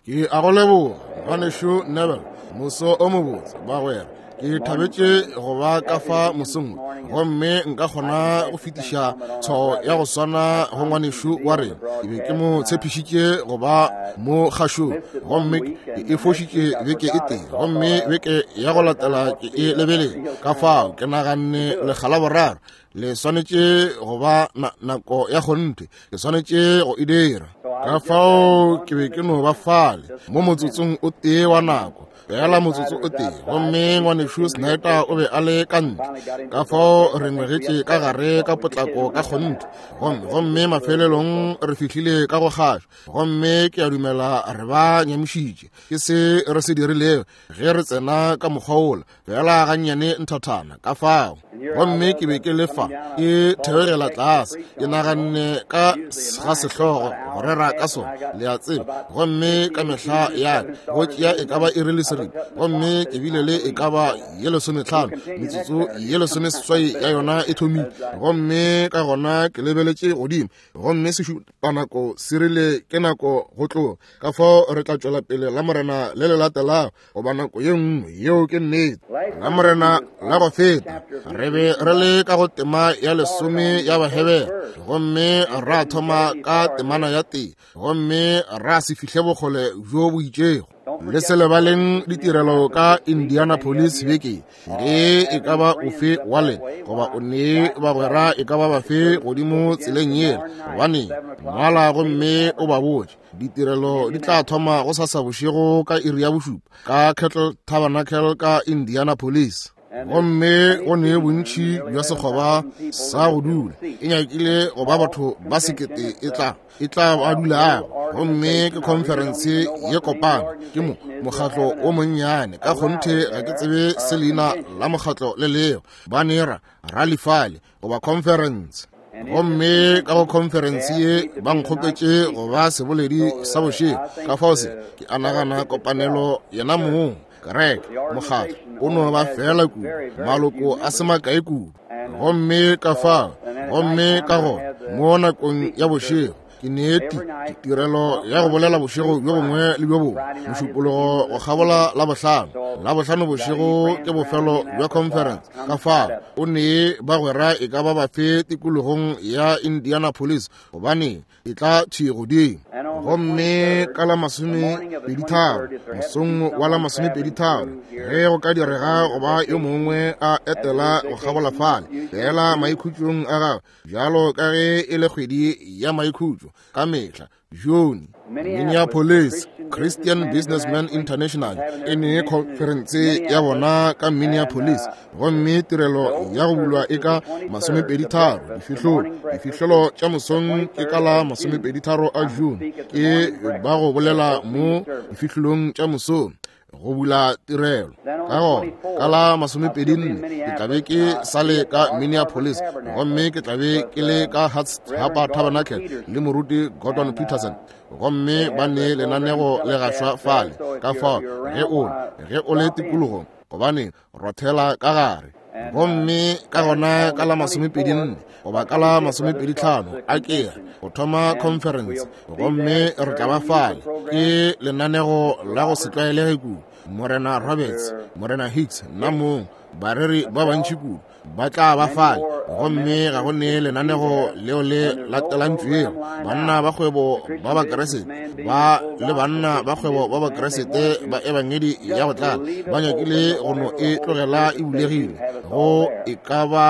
Ke a go leboga, Ngwanešu Neville. Moso o mobotse, bagwera. Ke thabetše go ba ka fa mosong wo, gomme nka kgona go fetiša tshwao ya go swana go ngwanešu wa rena. Ke be ke mo tshepišitše go ba mo kgašong, gomme ke e fošitše beke e tee, gomme beke ya go latela ke e lebeletše. Ka fao ke naganne lekga la boraro le swanetše go ba na, nako ya kgonthe ke swanetše go e dira ka fao ke be ke no ba fale mo motsotsong o tee wa nako fela motsotso o tee gomme ngwanešu snyder o be a le ka ntle ka fao re ngwegetše ka gare ka potlako ka kgonthe gomme gomme mafelelong re fihlile ka go kgašo gomme ke a dumela re ba nyamišitše ke se re se dirilego ge re tsena ka mokgwa wola fela gannyane nthathana ka fao gomme ke be ke le fa ke theogela tlase ke naganne ka ga sehlogo go rera ka sona le a tseba gomme ka mehla ya ka go tšea e ka ba iri le seripa gomme ke bile le e ka ba ye lesometlhano metsotso ye lesomeseswai ya yona e thomile gomme ka gona ke lebeletše godimo gomme sešupanako se rile ke nako go tloga ka fao re tla tšwela pele la morena le le latelago goba nako ye nngwe yeo ke nnete la morena la go feta re be re le ka go tema ya lesome ya bahebere gomme ra thoma ka temana ya tee gomme ra se fihle bokgole bjo bo itšego le se lebaleng ditirelo ka indianapolis beke ge e ka ba ofe wa lena goba o ne bagwera e ka ba bafe godimo tseleng yela gobane ngwala gomme o ba botše ditirelo di tla thoma go sasa bošego ka iri ya bošupa ka Kettle Tabernacle ka Indianapolis gomme go ne bontši bja sekgoba sa go dula e nyakile go ba batho ba sekete e tla e tla ba dulago gomme ke conference ye kopana ke mo mokgatlo o monnyane ka kgonthe ga ke tsebe se leina la mokgatlo le leo ba nera ralifale goba conference gomme ka go conference ye ba nkgopetše go ba seboledi sa bošego ka fao se ke a nagana kopanelo yena mong kereke mokgatlo o no ba fela kudu maloko a se makae kudu gomme ka fao gomme ka gona mo nakong ya bošego ke neeti tirelo ya go bolela bošego bjo bongwe le bjo bongwe mošupologo go kgabola la bohlano la bohlano bošego ke bofelo bja conference ka fao o nee bagwera e ka ba bafe tikologong ya indianapolis gobane e tla thwi godimo gomme ka la masomepeditharo mosong wa la masomepeditharo ge go ka direga go ba yo mongwe a etela go kgabola fale fela maikhutšong a gagwe bjalo ka ge e le kgwedi ya maikhutšo ka mehla june minneapolis christian businessman international e ne khonferense ya bona ka minneapolis gomme tirelo ya go bulwa e ka masomepeditharo difihlolo difihlolo tša mosong ke ka la masomepeditharo a june ke ba go bolela mo difihlolong tša mosong go bula tirelo ka gona ka la masomepedinne ke tlabe ke sa le ka minneapolis gomme ke tlabe ke le ka hapa tabernacle le moruti gordon peterson gomme ba ne lenanego le gašwa fale ka fao ge o ge o le tikologong gobane rothela ka gare gomme ka gona ka la masomepedinne goba ka la masomepeditlhano a kea go thoma conference gomme re tla ba fale ke lenanego la go se tlwaelege kudu morena roberts morena hicks nna mong bareri ba bantši kudu ba tla ba fale gomme ga go ne lenanego leo le latelantšwego banna ba kgwebo ba bakeresete ba le banna ba kgwebo ba bakeresete ba ebangedi ya go tlala ba nyakile go no e tlogela e bulegile go e ka ba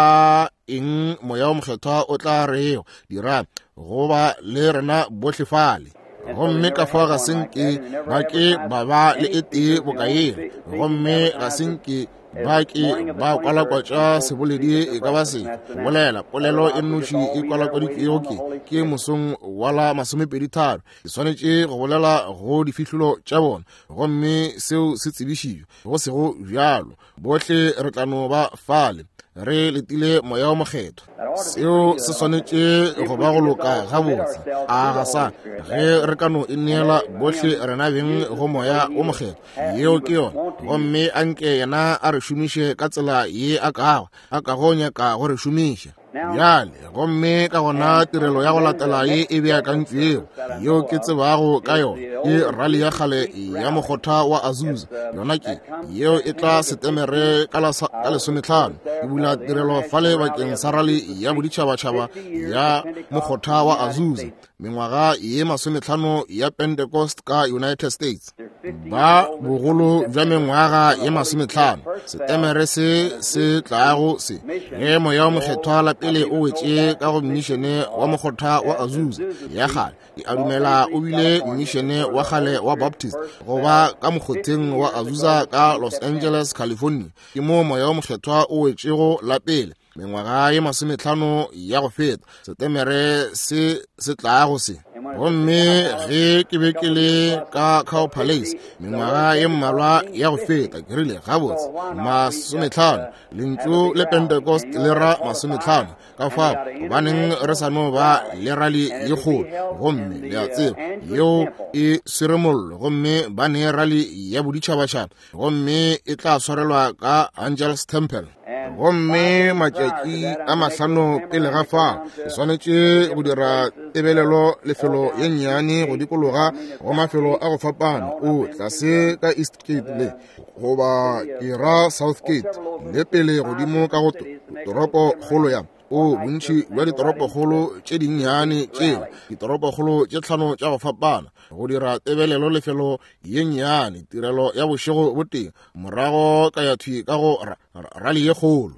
eng moya o mokgethwa o tla rego dira go ba le rena bohle fale gomme ka fao ga se nke ba ke ba ba le e tee bokaeng gomme ga se nke ba ke ba kwalakwatša seboledi e ka ba se bolela polelo e nnoši e kwalakwaditšwego ke ke mosong wa la masomepeditharo ke swanetše go bolela go difihlolo tša bona gomme seo se tsebišitšwe go sego bjalo bohle re tla no ba fale re letile moya o mokgethwa seo se swanetše go ba go loka gabotse a ga sa ge re ka no e neela bohle rena beng go moya o mokgethwa yeo ke yona gomme a nke yena a re šomiše ka tsela ye a kago a kago nyaka go re šomiša. Bjale, gomme ka gona tirelo ya go latela ye e beakantšwego yeo ke tsebago ka yona ke rali ya kgale ya mokgotha wa Azusa. Yona ke yeo e tla Setemere ka 15. Ke bula tirelo fale bakeng sa rali ya boditšhabatšhaba ya mokgotha wa Azusa, mengwaga ye 50 ya Pentecost ka United States. Ba bogolo bja mengwaga ye 50, Setemere se se tlago se, ge Moya wo Mokgethwa la pele o wetše ka go mmišene wa mokgotha wa Azusa ya kgale. Ke a dumela o bile mmišene wa kgale wa Baptist goba ka mokgotheng wa Azusa ka Los Angeles, California. Ke moo Moya wo Mokgethwa o wetšego la pele, mengwaga ye 50 ya go feta, Setemere se se tlago se. Gomme ge ke be ke le ka Cow Palace mengwaga ye mmalwa ya go feta, ke rile, gabotse, 50, lentšu le Pentecost le ra 50. Ka fao, gobaneng re sa no ba le rali ye kgolo? Gomme le a tseba, yeo e swere mollo, gomme ba ne rali ya boditšhabatšhaba, gomme e tla swarelwa ka Angel's Temple. Gomme matšatši a 5 pele ga fao, ke swanetše go dira tebelelo lefelo ye nnyane go dikologa go mafelo a go fapana, o tlase ka East Gate le goba ke ra South Gate le pele godimo ka go toropo kgolo ya o bontši bja ditoropokgolo tše dinnyane tšeo, ditoropokgolo tše 5 tša go fapana, go dira tebelelo lefelo ye nnyane, tirelo ya bošego botee, morago ka ya thwi ka go rali ye kgolo.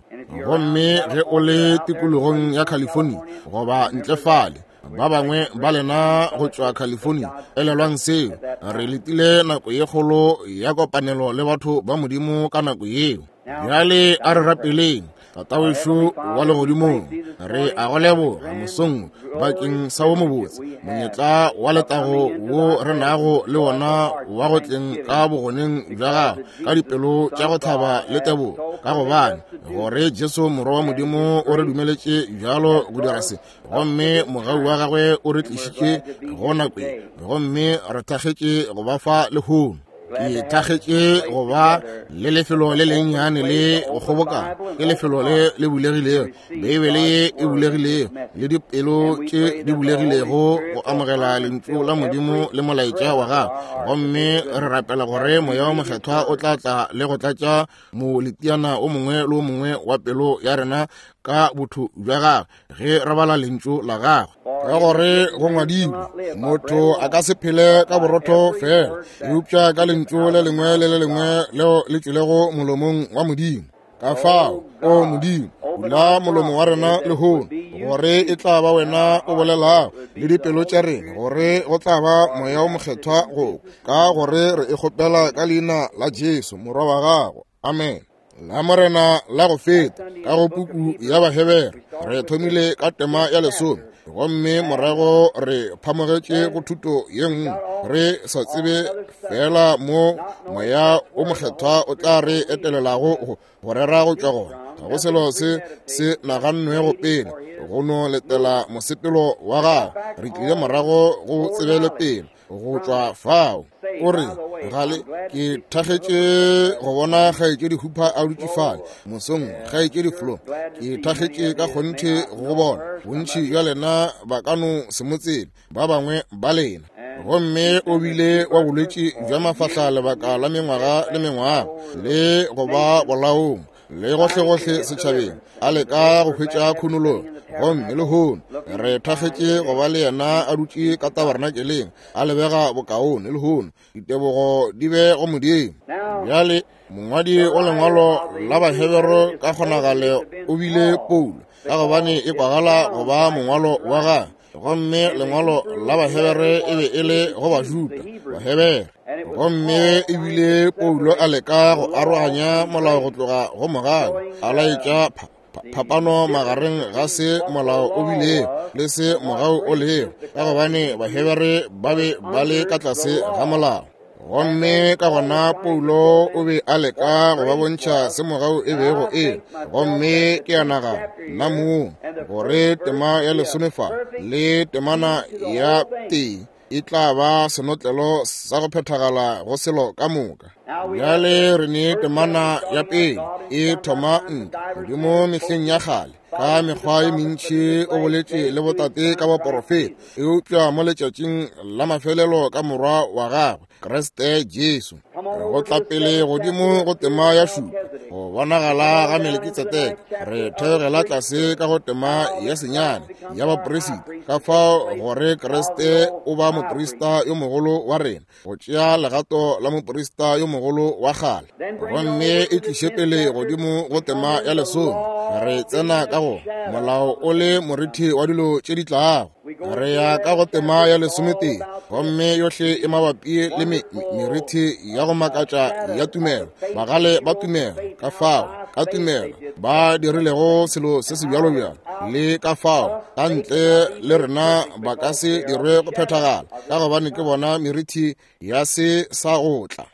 Gomme ge o le tikologong ya California goba ntle fale, ba bangwe ba lena go tšwa California, elelwang seo, re letile nako ye kgolo ya kopanelo le batho ba Modimo ka nako yeo. Bjale a re rapeleng. Tatawešo wa legodimong, re a go leboga mosong bakeng sa wo mobotse monyetla wa letago wo re nago le wona wa go tleng ka bogoneng bja gago ka dipelo tša go thaba le tebogo, ka gobane gore Jesu Morwa wa Modimo o re dumeletše bjalo go dira se, gomme mogau wa gagwe o re tlišitše go nako ye, gomme re thakgetše go ba fa lehono. Ke thakgetše go ba le lefelo le lennyane le go kgobokana, ke lefelo le le bulegilego, Beibele ye e bulegilego, le dipelo tše di bulegilego go amogela lentšu la Modimo le molaetša wa gagwe. Gomme re rapela gore Moya wo Mokgethwa o tla tla le go tlatša moletiana o mongwe le o mongwe wa pelo ya rena ka botho bja gagwe ge re bala lentšu la gagwe. Ka gore go ngwadilwe, motho a ka se phele ka borotho fela, eupša ka lentšu le lengwe le le lengwe leo le tšwelego molomong wa Modimo. Ka fao, o Modimo, bula molomo wa rena lehono, gore e tla ba wena o bolelago le dipelo tša rena, gore go tla ba Moya wo Mokgethwa go ka gore re e kgopela ka leina la Jesu Morwa wa gago. Amen. La Morena la go feta ka go puku ya Bahebere re thomile ka tema ya 10, gomme morago re phamogetše go thuto ye nngwe, re sa tsebe fela mo Moya wo Mokgethwa o tla re etelelago go rera go tšwa gona. Ga go selo se se nagannwego pele, go no letela mosepelo wa gagwe. Re tlile morago go tsebele pele go tšwa fao. O re, gale ke thakgetše go bona kgaetšedi Hooper a dutše fale mosong, kgaetšedi Flo, ke thakgetše ka kgonthe go bona. Bontši bja lena ba ka no se mo tsebe, ba bangwe ba lena. Gomme o bile wa bolwetši bja mafahla lebaka la mengwaga le mengwaga, le go ba bolaong le gohlegohle setšhabeng, a leka go hwetša khunologo. Gomme lehono re thakgetše go ba le yena a dutše ka tabernakeleng, a lebega bokaone lehono. Ditebogo di be go Modimo. Bjale mongwadi wa lengwalo la Bahebere ka kgonagalo o bile Paulo, ka gobane e kwagala go ba mongwalo wa gagwe. Gomme lengwalo la Bahebere e be e le go Bajuda, Bahebere. Gomme ebile Paulo a leka go aroganya molao go tloga go mogau, a laetša phapano magareng ga se molao o bilego le se mogau o lego, ka gobane Bahebere ba be ba le ka tlase ga molao. Gomme ka gona Paulo o be a leka go ba bontšha se mogau e bego e. Gomme ke a nagana, nna mong, gore tema ya 10 fa le temana ya 1 e tla ba senotlelo sa go phethagala go selo ka moka. Bjale re ne temana ya 1 e thoma ntwa Modimo mehleng ya kgale. Ka mekgwa ye mentši o boletše le botate ka baporofeta, eupša mo letšatšing la mafelelo ka Morwa wa gagwe, Kriste Jesu. Go tla pele godimo go tema ya šupa, go bonagala ga Melekitsedeke, re theogela tlase ka go tema ya senyane ya baporisita, ka fao gore Kriste o ba moprista yo mogolo wa rena, go tšea legato la moprista yo mogolo wa kgale. Gomme e tliše pele godimo go tema ya lesome, re tsena ka go molao o le morithi wa dilo tše di tlago. Re ya ka go tema ya lesometee, gomme yohle e mabapi le merithi ya go makatša ya tumelo, bagale ba tumelo, ka fao ka tumelo ba dirilego selo se se bjalobjalo, le ka fao ka ntle le rena ba ka se dirwe go phethagala, ka gobane ke bona merithi ya se sa go tla.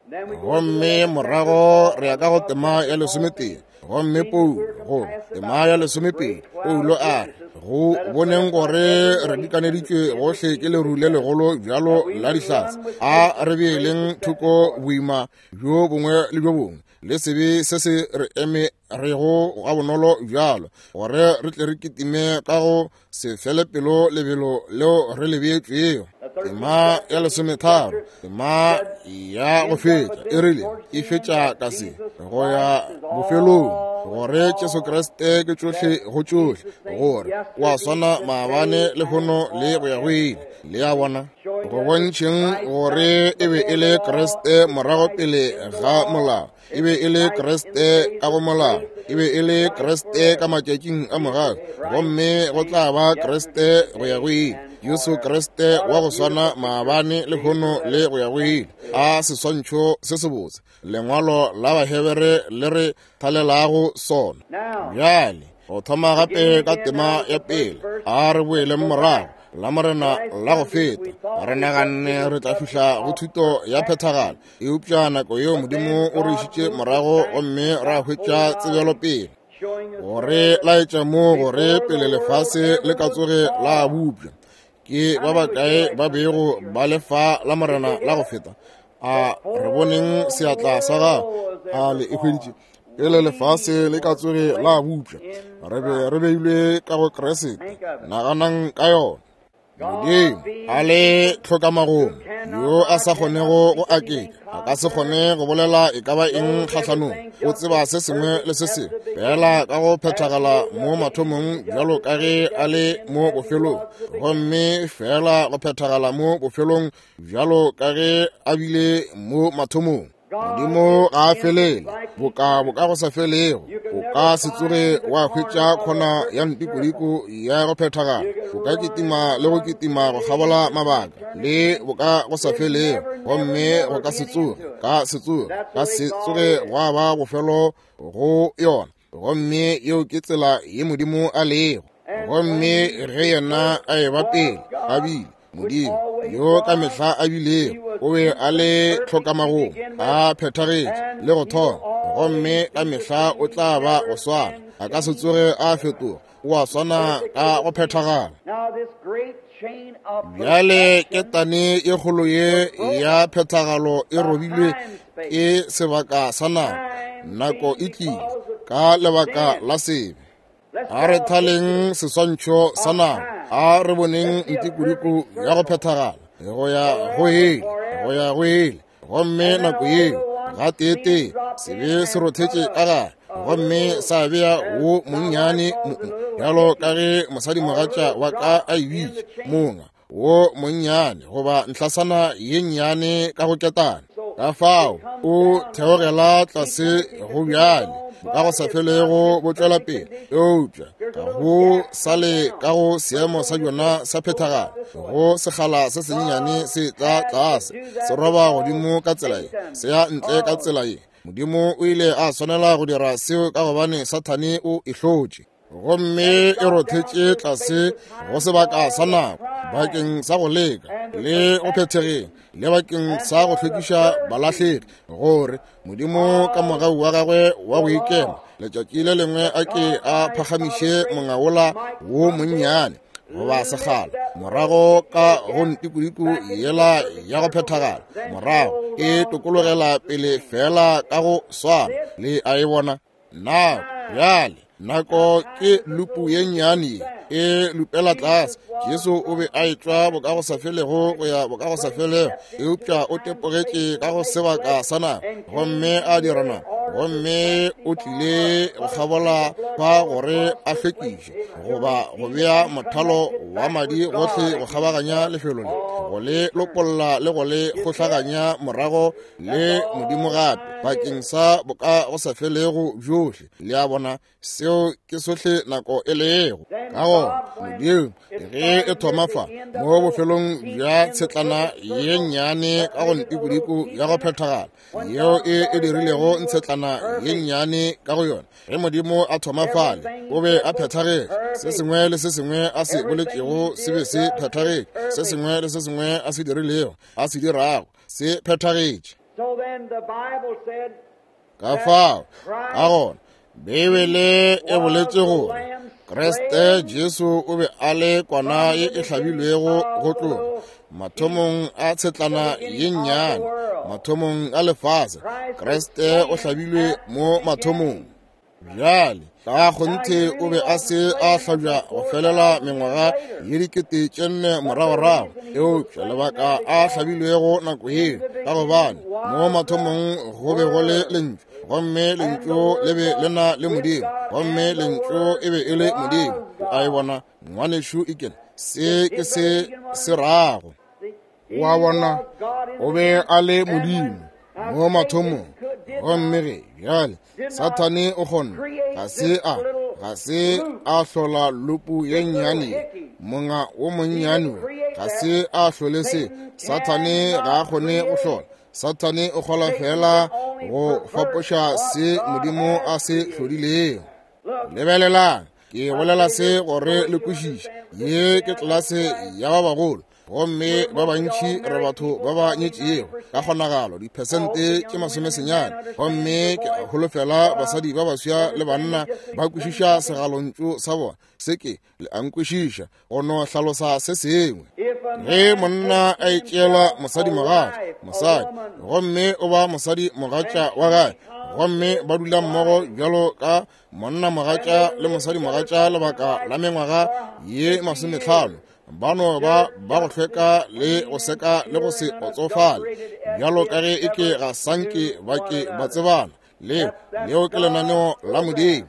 Gomme morago re ya ka go tema ya lesometee, gomme Paulo go tema ya lesomepedi, Paulo a re, go boneng gore re dikaneditšwe gohle ke leru le legolo bjalo la dihlatse, a re beeleng thoko boima bjo bongwe le bjo bongwe le sebe se se re eme rego gabonolo bjalo, gore re tle re kitime ka go se fele pelo lebelo leo re le beetšwego. Tema ya lesometharo, tema ya go fetša, e rile e fetša ka se go ya bofelong, gore Jesu Kriste ke tšohle go tšohle, gore o a swana maabane, lehono le go ya go ile. Le a bona, go bontšheng gore e be e le Kriste morago pele ga molao, e be e le Kriste ka go molao, e be e le Kriste ka matšatšing a morago, gomme go tla ba Kriste go ya go ile. Jesu Kriste wa go swana maabane, lehono le go ya go ile. A seswantšho se sebotse lengwalo la Bahebere le re thalelago sona. Bjale go thoma gape ka tema ya pele, a re boeleng morago la Morena la go feta. Re naganne re tla fihla go thuto ya phethagalo, eupša nako yeo Modimo o re išitše morago gomme ra hwetša tsebelopele gore laetša mo gore pele lefase le ka tsoge la bupša. Ke ba bakae ba bego ba le fa la Morena la go feta? A re boneng seatla sa gago. A le e hweditše? Pele lefase le ka tsoge la bupša, re be re beilwe ka go Kriste. Naganang ka yona. Modimo a le tlhokamagomo, yo a sa kgonego go aketša, a ka se kgone go bolela e ka ba eng kgahlanong. O tseba se sengwe le se sengwe fela ka go phethagala mo mathomong bjalo ka ge a le mo bofelong, gomme fela go phethagala mo bofelong bjalo ka ge a bile mo mathomong. Modimo ga a felele, boka boka go sa felego. O ka se tsoge wa hwetša khona ya ntikodiko ya go phethagala. O ka kitima le go kitima go kgabola mabaka le boka go sa felego, gomme go ka se tsoge, ka se tsoge, ka se tsoge gwa ba bofelo go yona. Gomme yeo ke tsela ye Modimo a lego. Gomme ge yena a eba pele, a bile Modimo yo ka mehla a bilego, o be a le tlhokamagong, a phethagetše le go thoma, gomme ka mehla o tla ba go swana, a ka se tsoge a fetoga, o a swana ka go phethagala. Bjale ketane ye kgolo ye ya phethagalo e robilwe ke sebaka sa nako. Nako e tlile ka lebaka la sebe. A re thaleng seswantšho sa nako, a re boneng ntikodiko ya go phethagala go ya go ele, go ya go ele. Gomme nako yeo gateetee sebe se rothetše ka gare gomme sa bea wo monnyane, bjalo ka ge mosadimogatša wa ka a e bitša, monga wo monnyane goba nhlasana ye nnyane ka go ketana. Ka fao o theogela tlase go bjale ka go sa felego bo tšwela pele, eupša ga go sa le ka go seemo sa bjona sa phethagalo. Go sekgala se sennyane se tla tlase, se roba godimo ka tsela ye, se ya ntle ka tsela ye. Modimo o ile a swanela go dira seo ka gobane Sathane o e hlotše, gomme e rothetše tlase go sebaka sa nako bakeng sa go leka le go phethegeng le bakeng sa go hlwekiša balahlegi, gore Modimo ka mogau wa gagwe wa go ikema letšatši le lengwe a ke a phagamiše mongaola wo monnyane goba sekgala morago ka go ntikodiko yela ya go phethagala, morago e tokologela pele fela ka go swana le a e bona. Nako bjale, Nako ke lupu ye nnyane e lupela tlase. Jesu o be a etšwa bokagosafelego go ya bokagosafelego, eupša o tepogetše ka go sebaka sa nako gomme a dira nako, gomme o tlile go kgabola fa gore a hlwekiše goba go bea mothalo wa madi gohle go kgabaganya lefelo le, go le lopolla le go le kgohlaganya morago le Modimo gape bakeng sa bokagosafelego bjohle. Le a bona, seo ke sohle nako e lego. Ka gona Modimo ge e thoma fa mo bofelong bja tshetlana ye nnyane ka go ntikodiko ya go phethagala yeo e e dirilego ntshetlana ye nnyane ka go yona, ge Modimo a thoma fale o be a phethagetše. Se sengwe le se sengwe a se boletšego se be se phethagetše, se sengwe le se sengwe a se dirilego, a se dirago, se phethagetše. Ka fao ka gona Beibele e boletše gore Kriste Jesu o be a le kwana ye e hlabilwego go tloga mathomong a tshetlana ye nnyane, mathomong a lefase. Kriste o hlabilwe mo mathomong. Bjale, ka kgonthe o be a se a hlabja go felela mengwaga ye 4000 moragorago, eupša lebaka a hlabilwego nako yeo, ka gobane mo mathomong go be go le Lentšu, gomme Lentšu le be le na le Modimo, gomme Lentšu e be e le Modimo. O a e bona, ngwanešu Eken, se ke se se rago. Wa bona, o be a le Modimo mo mathomong, gomme ge bjale Sathane o kgona, ga se a, ga se a hlola lupu ye nnyane ye, monga wo monnyane wo, ga se a hlole se. Sathane ga a kgone go hlola. Sathane o kgola fela go fapoša se Modimo a se hlodilego. Lebelelang, ke bolela se gore le kwešiše. Ye ke tlelase ya ba bagolo, gomme ba bantši re batho ba ba nyetšego ka kgonagalo diphesente tše 90, gomme ke a holofela basadi ba baswa le banna ba kwešiša segalontšu sa bona. Se ke le a nkwešiša, go no hlalosa se sengwe. Ge monna a itšeela mosadi mogatša, mosadi, gomme o ba mosadi mogatša wa gagwe, gomme ba dula mmogo bjalo ka monna mogatša le mosadi mogatša lebaka la mengwaga ye 50, ba no ba ba go hlweka le go seka le go se otsofale, bjalo ka ge e ke ga sanke ba ke ba tsebana. Leo, leo ke lenaneo la Modimo.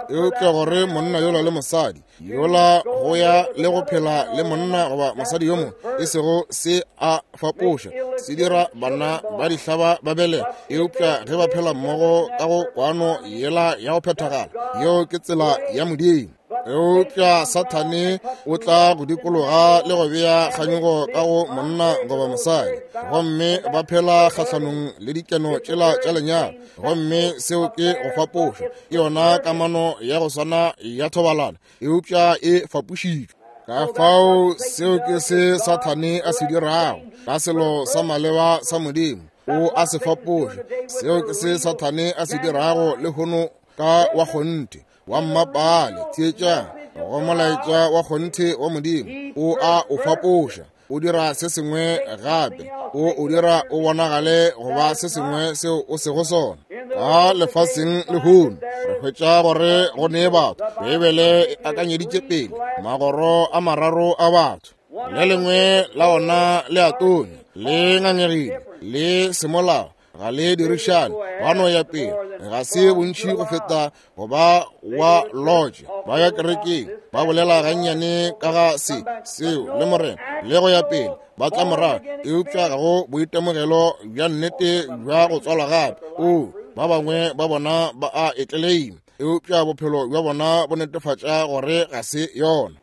Eupša gore monna yola le mosadi yola go ya le go phela le monna goba mosadi yo mongwe, e sego se a fapoša, se dira bana ba dihlaba ba belega. Eupša ge ba phela mmogo ka go kwano yela ya go phethagala, yeo ke tsela ya Modimo. Eupša Sathane o tla go dikologa le go bea kganyogo ka go monna goba mosadi, gomme ba phela kgahlanong le dikeno tšela tša lenyalo, gomme seo ke go fapoša. Ke yona kamano ya go swana ya thobalano, eupša e fapošitšwe. Ka fao seo ke se Sathane a se dirago ka selo sa maleba sa Modimo, o a se fapoša. Seo ke se Sathane a se dirago lehono ka wa kgonthe wa mmapale. Theetšang go molaetša wa kgonthe wa Modimo, o a o fapoša, o dira se sengwe gape, o o dira o bonagale go ba se sengwe seo o sego sona. Ka lefaseng lehono re hwetša gore go ne batho, Beibele e akanyeditše pele magoro a mararo a batho. Le lengwe la ona le a tonya, le ngangegile, le semolao, ga le dirišane, ba no ya pele, ga se bontši go feta go ba wa lodge, ba ya kerekeng, ba bolela gannyane ka ga se, seo, le Morena, le go ya pele, ba tla morago, eupša ga go boitemogelo bja nnete bja go tswalwa gape. O, ba bangwe ba bona ba a e tleleima, eupša bophelo bja bona bo netefatša gore ga se yona.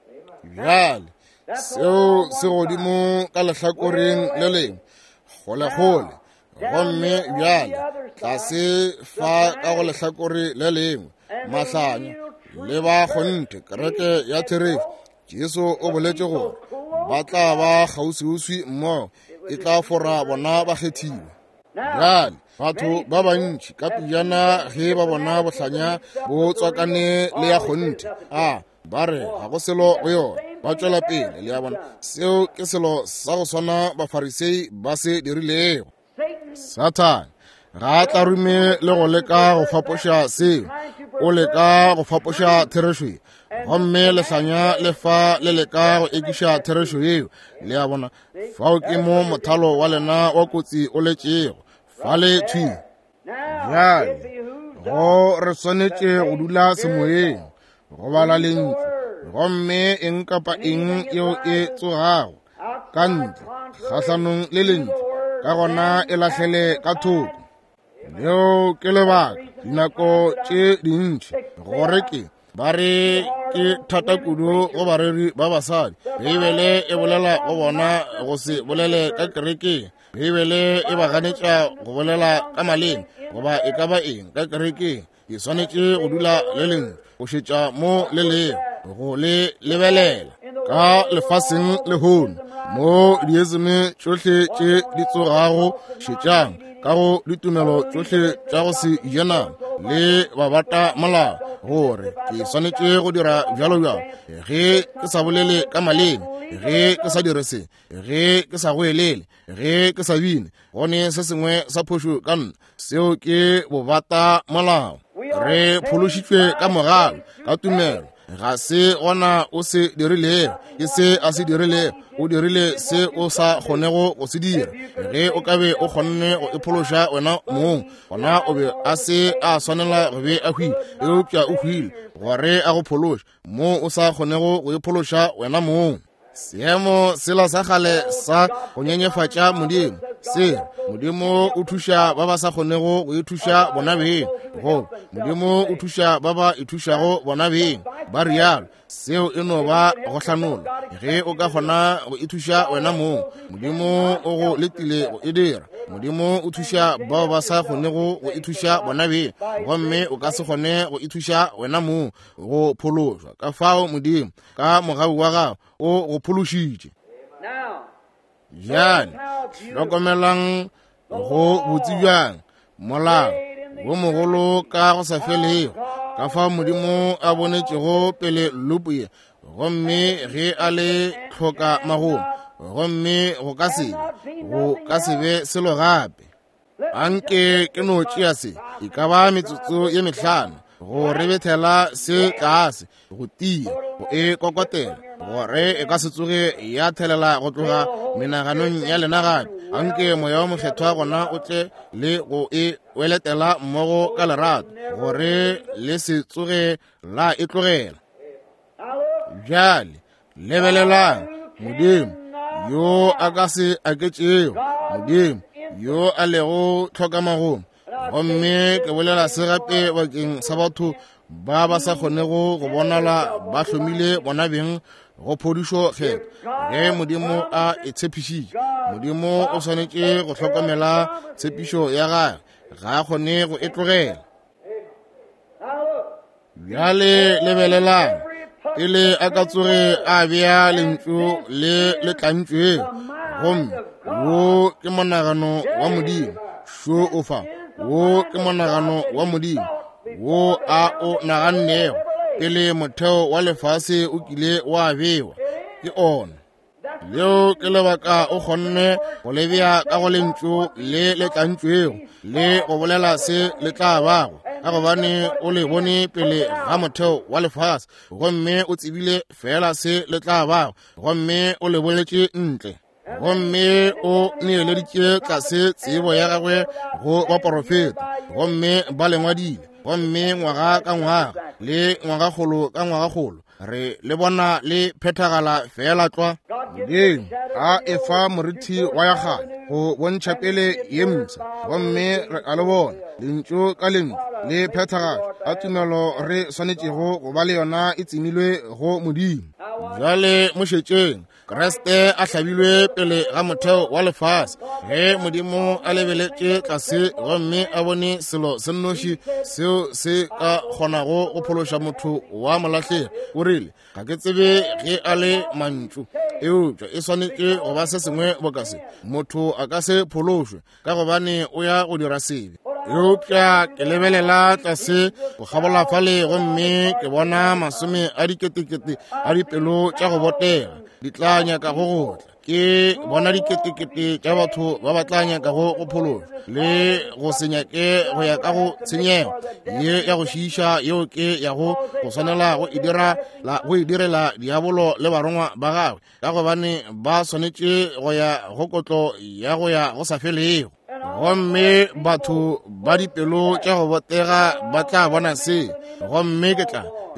Bjale, seo se godimo ka lehlakoreng le lengwe, kgolekgole, gomme bjale tlase fa ka go lehlakore le lengwe, mahlanya le ba kgonthe, kereke ya therešo. Jesu o boletše gore ba tla ba kgauswiuswi mmogo, e tla fora bona bakgethiwa. Bjale batho ba bantši ka pejana ge ba bona bohlanya bo tswakane le ya kgonthe, a ba re ga go selo go yona, ba tšwela pele. Le a bona, seo ke selo sa go swana Bafarisei ba se dirilego. Sathane ga a tlarume le go leka go fapoša seo. o leka go fapoša therešo ye, gomme lehlanya le fa le leka go ekiša therešo yeo. Le a bona, fao ke mo mothalo wa lena wa kotsi o letšego fale thwi. Bjale go re swanetše go dula semoyeng, go bala lentšu, gomme eng kapa eng yeo e tsogago ka ntle kgahlanong le lentšu, ka gona e lahlele ka thoko. Leo ke lebaka dinako tše dintši gore ke ba re ke thata kudu go bareri ba basadi. Beibele e bolela go bona go se bolele ka kerekeng. Beibele e ba ganetša go bolela ka maleme goba e ka ba eng ka kerekeng. Ke swanetše go dula le lentšu, go šetša mo le lego, go le lebelela ka lefaseng lehono mo dieseme tšohle tše di tsogago. Šetšang ka go ditumelo tšohle tša go se je nama le babata molao, gore ke swanetše go dira bjalo bjalo. Ge ke sa bolele ka maleme, ge ke sa dire se, ge ke sa goelele, ge ke sa bine, gone se sengwe sa phošo ka nna. Seo ke bobata molao. Re phološitšwe ka mogalo, ka tumelo. Ga se gona o se dirilego, ke se a se dirilego. O dirile se o sa kgonego go se dira. Ge o ka be o kgonne go iphološa wena mong, gona o be a se a swanela go be a hwile, eupša o hwile gore a go phološe mo o sa kgonego go iphološa wena mong. Seemo sela sa kgale sa go nyenyefatša Modimo se re, Modimo o thuša ba ba sa kgonego go ithuša bona beng, goba Modimo o thuša ba ba ithušago bona beng, ba rialo. Seo e no ba go hlanola. Ge o ka kgona go ithuša wena mong, Modimo o go letile go e dira. Modimo o thuša bao ba sa kgonego go ithuša bona beng, gomme o ka se kgone go ithuša wena mong go phološwa. Ka fao Modimo ka mogau wa gago o go phološitše. Bjale hlokomelang go botse bjang molao wo mogolo ka go sa felego, ka fao Modimo a bonetšego pele lupu ye, gomme ge a le hloka magomo, gomme go ka se be, go ka se be selo gape. Anke ke no tšea se e ka ba metsotso ye mehlano go rebethela se tlase, go tia, go e kokotela, gore e ka se tsoge ya thelela go tloga menaganong ya lena gape. Anke Moya wa Mokgethwa gona o tle le go e weletela mmogo ka lerato, gore le se tsoge la e tlogela. Bjale lebelelang, Modimo yo a ka se aketšego, Modimo yo a lego tlhokamagomo. Gomme ke bolela se gape bakeng sa batho ba ba sa kgonego go bonala ba hlomile bona beng go phodišo kgetho. Ge Modimo a e tshepišitše, Modimo o swanetše go hlokomela tshepišo ya gagwe, ga a kgone go e tlogela. Bjale lebelelang, pele a ka tsoge a bea lentšu le le tlantšweng, gomme wo ke monagano wa Modimo, šo o fa, wo ke monagano wa Modimo wo a o nagannego pele motheo wa lefase o kile wa bewa, ke ona. Leo ke lebaka o kgonne go le bea ka go lentšu le le tlantšwego le go bolela se le tla bago, ka gobane o le bone pele ga motheo wa lefase, gomme o tsebile fela se le tla bago, gomme o le boletše ntle, gomme o neeleditše tlase tsebo ya gagwe go baporofeta, gomme ba le ngwadile, gomme ngwaga ka ngwaga le ngwagakgolo ka ngwagakgolo re le bona le phethagala feela tlwa. Modimo a efa morithi wa ya kgale go bontšha pele ye mpsha, gomme re a le bona lentšu ka lentšu le phethagala. Ka tumelo re swanetšego go ba le yona e tsemilwe go Modimo. Bjale mo šetšeng, Kriste a hlabilwe pele ga motheo wa lefase. Ge Modimo a lebeletše tlase gomme a bone selo se nnoši seo se ka kgonago go phološa motho wa molahlegi, o rile, Ga ke tsebe ge a le mantšu, eupša e swanetše go ba se sengwe boka se. Motho a ka se phološwe ka gobane o ya go dira sebe. Eupša ke lebelela tlase go kgabola fale gomme ke bona masome a diketekete a dipelo tša go botega di tla nyaka go go tla. Ke bona diketekete tša batho ba ba tla nyakago go phološwa le go se nyake go ya ka go tshenyego ye ya go šiiša yeo ke yago go swanela go e dira go e direla diabolo le barongwa ba gagwe, ka gobane ba swanetše go ya go kotlo ya go ya go sa felego. Gomme batho ba dipelo tša go botega ba tla bona se, gomme ke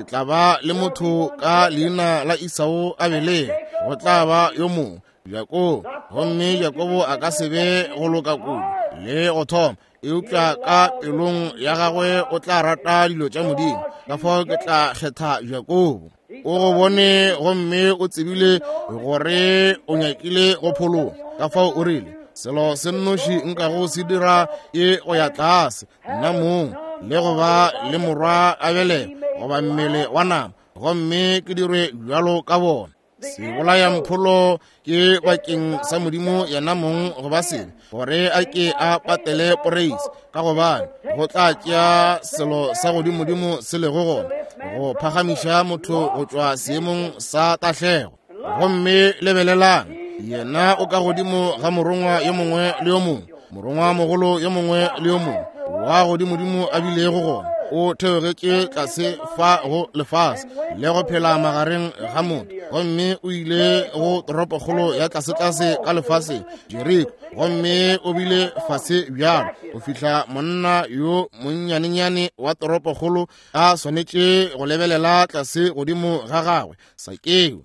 tla ba le motho ka leina la Esau a belege, go tla ba yo mongwe Jakobo, gomme Jakobo a ka se be go loka kudu le go thoma, eupša ka pelong ya gagwe o tla rata dilo tša Modimo. Ka fao ke tla kgetha Jakobo. O go bone gomme o tsebile gore o nyakile go phologa. Ka fao o rile, selo se nnoši nkago se dira ke go ya tlase nna mong le go ba le morwa a belego goba mmele wa nama, gomme ke dirwe bjalo ka bona. Sebolayampholo ke bakeng sa Modimo yena mong go ba sebe, gore a ke a patele poreisi, ka gobane go tla tšea selo sa godimodimo se lego gona go phagamiša motho go tšwa seemong sa tahlego. Gomme lebelelang, yena o ka godimo ga morongwa yo mongwe le yo mongwe, morongwa mogolo yo mongwe le yo mongwe wa godimodimo a bilego gona, o theogetše tlase fa go lefase le go phela magareng ga motho, gomme o ile go toropokgolo ya tlasetlase ka lefaseng, Jeriko, gomme o bile fase bjalo go fihla monna yo monnyanenyane wa toropokgolo a swanetše go lebelela tlase godimo ga gagwe, Sakeo.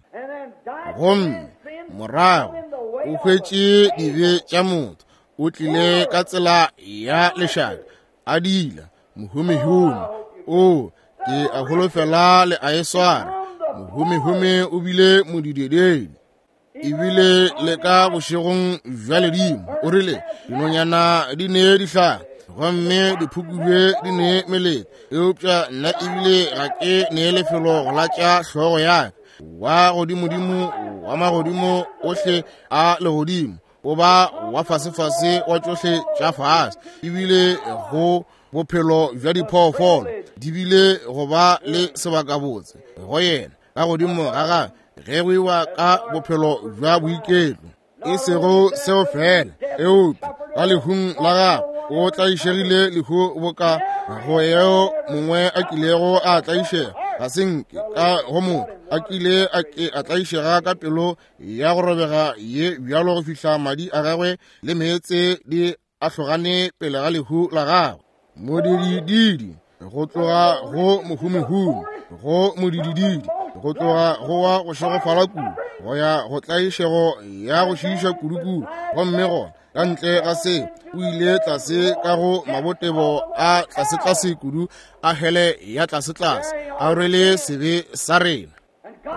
Gomme morago o hwetše dibe tša motho, o tlile ka tsela ya lešaka, a dila mohumehume. O ke a holofela le a e swara. Mohumehume o bile modidededi ebile le ka bošegong bja ledimo. O rile dinonyana di ne dihlare gomme diphukubje di ne melete, eupša nna ebile ga ke ne lefelo go latša hlogo ya ka. Wa godimodimo wa magodimo ohle a legodimo o ba wa fasefase wa tšohle tša fase, ebile go bophelo bja diphoofolo di bile go ba le sebakabotse go yena ka godimo ga gagwe ge go iwa ka bophelo bja boiketlo. E sego seo fela, eupša ka lehung la gagwe o tlaišegile lehu boka go eo mongwe a kilego a tlaišega. Ga se nke ka go motho a kile a ke a tlaišega ka pelo ya go robega ye bjalo go fihla madi a gagwe le meetse di ahlogane pele ga lehu la gagwe. Modidididi go tloga go mohumihumi go modidididi, go tloga go wa go šegofala kudu go ya go tlaišego ya go šiiša kudukudu, gomme gona ka ntle ga se o ile tlase ka go mabotebo a tlasetlase kudu a hele ya tlasetlase, a rwele sebe sa rena.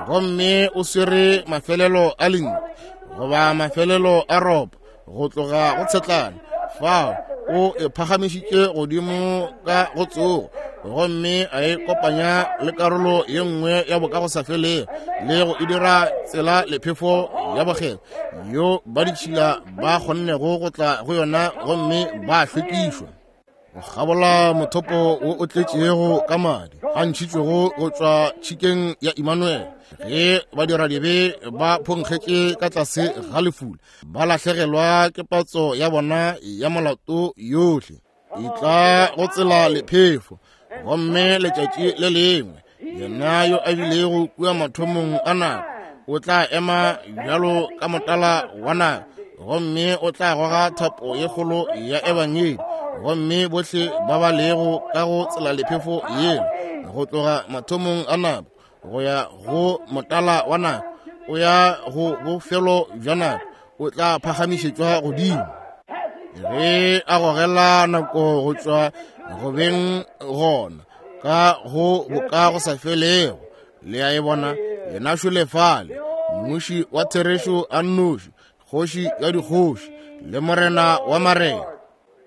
Gomme o swere mafelelo a lentšu goba mafelelo a ropo go tloga go tshetlana fao, o e phagamišitše godimo ka go tsogo, gomme a e kopanya le karolo ye nngwe ya bokagosafelego le go e dira tsela lephefo ya bokgethwa yo ba ditšhila ba kgonnego go tla go yona gomme ba hlwekišwa. Go kgabola mothopo wo o tletšego ka madi a ntšhitšwego go tšwa tšhikeng ya Immanuel, ge badiradibe ba phonkgetše ka tlase ga lefula, ba lahlegelwa ke patso ya bona ya molato yohle. E tla go tsela lephefo, gomme letšatši le lengwe yena yo a bilego kua mathomong a nako o tla ema bjalo ka motala wa nako, gomme o tla goga thapo ye kgolo ya ebangedi, gomme bohle ba ba lego ka go tsela lephefo yela go tloga mathomong a nako go ya go motala wa nako o ya go bofelo bja nako o tla phagamišetšwa godimo. Ge a gogela nako go tšwa go beng gona ka go boka go sa felego, le a e bona, yena šole fale, mmuši wa therešo a nnoši, kgoši ya dikgoši le morena wa marena.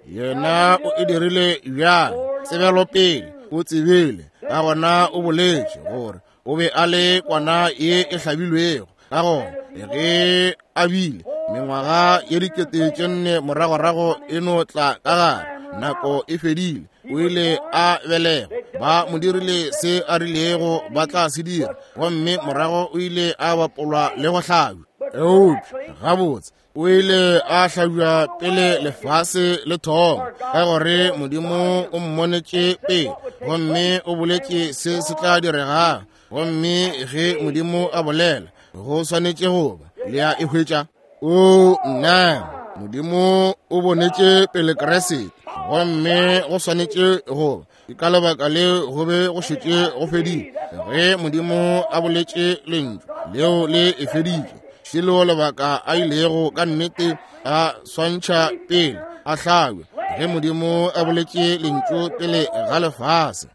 Yena o e dirile bjang? Tsebelopele, o tsebile, ka gona o boletše gore o be a le kwana ye e hlabilwego. Ka gona ge a bile mengwaga ye 4000 moragorago e no tla ka gare, nako e fedile, o ile a belegwa, ba mo dirile se a rilego ba tla se dira, gomme morago o ile a bapolwa le go hlabja. Eupša gabotse o ile a hlabja pele lefase le thoma, ka gore Modimo o mmonetše pele gomme o boletše se se tla diregang. Gomme ge Modimo a bolela, go swanetše go ba. Le a e hwetša? O nna, Modimo o bonetše pele Kriste, gomme go swanetše go ba. Ke ka lebaka le go be go šetše go fedile. Ge Modimo a boletše lentšu leo le e feditše, šelo lebaka a ilego ka nnete a swantšha pele a hlabja, ge Modimo a boletše lentšu pele ga lefase.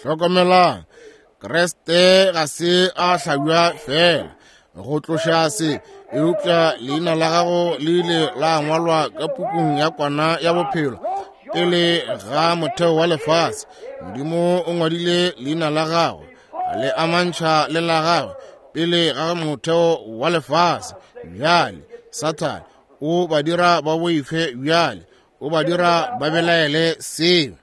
Hlokomelang, Kriste ga se a hlabja fela go tloša se, eupša leina la gago le ile la ngwalwa ka pukung ya kwana ya bophelo pele ga motheo wa lefase. Modimo o ngwadile leina la gago le amantšha le la gagwe pele ga motheo wa lefase. Bjale Sathane o ba dira ba boife, bjale o ba dira ba belaele seo.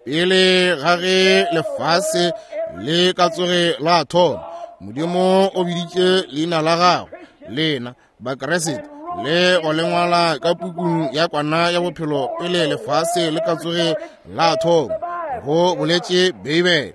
Pele ga ge lefase le ka tsoge la thoma, Modimo o biditše leina la gagwe, lena Bakriste, le go le ngwala ka pukung ya kwana ya bophelo pele lefase le ka tsoge la thoma, go boletše Beibele.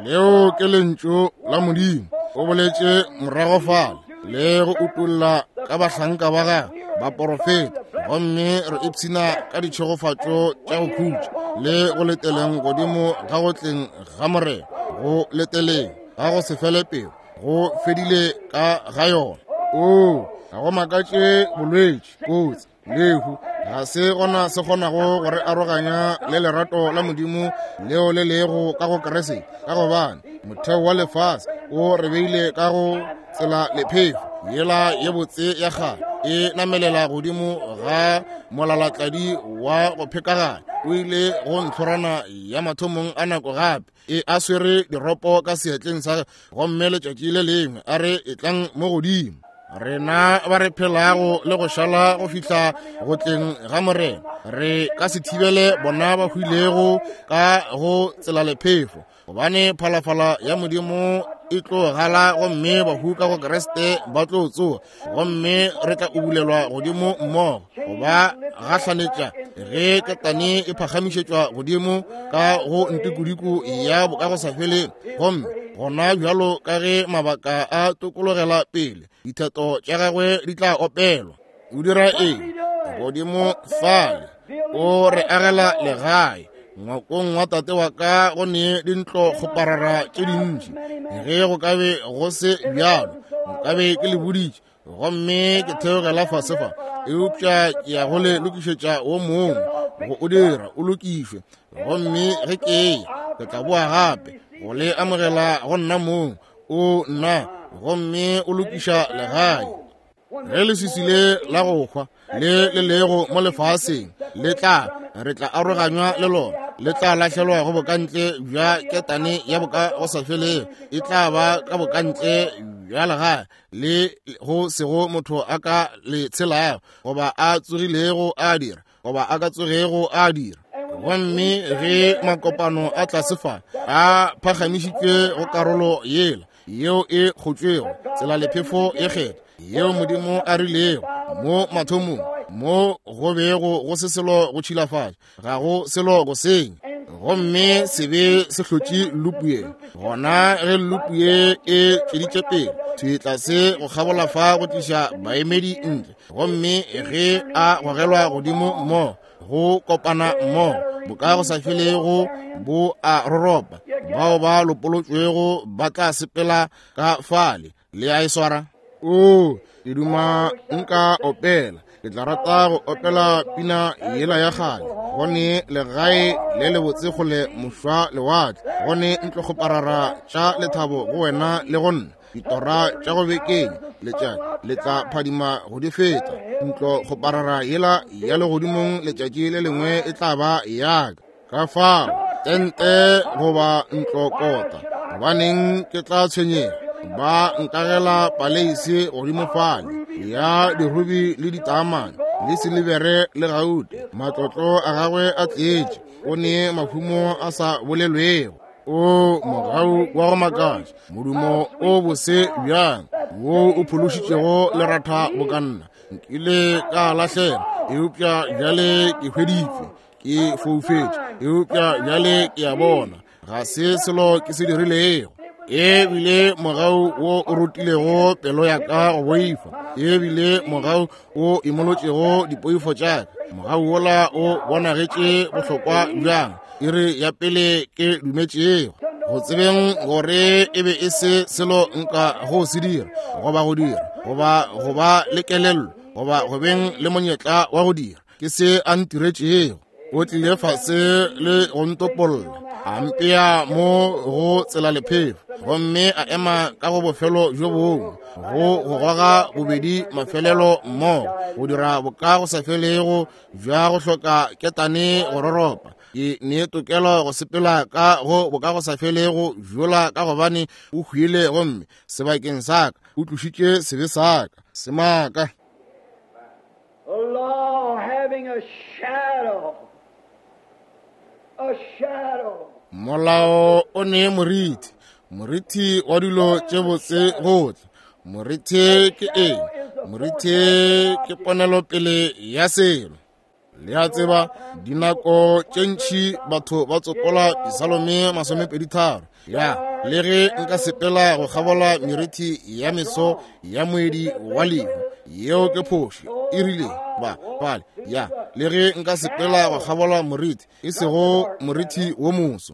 Leo ke lentšu la Modimo. O boletše morago fale le go utolla ka bahlanka ba gagwe baporofeta, gomme re ipshina ka ditšhegofatšo tša go khutša le go leteleng godimo ga go tleng ga Morena, go leteleng ga go se fele pelo, go fedile ka ga yona. Oo, ga go makatše bolwetši, kotsi, lehu ga se gona se kgonago go re aroganya le lerato la Modimo leo le lego ka go Kriste, ka gobane motheo wa lefase o re beile ka go tsela lephefo yela ye botse ya kgale e namelela godimo ga molalatladi wa go phekaganya. O ile go ntlhorana ya mathomong a nako gape e a swere diropo ka seatleng sa gomme letšatši le lengwe a re etlang mo godimo. Rena ba re phelago le go šala go fihla go tleng ga Morena, re ka se thibele bona ba hwilego ka go tsela lephefo, gobane phalafala ya Modimo e tlo gala gomme bahu ka go Kriste ba tlo tsoga, gomme re tla ubulelwa godimo mmogo go ba gahlanetša ge ketane e phagamišetšwa godimo ka go ntikodiko ya bokagosafeleng. Gomme gona bjalo ka ge mabaka a tokologela pele, ditheto tša gagwe di tla opelwa. O dira eng godimo fale? O re agela legae. Ngwakong wa tate wa ka go ne dintlo kgoparara tše dintši. Ge go ka be go se bjalo, nkabe ke le boditše, gomme ke theogela fase fa, eupša ke ya go le lokišetša wo mongwe go o dira o lokišwe. Gomme ge ke eya, ke tla boa gape go le amogela go nna mong. O nna, gomme o lokiša legae. Ge leswiswi le la go hwa le le lego mo lefaseng le tla, re tla aroganywa le lona, le tla lahlelwa go bokantle bja ketane ya boka go sa felego, e tla ba ka bokantle bja legae le go sego motho a ka le tshelago, goba a tsogilego a dira, goba a ka tsogego a dira. Gomme ge makopano a tlase fa a phagamišitšwe go karolo yela yeo e kgotšwego tsela lephefo e kgetha yeo Modimo a rilego mo mathomong, mo go bego go se selo go tšhilafatša, ga go selo go senya, gomme sebe se hlotše lupu ye. Gona ge lupu ye e tšweditše pele thwi tlase go kgabola fa go tliša baemedi ntle, gomme ge a gogelwa godimo mmogo go kopana mmogo boka go sa felego bo a roropa, bao ba lopolotšwego ba tla sepela ka fale. Le a e swara? O, ke duma nka opela. Ke tla rata go opela pina yela ya kgale. Go ne legae le lebotse kgole mošwa lewatle, go ne ntlokgoparara tša lethabo go wena le go nna, ditora tša go bekeng letšatši le tla phadima go di feta. Ntlokgoparara yela ya legodimong letšatši le lengwe e tla ba yaka. Ka fao tente goba ntlokota, gobaneng ke tla tshwenyega? Ba nkagela paleise godimo fale ya dirubi le ditaamane le silibere le gaute. Matlotlo a gagwe a tletše, o ne mahumo a sa bolelwego. O mogau wa go makatša, modumo o bose bjang wo o phološitšego leratha bokanna. Nkile ka lahlela, eupša bjale ke hweditšwe, ke foufetše, eupša bjale ke a bona. Ga se selo ke se dirilego. E bile mogau wo o rutilego pelo ya ka go boifa, e bile mogau o imolotšego dipoifo tša ka. Mogau wola o bonagetše bohlokwa bjang iri ya pele ke dumetšego, go tsebeng gore e be e se selo nka go se dira, goba go dira, goba go ba le kelello, goba go beng le monyetla wa go dira. Ke se a ntiretšego. O tlile fase le go ntopolla, a mpea mo go tsela lephefo, gomme a ema ka go bofelo bjo bongwe, go go goga bobedi mafelelo mmogo, go dira boka go sa felego bja go hloka ketane go roropa. Ke ne tokelo go sepela ka go boka go sa felego bjola, ka gobane o hwile gomme sebakeng sa ka o tlošitše sebe sa ka semaka. Molao o ne moriti, moriti wa dilo tše botse go tla. Moriti ke eng? Moriti ke ponelopele ya selo. Le a tseba, dinako tše ntši batho ba tsopola Disalome 23. Ya, le ge nka sepela go kgabola meriti ya meso ya moedi wa lehu, yeo ke phošo, e rile ba bale. Ya, le ge nka sepela go kgabola moriti, e sego moriti wo moso.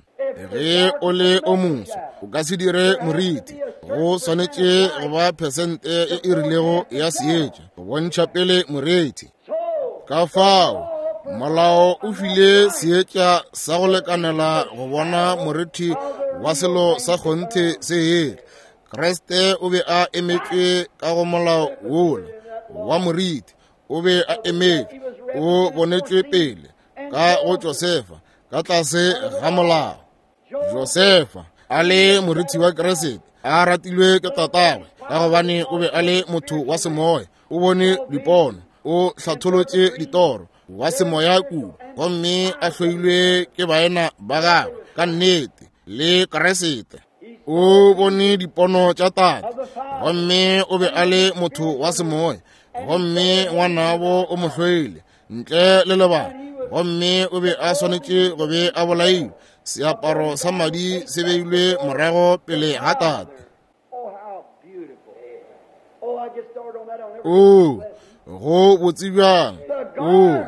Ge o le o moso, o ka se dire moriti. Go swanetše go ba phesente e e rilego ya seetša go bontšha pele moriti. Ka fao molao o file seetša sa go lekanela go bona moriti wa selo sa kgonthe se etla. Kriste o be a emetšwe ka go molao wola wa moriti, o be a emetšwe, o bonetšwe pele ka go Josefa ka tlase ga molao. Josefa a le moriti wa Kriste, a ratilwe ke tatagwe, ka gobane o be a le motho wa semoya, o bone dipono, o hlatholotše ditoro, wa semoya kudu, gomme a hloilwe ke baena ba gagwe ka nnete le Kriste. O bone dipono tša tate, gomme o be a le motho wa semoya, gomme ngwanabo o mo hloile ntle le lebaka, gomme o be a swanetše go be a bolailwe. Seaparo sa madi se beilwe morago pele ga tate. O go botse bjang! O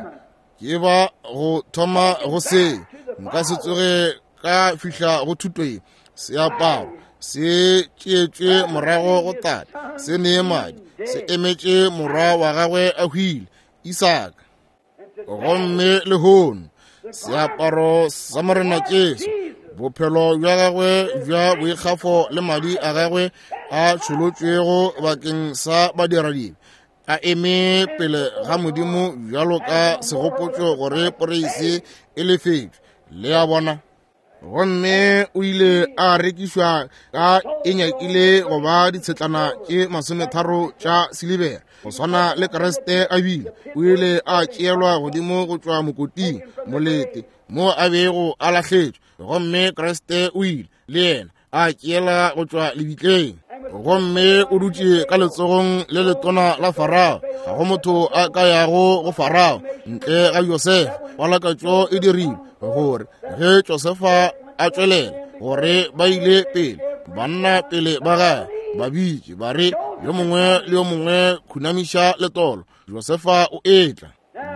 ke ba go thoma go se, nka se tsoge ka fihla go thuto ye. Seaparo se tšeetšwe morago go tate, se nee madi, se emetše morwa wa gagwe a hwile, Isaka. Gomme lehono seaparo sa Morena Jesu, bophelo bja gagwe bja boikgafo le madi a gagwe a tšholotšwego bakeng sa badiradibe, a eme pele ga Modimo bjalo ka segopotšo gore poreise e lefetšwe. Le a bona? Gomme o ile a rekišwa ka e nyakile go ba ditshetlana tše 30 tša silibera, go swana le Kriste a bile. O ile a tšeelwa godimo go tšwa mokoting, molete mo a bego a lahletšwe, gomme Kriste o ile le yena a tšeela go tšwa lebitleng, gomme o dutše ka letsogong le letona la Farao. Ga go motho a ka yago go Farao ntle ga Josefa. Palakatšo e dirile gore ge Josefa a tšwelela, gore ba ile pele, banna pele ba gagwe ba bitše ba re, yo mongwe le yo mongwe khunamiša letolo, Josefa o etla.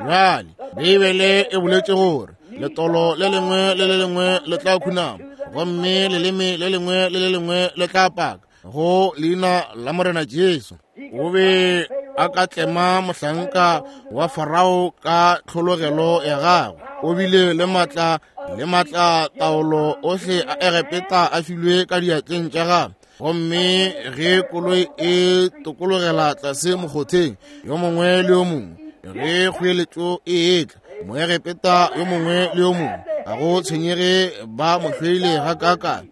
Bjale Beibele e boletše gore letolo le lengwe le le lengwe le tla khunama, gomme leleme le lengwe le le lengwe le tla paka go leina la Morena Jesu. O be a ka tlema mohlanka wa Farao ka tlhologelo ya gagwe. O bile le matla le matla taolo ohle a Egepeta a filwe ka diatleng tša gagwe. Gomme ge koloi e tokologela tlase mokgotheng, yo mongwe le yo mongwe, ge kgoeletšo e etla, Moegepeta yo mongwe le yo mongwe, ga go tshwenyege ba mo hloile gakaakang,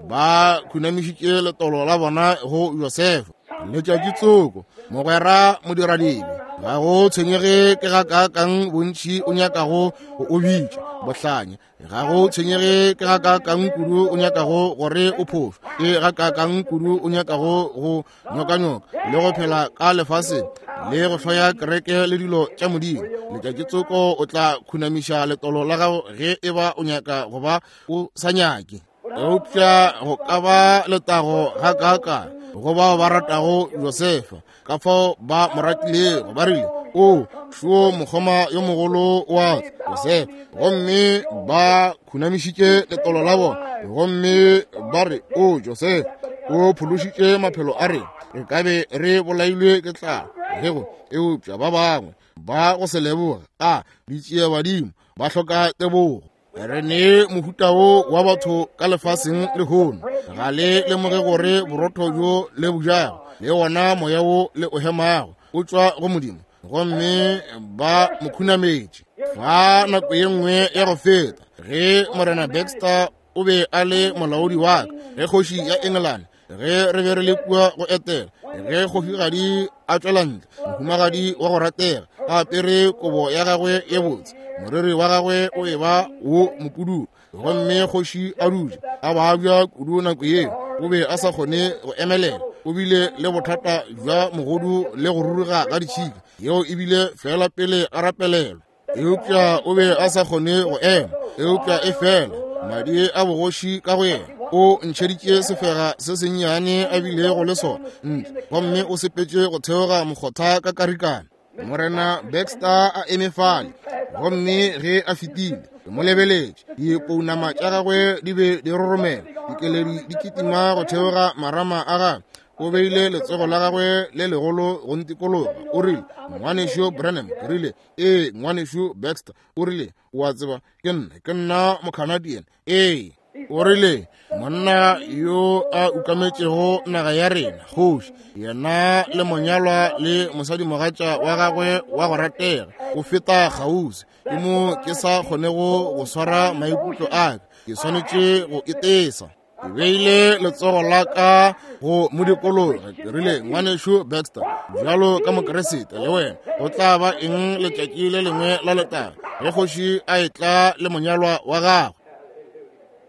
ba khunamišitše letolo la bona go Josefa. Letšatši tsoko, mogwera modiradibe, ga go tshwenyege ke gakaakang bontši o nyakago go o bitša. Bohlanya. Ga go tshwenyege ke gakaakang kudu o nyakago gore o phošo, ke gakaakang kudu o nyakago go nyokanyoka le go phela ka lefaseng le go hloya kereke le dilo tša Modimo, letšatši tsoko o tla khunamiša letolo la gago ge e ba o nyaka go ba o sa nyake. Eupša go ka ba letago gakaakang go bao ba ratago Josefa, ka fao ba mo ratilego. Ba rile, O šo mokgoma yo mogolo wa Josefa. Gomme ba khunamišitše letolo la bona gomme ba re, O Josefa, o phološitše maphelo a rena, re ka be re bolailwe ke tlala gego. Eupša ba bangwe ba go se leboge a ditšea badimo, ba hloka tebogo. Re ne mohuta wo wa batho ka lefaseng lehono. Ga le lemoge gore borotho bjo le bujago le wona moya wo le o hemago o tšwa go Modimo, gomme ba mo khunametše. Fa nako ye nngwe ya go feta, ge Morena Baxter o be a le molaodi wa ka, ge kgoši ya England, ge re be re le kua go etela, ge kgošigadi a tšwela ntle, mohumagadi wa go ratega, a apere kobo ya gagwe ye botse, moriri wa gagwe o eba wo mopududu, gomme kgoši a dutše a babja kudu nako yeo, o be a sa kgone go emelela, o bile le bothata bja mogodu le go ruruga ga ditšhika, yeo e bile fela pele a rapelelwa. Eupša o be a sa kgone go ema, eupša e fela madi a bogoši ka go yena o ntšheditše sefega se sennyane a bilego le sona ntle, gomme o sepetše go theoga mokgotha ka karikana. Morena Baxter a eme fale, gomme ge a fetile ke mo lebeletše, dipounama tša gagwe di be di roromela, dikeledi di kitima go theoga marama a gagwe. O beile letsogo la gagwe le legolo go ntikologa, o rile, Ngwanešu Branham. Ke rile, Ee, Ngwanešu Baxter. O rile, O a tseba, ke nna, ke nna Mocanadian. Ee. O rile, Monna yo a ukametšego naga ya rena, kgoši, yena le monyalwa le mosadimogatša wa gagwe wa go ratega, o feta kgauswi. Ke mo ke sa kgonego go swara maikutlo a ka, ke swanetše go itesa. Ke beile letsogo la ka go modikologa, ke rile, Ngwanešu Baxter, bjalo ka Mokeresete le wena, go tla ba eng letšatši le lengwe la letago ge kgoši a etla le monyalwa wa gagwe?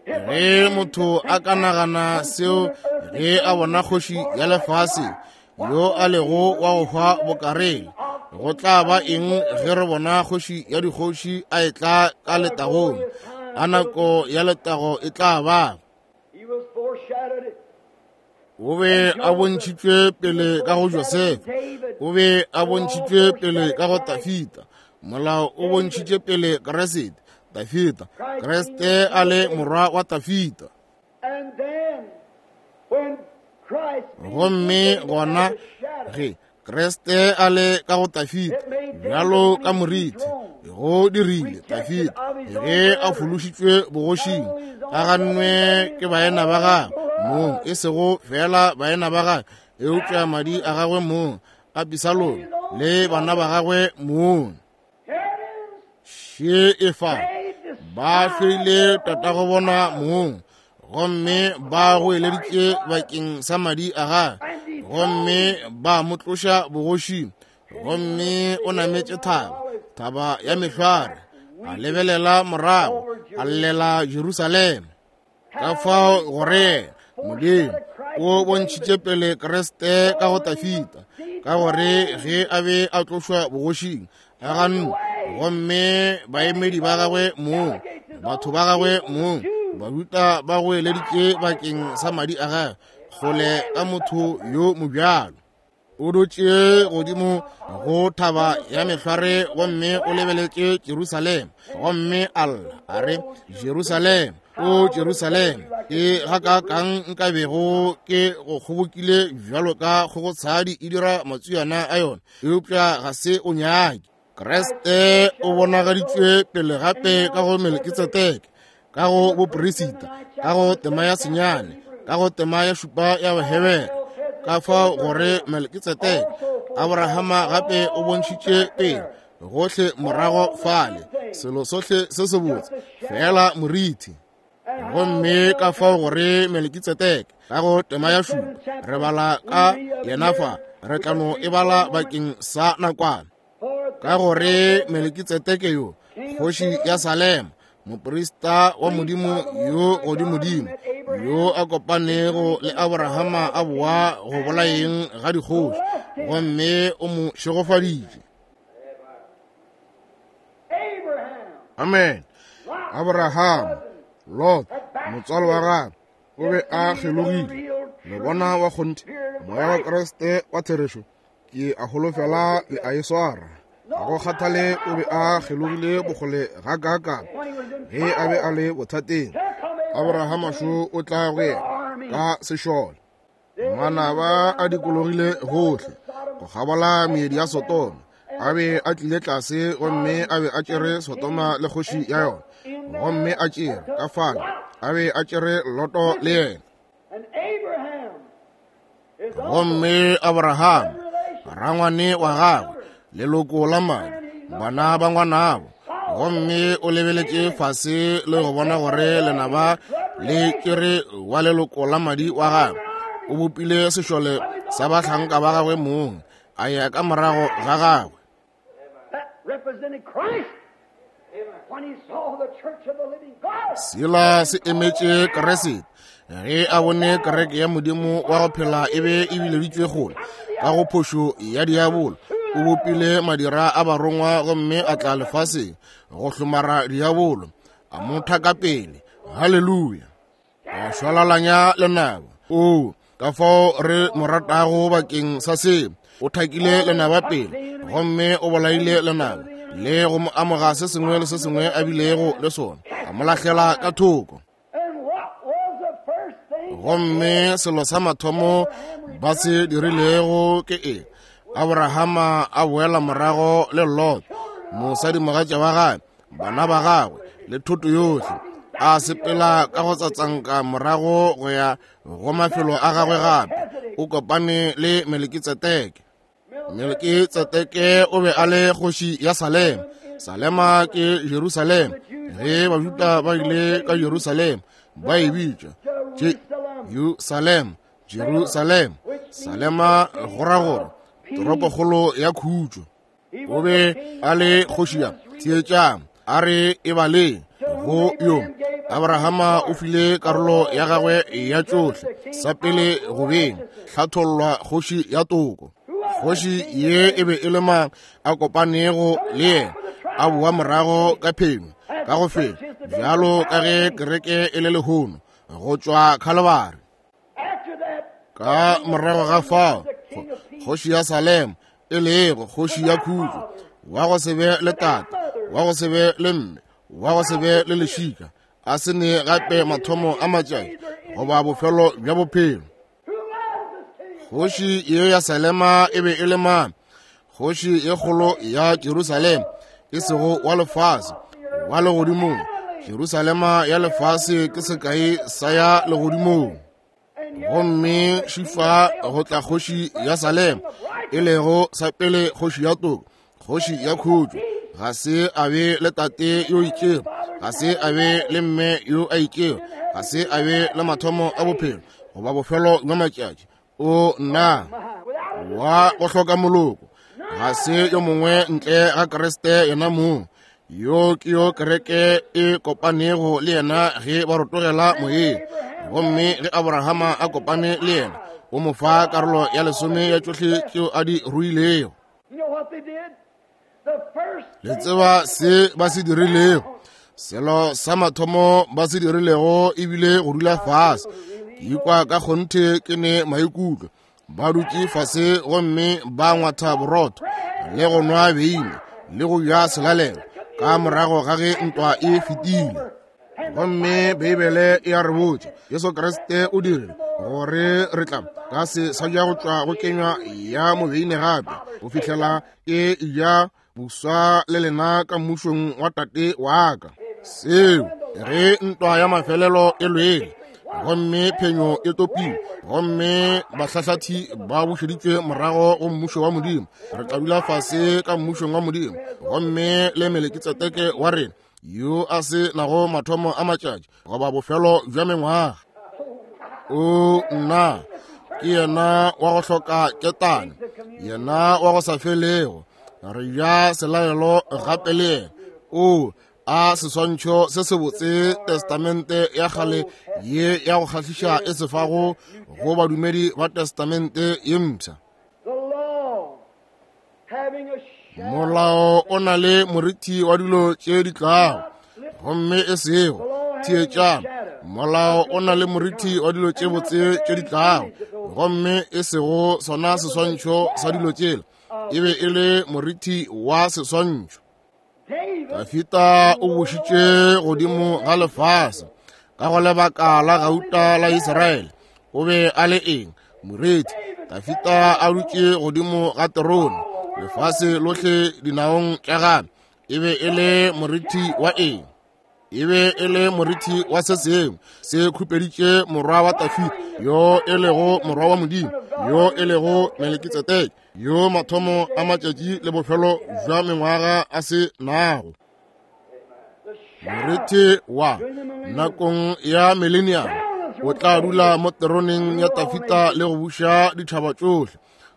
Ge motho a ka nagana seo ge a bona kgoši ya lefase yo a lego wa go hwa bokareng, go tla ba eng ge re bona kgoši ya dikgoši a etla ka letagong? A nako ya letago e tla ba. O be a bontšhitšwe pele ka go Josefa, o be a bontšhitšwe pele ka go Dafita, molao o bontšhitše pele Kriste, Dafita, Kriste a le morwa wa Dafita. Gomme gona ge Kriste a le ka go Dafita bjalo ka moriti, go dirile Dafita ge a fološitšwe bogošing, a gannwe ke baena ba gagwe mong, e sego fela baena ba gagwe, eupša madi a gagwe mong, Abisalomo le bana ba gagwe mong. Še e fa, ba hloile tatago bona mong, gomme ba goeleditše bakeng sa madi a gagwe, gomme ba mo tloša bogošing, gomme o nametše thaba, thaba ya mehlware, a lebelela morago, a llela Jerusalema. Ka fao gore Modimo o bontšhitše pele Kriste ka go Dafita, ka gore ge a be a tlošwa bogošing a gannwe, gomme baemedi ba gagwe mong, batho ba gagwe mong, Bajuda ba goeleditše bakeng sa madi a gagwe, kgole ka motho yo mobjalo. O dutše godimo go thaba ya mehlware gomme o lebeletše Jerusalema, gomme a lla a re, Jerusalema, o Jerusalema, ke gakaakang nka bego ke go kgobokile bjalo ka kgogotshadi e dira matswiana a yona, eupša ga se o nyake. Kriste o bonagaditšwe pele gape ka go Melkitsedeke, ka go boperisita, ka go tema ya senyane, ka go tema ya šupa ya Bahebere. Ka fao gore Melkitsedeke, Abrahama gape o bontšhitše pele gohle morago fale, selo sohle se sebotse, feela moriti. Gomme ka fao gore Melkitsedeke ka go tema ya šupa, re bala ka yena fa, re tla no e bala bakeng sa nakwana. Ka gore Melkitsedeke yo, kgoši ya Salema, Moprista wa Modimo yo godimodimo, yo a kopanego le Abrahama a boa go bolayeng ga dikgoši, gomme o mo šegofaditše. Amen. Abraham, Lot, motswalo wa gagwe, o be a kgelogile. Le bona wa kgonthe, moya wa Kriste wa therešo, ke a holofela le a e swara. Ga go kgathale o be a kgelogile bokgole ga kaakang ge a be a le bothateng, Abrahama šo o tla go yena ka sešole. Manaba a dikologile gohle go kgabola meedi ya Sodoma, a be a tlile tlase gomme a be a tšere Sodoma le kgoši ya yona, gomme a tšere ka fale, a be a tšere Loto le yena. Gomme Abraham, rangwane wa gagwe, leloko la madi, bana ba ngwanabo, gomme o lebeletše fase le go bona gore lenaba le tšere wa leloko la madi wa gagwe. O bopile sešole sa bahlanka ba gagwe mong, a ya ka morago ga gagwe. Sela se emetše Kriste ge a bone kereke ya Modimo wa go phela e be e bileditšwe kgole ka go phošo ya diabolo. O bopile madira a barongwa gomme a tla lefaseng go hlomara diabolo, a mo thaka pele. Haleluya! A šwalalanya lenaba. O ka fao re mo ratago bakeng sa se. O thakile lenaba pele gomme o bolaile lenaba le go mo amoga se sengwe le se sengwe a bilego le sona, a mo lahlela ka thoko. Gomme selo sa mathomo ba se dirilego ke eng? Abrahama a boela morago le Lot, mosadimogatša wa gagwe, bana ba gagwe le thoto yohle, a sepela ka go tsatsanka morago go ya go mafelo a gagwe gape. O kopane le Melekitseteke. Melekitseteke o be a le kgoši ya Salema. Salema ke Jerusalema. Ge Bajuda ba ile ka Jerusalema, ba e bitša Jerusalema, Jerusalema. Salema go ra gore toropokgolo ya khutšo. O be a le kgoši ya theetšang, a re e baleng go yo Abrahama o file karolo ya gagwe ya tšohle sa pele go beng hlathollwa kgoši ya toko. Kgoši ye e be e le mang a kopanego le yena, a boa morago ka phenyo ka go fenya, bjalo ka ge kereke e le lehono go tšwa Khalibari. Ka morago ga fao, kgoši ya Salema, e lego kgoši ya khutšo, wa go se be le tate, wa go se be le mme, wa go se be le lešika, a se ne gape mathomo a matšatši goba bofelo bja bophelo. Kgoši ye ya Salema e be e le mang? Kgoši ye kgolo ya Jerusalema, e sego wa lefase, wa legodimong. Jerusalema ya lefase ke sekai sa ya legodimong. Gomme šifa go tla kgoši ya Salema, e lego sa pele kgoši ya toko, kgoši ya khutšo. Ga se a be le tate yo itšego, ga se a be le mme yo a itšego, ga se a be le mathomo a bophelo goba bofelo bja matšatši. O nna wa go hloka moloko, ga se yo mongwe ntle ga Kriste yena mong. Yo ke yo kereke e kopanego le yena ge ba rotogela moyeng. Gomme ge Abrahama a kopane le yena, o mo fa karolo ya lesome ya tšohle tšeo a di ruilego. Le tseba se ba se dirilego? Selo sa mathomo ba se dirilego ebile go dula fase. Ke ikwa ka kgonthe ke ne maikutlo. Ba dutše fase gomme ba ngwatha borotho le go nwa beine le go ja selalelo ka morago ga ge ntwa e fetile. Gomme Beibele e a re botša, Jesu Kriste o dirile gore re tla ka se sa ja go tšwa go kenywa ya mobeine gape go fihlela e ja boswa le lena ka mmušong wa Tate wa ka. Seo ge ntwa ya mafelelo e lwele gomme phenyo e topilwe gomme bahlahlathi ba bušeditšwe morago go mmušo wa Modimo, re tla dula fase ka mmušong wa Modimo gomme le Melekitseteke wa rena yo a se nago mathomo a matšatši goba bofelo bja mengwaga. O nna, ke yena wa go hloka ketane, yena wa go sa felego. Re ja selalelo gape le yena. O A seswantšho se sebotse Testamente ya kgale ye ya go kgahliša e se fago go badumedi ba Testamente ye mpsha. Molao o na le moriti wa dilo tše di tlago, gomme e sego theetšang. Molao o na le moriti wa dilo tše botse tše di tlago, gomme e sego sona seswantšho sa dilo tšela. E be e le moriti wa seswantšho. Dafita o bušitše godimo ga lefase ka go lebaka la gauta la Israele. O be a le eng? Moreti. Dafita a dutše godimo ga terone, lefase lohle dinaong tša gagwe. E be e le moriti wa eng? E be e le moriti wa se sengwe se khupeditše morwa wa Dafida, yo e lego morwa wa Modimo, yo e lego Melekitsedeke, yo mathomo a matšatši le bofelo bja mengwaga a se nago. Moriti wa nakong ya millennium o tla dula mo teroneng ya Dafida le go buša ditšhaba tšohle.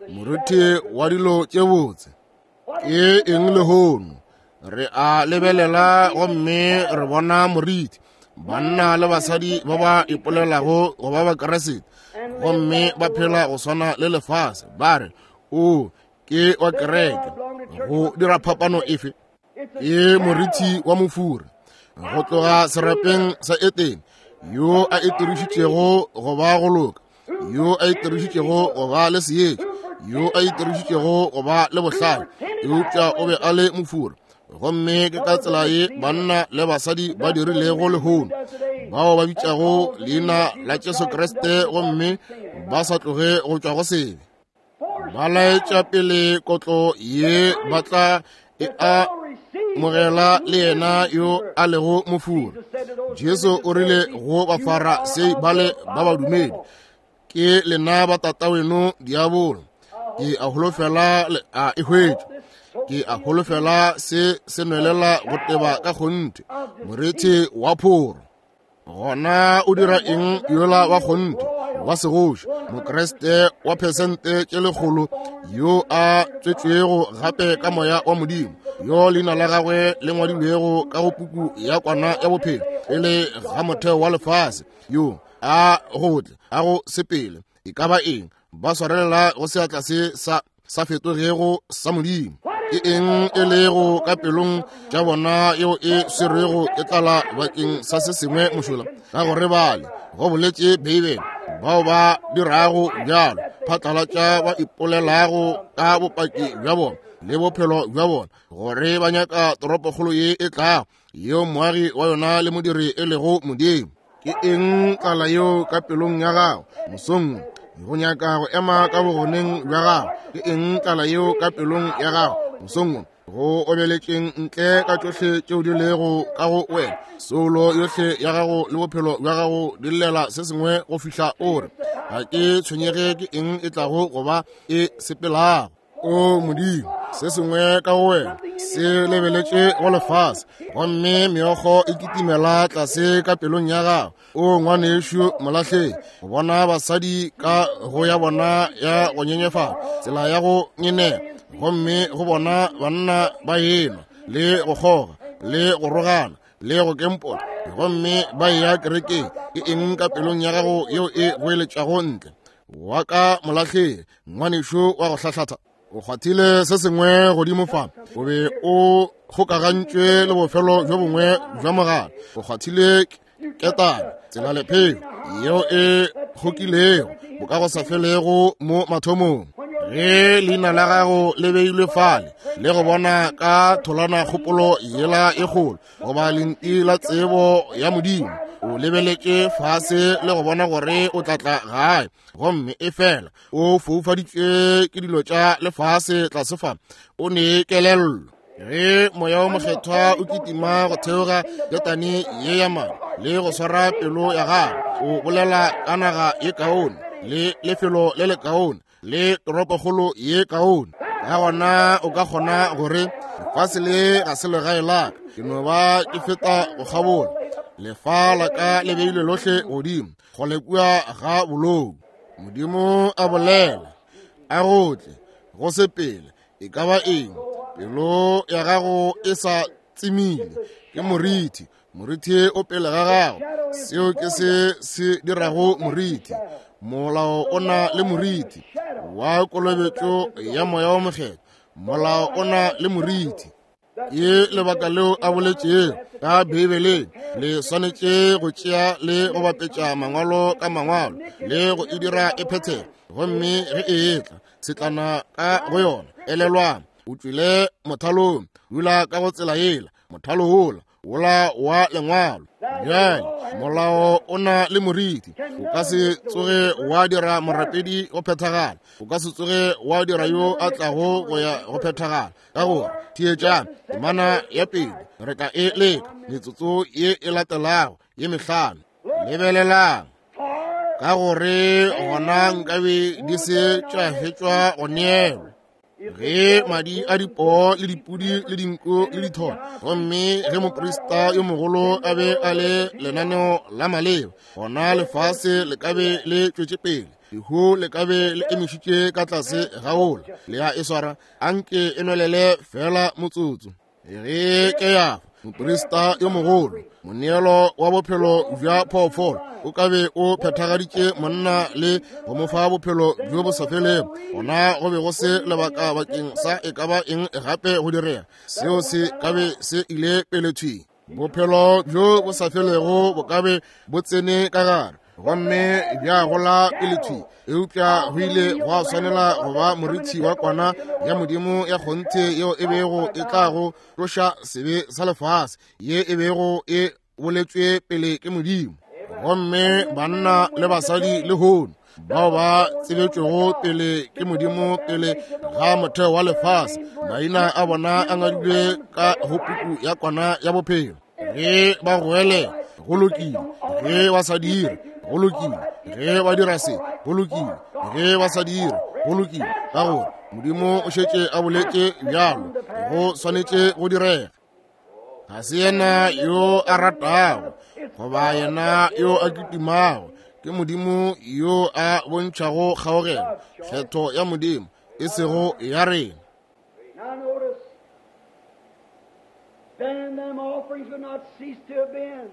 Moriti wa dilo tše botse ke eng lehono? Re a lebelela gomme re bona moriti, banna le basadi ba ba ipolelago go ba Bakeresete gomme ba phela go swana le lefase, ba re o ke wa kereke. Go dira phapano efe? Ke moriti wa mofura go tloga serapeng sa Etene, yo a itirišitšego go ba go loka, yo a itirišitšego go ba le seetša, yo a itirišitšego go ba le bohlale, eupša o be a le mofura. Gomme ke ka tsela ye banna le basadi ba dirilego lehono, bao ba bitšago leina la Jesu Kriste gomme ba sa tloge go tšwa go sebe. Ba laetša pele kotlo ye ba tla e amogela le yena yo a lego mofura. Jesu o rile go Bafarasei bale ba badumedi, ke lena ba tataweno diabolo. Ke a holofela le a e hwetša. Ke a holofela se se nwelela go teba ka kgonthe, morethe wa phoro. Gona o dira eng yola wa kgonthe wa segoši, Mokriste wa phesente tše lekgolo, yo a tswetšwego gape ka moya wa Modimo, yo leina la gagwe le ngwadilwego ka go puku ya kwana ya bophelo pele ga motheo wa lefase, yo a go tle a go sepele e ka ba eng, ba swarelela go seatla se sa fetogego sa Modimo. Ke eng e lego ka pelong tša bona yeo e swerwego ke tlala bakeng sa se sengwe mošola? Ka gore bale, go boletše Beibele, bao ba dirago bjalo phatlalatša ba ipolelago ka bopaki bja bona le bophelo bja bona gore ba nyaka toropokgolo ye e tlago, yeo moagi wa yona le modiri e lego Modimo. Ke eng tlala yeo ka pelong ya gago mosong go nyaka go ema ka bogoneng bja gago? Ke eng tlala yeo ka pelong ya gago mosong go obeletšeng ntle ka tšohle tšeo di lego ka go wena? Soulo yohle ya gago le bophelo bja gago di llela se sengwe go fihla o re, ga ke tshwenyege ke eng e tlago go ba e sepelago. O Modimo, se sengwe ka go wena se lebeletše go lefase, gomme meokgo e kitimela tlase ka pelong ya gago. O ngwanešu molahlegi, go bona basadi ka go ya bona ya go nyenyefala, tsela ya go nyenela, gomme go bona banna ba enwa le go kgoga le go rogana le go kempola, gomme ba eya kerekeng. Ke eng ka pelong ya gago yeo e goeletšago ntle? Wa ka molahlegi, ngwanešu wa go hlahlatha, o kgwathile se sengwe godimo fa, o be o kgokagantšwe le bofelo bjo bongwe bja mogala. O kgwathile ketane, tsela lephelo yeo e kgokilego bo ka go sa felego mo mathomong. Ge leina la gago le beilwe fale le go bona ka tholana kgopolo yela e kgolo goba lenti la tsebo ya Modimo, o lebeletše fase le go bona gore o tla tla gae, gomme e fela o foufaditšwe ke dilo tša lefase tlase fa, o ne kelello. Ge moya wa mokgethwa o kitima go theoga ketane ye ya madi le go swara pelo ya gago, o bolela ka naga ye kaone le lefelo le le kaone le toropokgolo ye kaone, ka gona o ka kgona gore lefase le ga se legae la ka, ke no ba ke feta go kgabola. Lefa la ka le beilwe lohle godimo kgole kua ga bolou. Modimo a bolela, a go tle go sepele e ka ba eng, pelo ya gago e sa tsemile. Ke morithi, morithi o pele ga gago. Seo ke se se dirago morithi. Molao o na le morithi wa kolobetšo ya Moya wo Mokgethwa. Molao o na le morithi. Ke lebaka leo a boletšego ka Beibeleng, le swanetše go tšea le go bapetša mangwalo ka mangwalo le go e dira e phethege. Gomme ge e etla tshetlana ka go yona, elelwang, o tšwile mothalong, dula ka go tsela yela, mothalo wola, wola wa lengwalo. Bjale molao o na le moriti, o ka se tsoge wa dira morapedi go phethagala, o ka se tsoge wa dira yo a tlago go ya go phethagala. Ka gore theetšang temana ya pele, re tla e leka metsotso ye e latelago ye mehlano. Lebelelang, ka gore gona nkabe di se tša fetšwa go neelwa, ge madi a dipoo le dipudi le dinku le ditholo, gomme ge moprista yo mogolo a be a le lenaneo la maleba, gona lefase le ka be le tšwetše pele, lehu le ka be le emišitše ka tlase ga ola. Le ya e swara, anke e nwelele fela motsotso. Ge ke ya moprista yo mogolo, moneelo wa bophelo bja phoofolo o ka be o phethagaditše monna le go mo fa bophelo bjo bo sa felego, gona go be go se lebaka bakeng sa e ka ba eng gape go direga. Seo se ka be se ile pele thwi. Bophelo bjo bo sa felego bo ka be bo tsene ka gare gomme bja gola pele thwi, eupša go ile gwa swanela go ba morithi wa kwana ya Modimo ya kgonthe yeo e bego e tla go tloša sebe sa lefase, ye e bego e boletšwe pele ke Modimo. Gomme banna le basadi lehono bao ba tsebetšwego pele ke Modimo pele ga motheo wa lefase, maina a bona a ngwadilwe ka go puku ya kwana ya bophelo. Ge ba goele, go lokile. Ge ba sa dire, go lokile. Ge ba dira se, go lokile. Ge ba sa dire, go lokile. Ka gore Modimo o šetše a boletše bjalo, go swanetše go direga. Ga se yena yo a ratago goba yena yo a kitimago, ke Modimo yo a bontšhago kgaogelo, kgetho ya Modimo, e sego ya rena. Now notice, then them offerings would not cease to have been.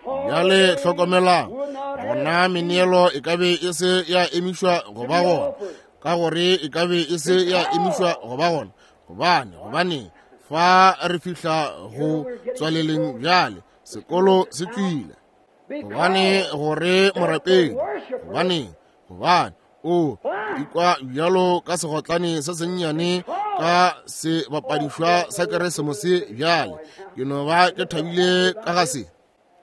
Bjale hlokomelang, gona meneelo e ka be e se ya emišwa go ba gona, ka gore e ka be e se ya emišwa go ba gona, gobane, gobane fa re fihla go tswaleleng bjale, sekolo se tšwile. Gobane gore morapedi, gobane, gobane o ikwa bjalo ka segotlane se sennyane ka sebapadišwa sa Keresemose bjale. Ke no ba ke thabile ka ga se,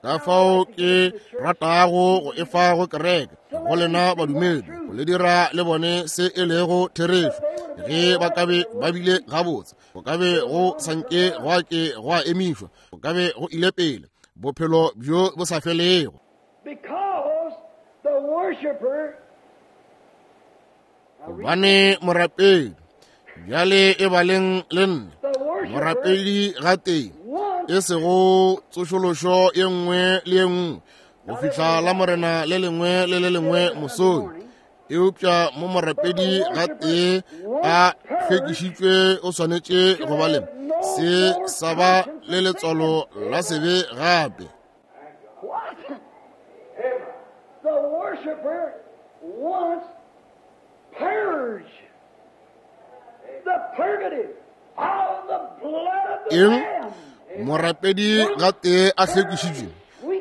ka fao ke ratago go efa go kereke, go lena badumedi, go le dira le bone se e lego therešo. Ge ba ka be ba bile gabotse, go ka be go sanke gwa ke gwa emišwa, go ka be go ile pele bophelo bjo bo sa felego. Because the worshiper Gobane morapedi, bjale e baleng le nna, morapedi gatee, e sego tsošološo ye nngwe le ye nngwe go fihla la Morena le lengwe le le lengwe mosong, eupša mo morapedi gatee a hlwekišitšwe o swanetše go ba le se sa ba le letswalo la sebe gape. What? The worshiper wants purge. The purgative of the blood of the Eng? Lamb. Morapedi gatee a hlwekišitšwe,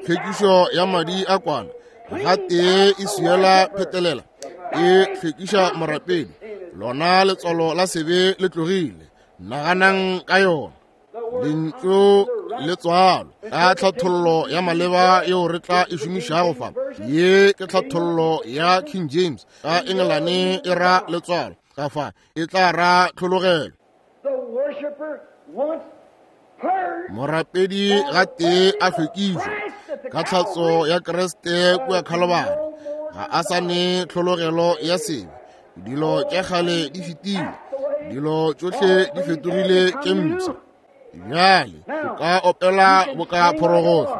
hlwekišo ya madi a kwana gatee e swiela phetelela, e hlwekiša morapedi, lona letswalo la sebe le tlogile. Naganang ka yona. Lentšu le tswalo ka tlhathollo ya maleba yeo re tla e šomišago fa. Ye ke tlhathollo ya King James, ka Engelane e ra letswalo, ka fa e tla ra tlhologelo. The worshiper wants purged. Morapedi gatee a hlwekišwa ka tlhatso ya Kriste kua Khalobara, ga a sa ne tlhologelo ya sebe. Dilo tša kgale di fetile, dilo tšohle di fetogile tše mpsha. Bjale o ka opela boka phorogohlo,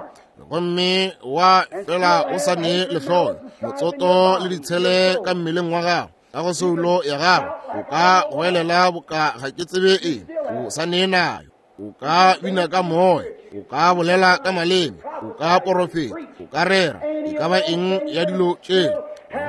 gomme wa fela o sa ne lehloyo, motsoto le ditshele ka mmeleng wa gago, ka go soulo ya gago, o ka goelela boka ga ke tsebe eng, o sa ne nayo. O ka bina ka moya, o ka bolela ka maleme, o ka porofeta, o ka rera, e ka ba eng ya dilo tšela,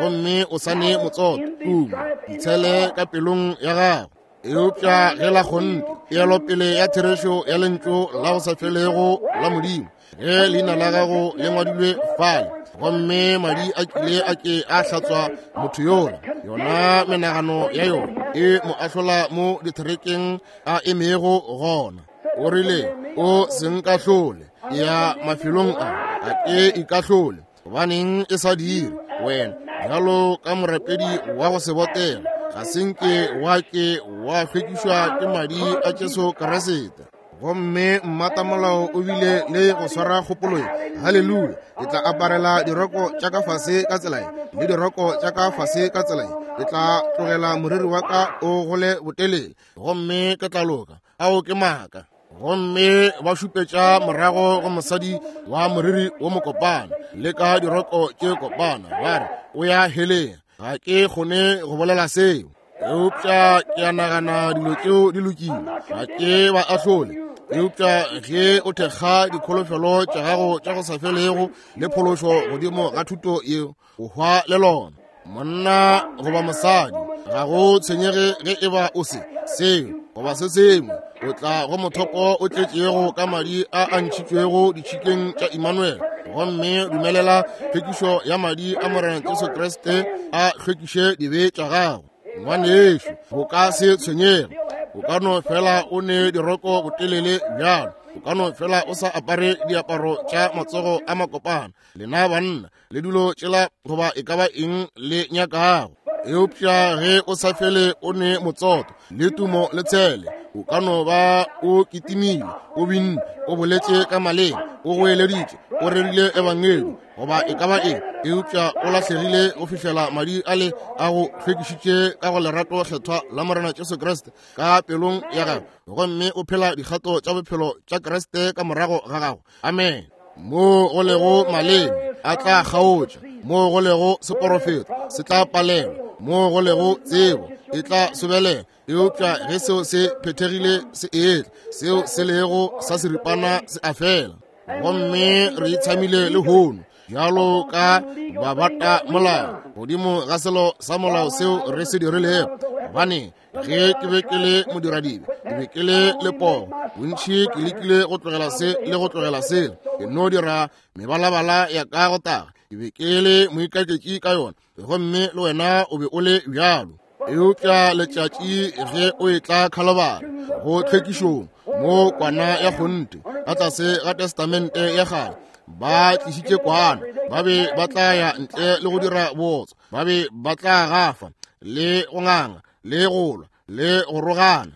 gomme o sa ne motsoto, tumo, ditshele ka pelong ya gago. Eupša ge la kgonthe peelopele ya therešo ya lentšu la go sa felego la Modimo, ge leina la gago le ngwadilwe fale, gomme madi a kile a ke a hlatswa motho yola, yona menagano ya yona e mo ahlola mo ditherekeng a emego gona. O rile, o se nkahlole, ya mafelong a, a ke ikahlole. Gobaneng e sa dire wena bjalo ka morapedi wa go se botega, ga se nke wa ke wa hlwekišwa ke madi a Jesu Kriste? Gomme mmatamolao o bile le go swara kgopolo ye, haleluya, ke tla aparela diroko tša ka fase ka tsela ye, le diroko tša ka fase ka tsela ye, ke tla tlogela moriri wa ka o gole botelele, gomme ke tla loka. Ao ke maaka. Gomme ba šupetša morago go mosadi wa moriri wo mokopana le ka diroko tše kopana, ba re o ya heleng. Ga ke kgone go bolela seo, eupša ke a nagana dilo tšeo di lokile. Ga ke ba ahlole, eupša ge o thekga dikholofelo tša gago tša go sa felego le phološo godimo ga thuto yeo, o hwa le lona. Monna goba mosadi, ga go tshwenyege ge e ba o se seo goba se sengwe, o tla go mothopo o tletšego ka madi a a ntšhitšwego ditšhikeng tša Emmanuel, gomme dumelela tlhwekišo ya madi a Morena Jesu Kriste a hlwekiše dibe tša gago. Ngwanešu, o ka se tshwenyege, o ka no fela o ne diroko botelele bjalo, o ka no fela o sa apare diaparo tša matsogo a makopana, lena banna le dilo tšela goba e ka ba eng le nyakago. Eupša ge o sa fele o ne motsoto le tumo le tshele, o ka no ba o kitimile, o binne, o boletše ka maleme, o goeleditše, o rerile ebangedi goba e ka ba eng, eupša o lahlegile go fihlela madi a le a go hlwekišitše ka go lerato kgethwa la Morena Jesu Kriste ka pelong ya gago, gomme o phela dikgato tša bophelo tša Kriste ka morago ga gago. Amen. Mo go lego maleme a tla kgaotša, mo go lego seporofeto se tla palelwa, mo go lego tsebo e tla sobelela. Eupša ge seo se phethegile se etla, seo se lego sa seripana se a fela. Gomme re itshamile lehono bjalo ka babata molao godimo ga selo sa molao seo re se dirilego. Gobane ge ke be ke le modiradibe, ke be ke le lepogo, bontši ke lekile go tlogela se le go tlogela sela, ke no dira mebalabala ya ka go taga, ke be ke le moikaketši ka yona, gomme le wena o be o le bjalo. Eupša letšatši ge o etla Khalabara go tlhwekišong, mo kwana ya kgonthe ka tlase ga testamente ya kgale, ba tlišitše kwana, ba be ba tla ya ntle le go dira bootswa, ba be ba tla gafa le go nganga le go lwa le go rogana.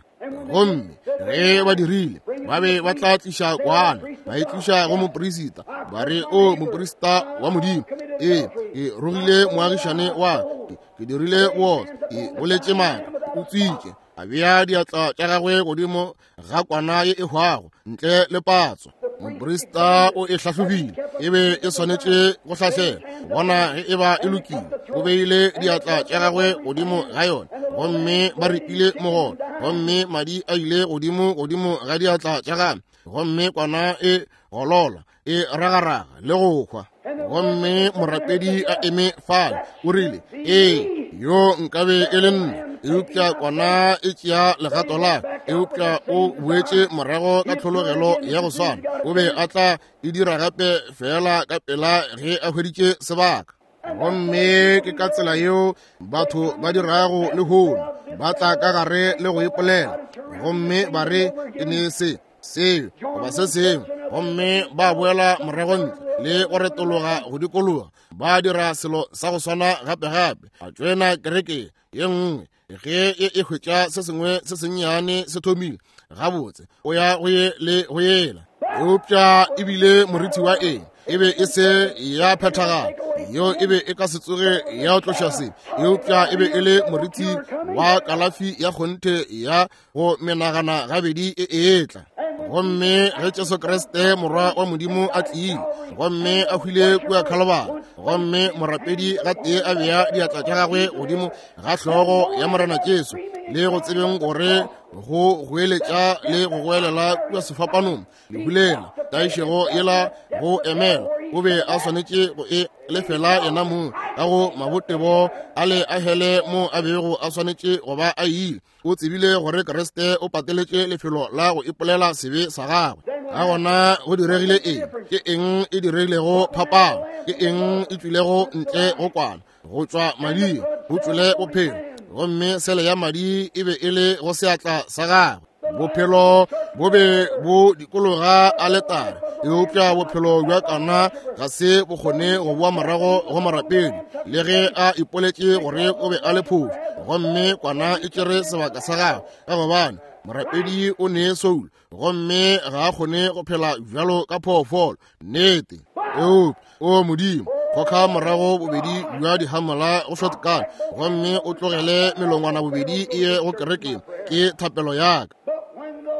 Gomme ge ba dirile, ba be ba tla tliša kwana, ba e tliša go moperisita, ba re, o moperisita wa Modimo, ee, ke rogile moagišane wa ke, ke dirile bootswa, ke boletše maaka, o tswitše. A bea diatla tša gagwe godimo ga kwana ye e hwago ntle le patso. Moprista o e hlahlobile, e be e swanetše go hlahlela bona ge e ba e lokile. O beile diatla tša gagwe godimo ga yona, gomme ba ripile mogolo, gomme madi a ile godimo godimo ga diatla tša gagwe, gomme kwana e golola e ragaraga le go hwa. Gomme morapedi a eme fale, o rile, ee, yo nkabe e le nna, eupša kwana e tšea legato la, eupša o boetše morago ka tlhologelo ya go swana. O be a tla e dira gape feela ka pela ge a hweditše sebaka. Gomme ke ka tsela yeo batho ba dirago lehono, ba tla ka gare le go ipolela, gomme ba re ke ne se seo goba se sengwe, gomme ba boela morago ntle le go retologa go dikologa, ba dira selo sa go swana gape-gape. A tšoena kereke ye nngwe ge e e hwetša se sengwe se sennyane se thomile gabotse, o ya go ye le go yela. Eupša e bile moriti wa eng? E be e se ya phethagala, yeo e be e ka se tsoge ya tloša se, eupša e be e le moriti wa kalafi ya kgonthe ya go menagana gabedi e etla. Gomme ge Jesu Kriste Morwa wa Modimo a tlile gomme a hwile kua Khalabari, gomme morapedi gatee a bea diatla tša gagwe godimo ga hlogo ya Morena Jesu, le go tsebeng gore go goeletša le go goelela kua sefapanong, lehu lela, tlaišego yela go emela, o be a swanetše go e lefela yena mong ka go mabotebo a le a hele mo a bego a swanetše go ba a ile. O tsebile gore Kriste o pateletše lefelo la go ipolela sebe sa gagwe. Ka gona go diregile eng? Ke eng e diregilego phapano? Ke eng e tšwilego ntle go kwana? Go tšwa mading go tšwele bophelo, gomme sele ya madi e be e le go seatla sa gagwe. Bophelo bo be bo dikologa aletare, eupša bophelo bja kana ga se bo kgone go boa morago go morapedi, le ge a ipoletše gore o be a le phošo, gomme kwana e tšere sebaka sa gagwe, ka gobane morapedi o ne soul, gomme ga a kgone go phela bjalo ka phoofolo. Nnete. Eupša, o Modimo, goka morago bobedi bja dihamola go shotgun, gomme o tlogele melongwana bobedi e ye go kerekeng, ke thapelo ya ka.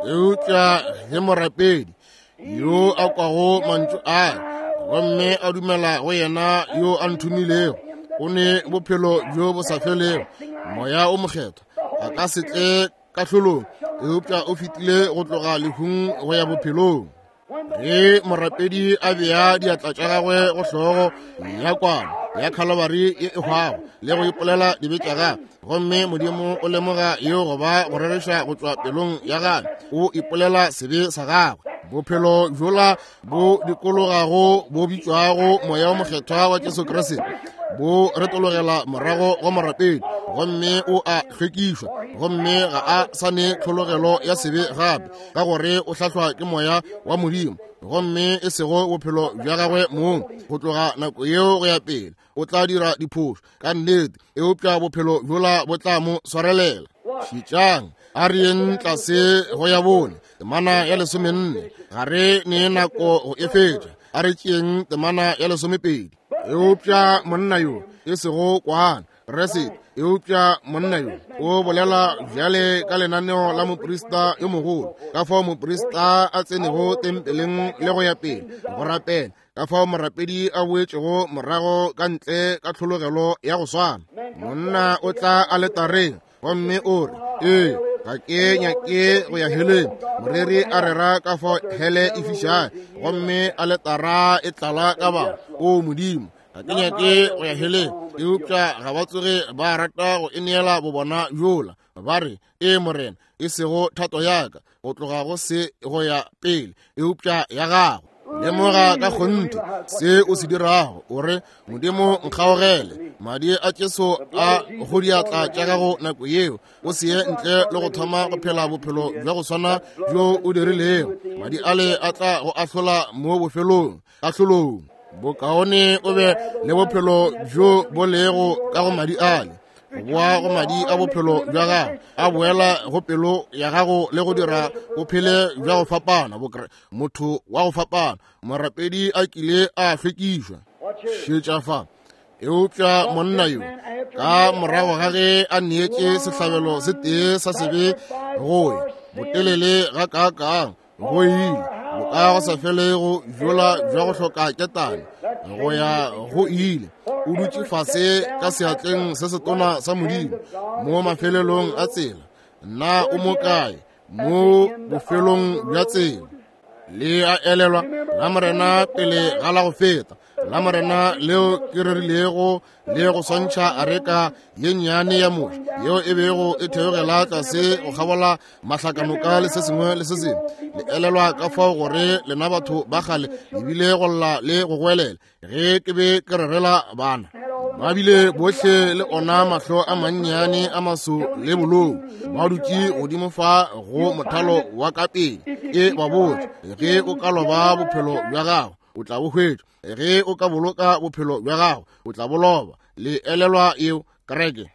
Eupša ge morapedi yo a kwago mantšu a gomme a dumela go yena yo a nthomilego, o ne bophelo bjo bo sa felego, Moya o Mokgethwa a ka se tle kahlolong, eupša o fetile go tloga lehung go ya bophelong. Ge morapedi a bea diatla tša gagwe go hlogo ya kwana ya Khalabari ye e hwago le go ipolela dibe tša gagwe, gomme Modimo o lemoga yeo go ba go rereša go tšwa pelong ya gagwe, o ipolela sebe sa gagwe. Bophelo bjola bo dikologago bo bitšwago Moya o Mokgethwa wa Jesu Kriste bo retologela morago go morapedi, gomme o a hlwekišwa, gomme ga a sa ne tlhologelo ya sebe gape, ka gore o hlahlwa ke Moya wa Modimo, gomme e sego bophelo bja gagwe mong. Go tloga nako yeo go ya pele o tla dira diphošo ka nnete, eupša bophelo bjola bo tla mo swarelela. Šetšang, a re yeng tlase go ya bone temana ya 14, ga re ne nako go e fetša. A re tšeeng temana ya 12. Eupša monna yo e sego kwana Kriste, eupša monna yo o bolela bjale ka lenaneo la moprista yo mogolo, ka fao moprista a tsenego tempeleng le go ya pele go rapela, ka fao morapedi a boetšego morago ka ntle ka tlhologelo ya go swana. Monna o tla aletareng gomme o re, ee, ga ke nyake go ya heleng. Moreri a rera ka fao hele e fišago, gomme aletara e tlala ka batho. O Modimo, ga ke nyake go ya heleng. Eupša ga ba tsoge ba rata go e neela bobona bjola. Ba re, ee Morena, e sego thato ya ka go tloga go se go ya pele, eupša ya gago. Lemoga ka kgonthe se o se dirago, o re, Modimo nkgaogele, madi a Jesu a go diatla tša gago nako yeo, o se ye ntle le go thoma go phela bophelo bja go swana bjo o dirilego. Madi ale a tla go ahlola mo bofelong, kahlolong. Bokaone o be le bophelo bjo bo lego ka go madi ale, go boa go madi a bophelo bja gago, a boela go pelo ya gago le go dira o phele bja go fapana, motho wa go fapana, morapedi a kile a hlwekišwa. Šetša fa. Eupša monna yo, ka morago ga ge a neetše sehlabelo se tee sa sebe go ya botelele ga kaakang, go ile boka go sa felego bjola bja go hloka ketane go ya go ile, o dutše fase ka seatleng se setona sa Modimo mo mafelelong a tsela. Na o mo kae mo bofelong bja tsela? Le a elelwa la Morena pele ga la go feta la Morena leo ke rerilego le go swantšha areka ye nnyane ya Moshe yeo e bego e theogela tlase go kgabola mahlakanoka le se sengwe le se sengwe. Le elelwa ka fao gore lena batho ba kgale le bile go lla le go goelela ge ke be ke rerela bana. Ba bile bohle le ona mahlo a mannyane a maso le bolou, ba dutše godimo fa go mothalo wa ka pele. Ke ba botša, ge o ka loba bophelo bja gago o tla bo hwetša, ge o ka boloka bophelo bja gago o tla bo loba. Le elelwa yeo, kereke?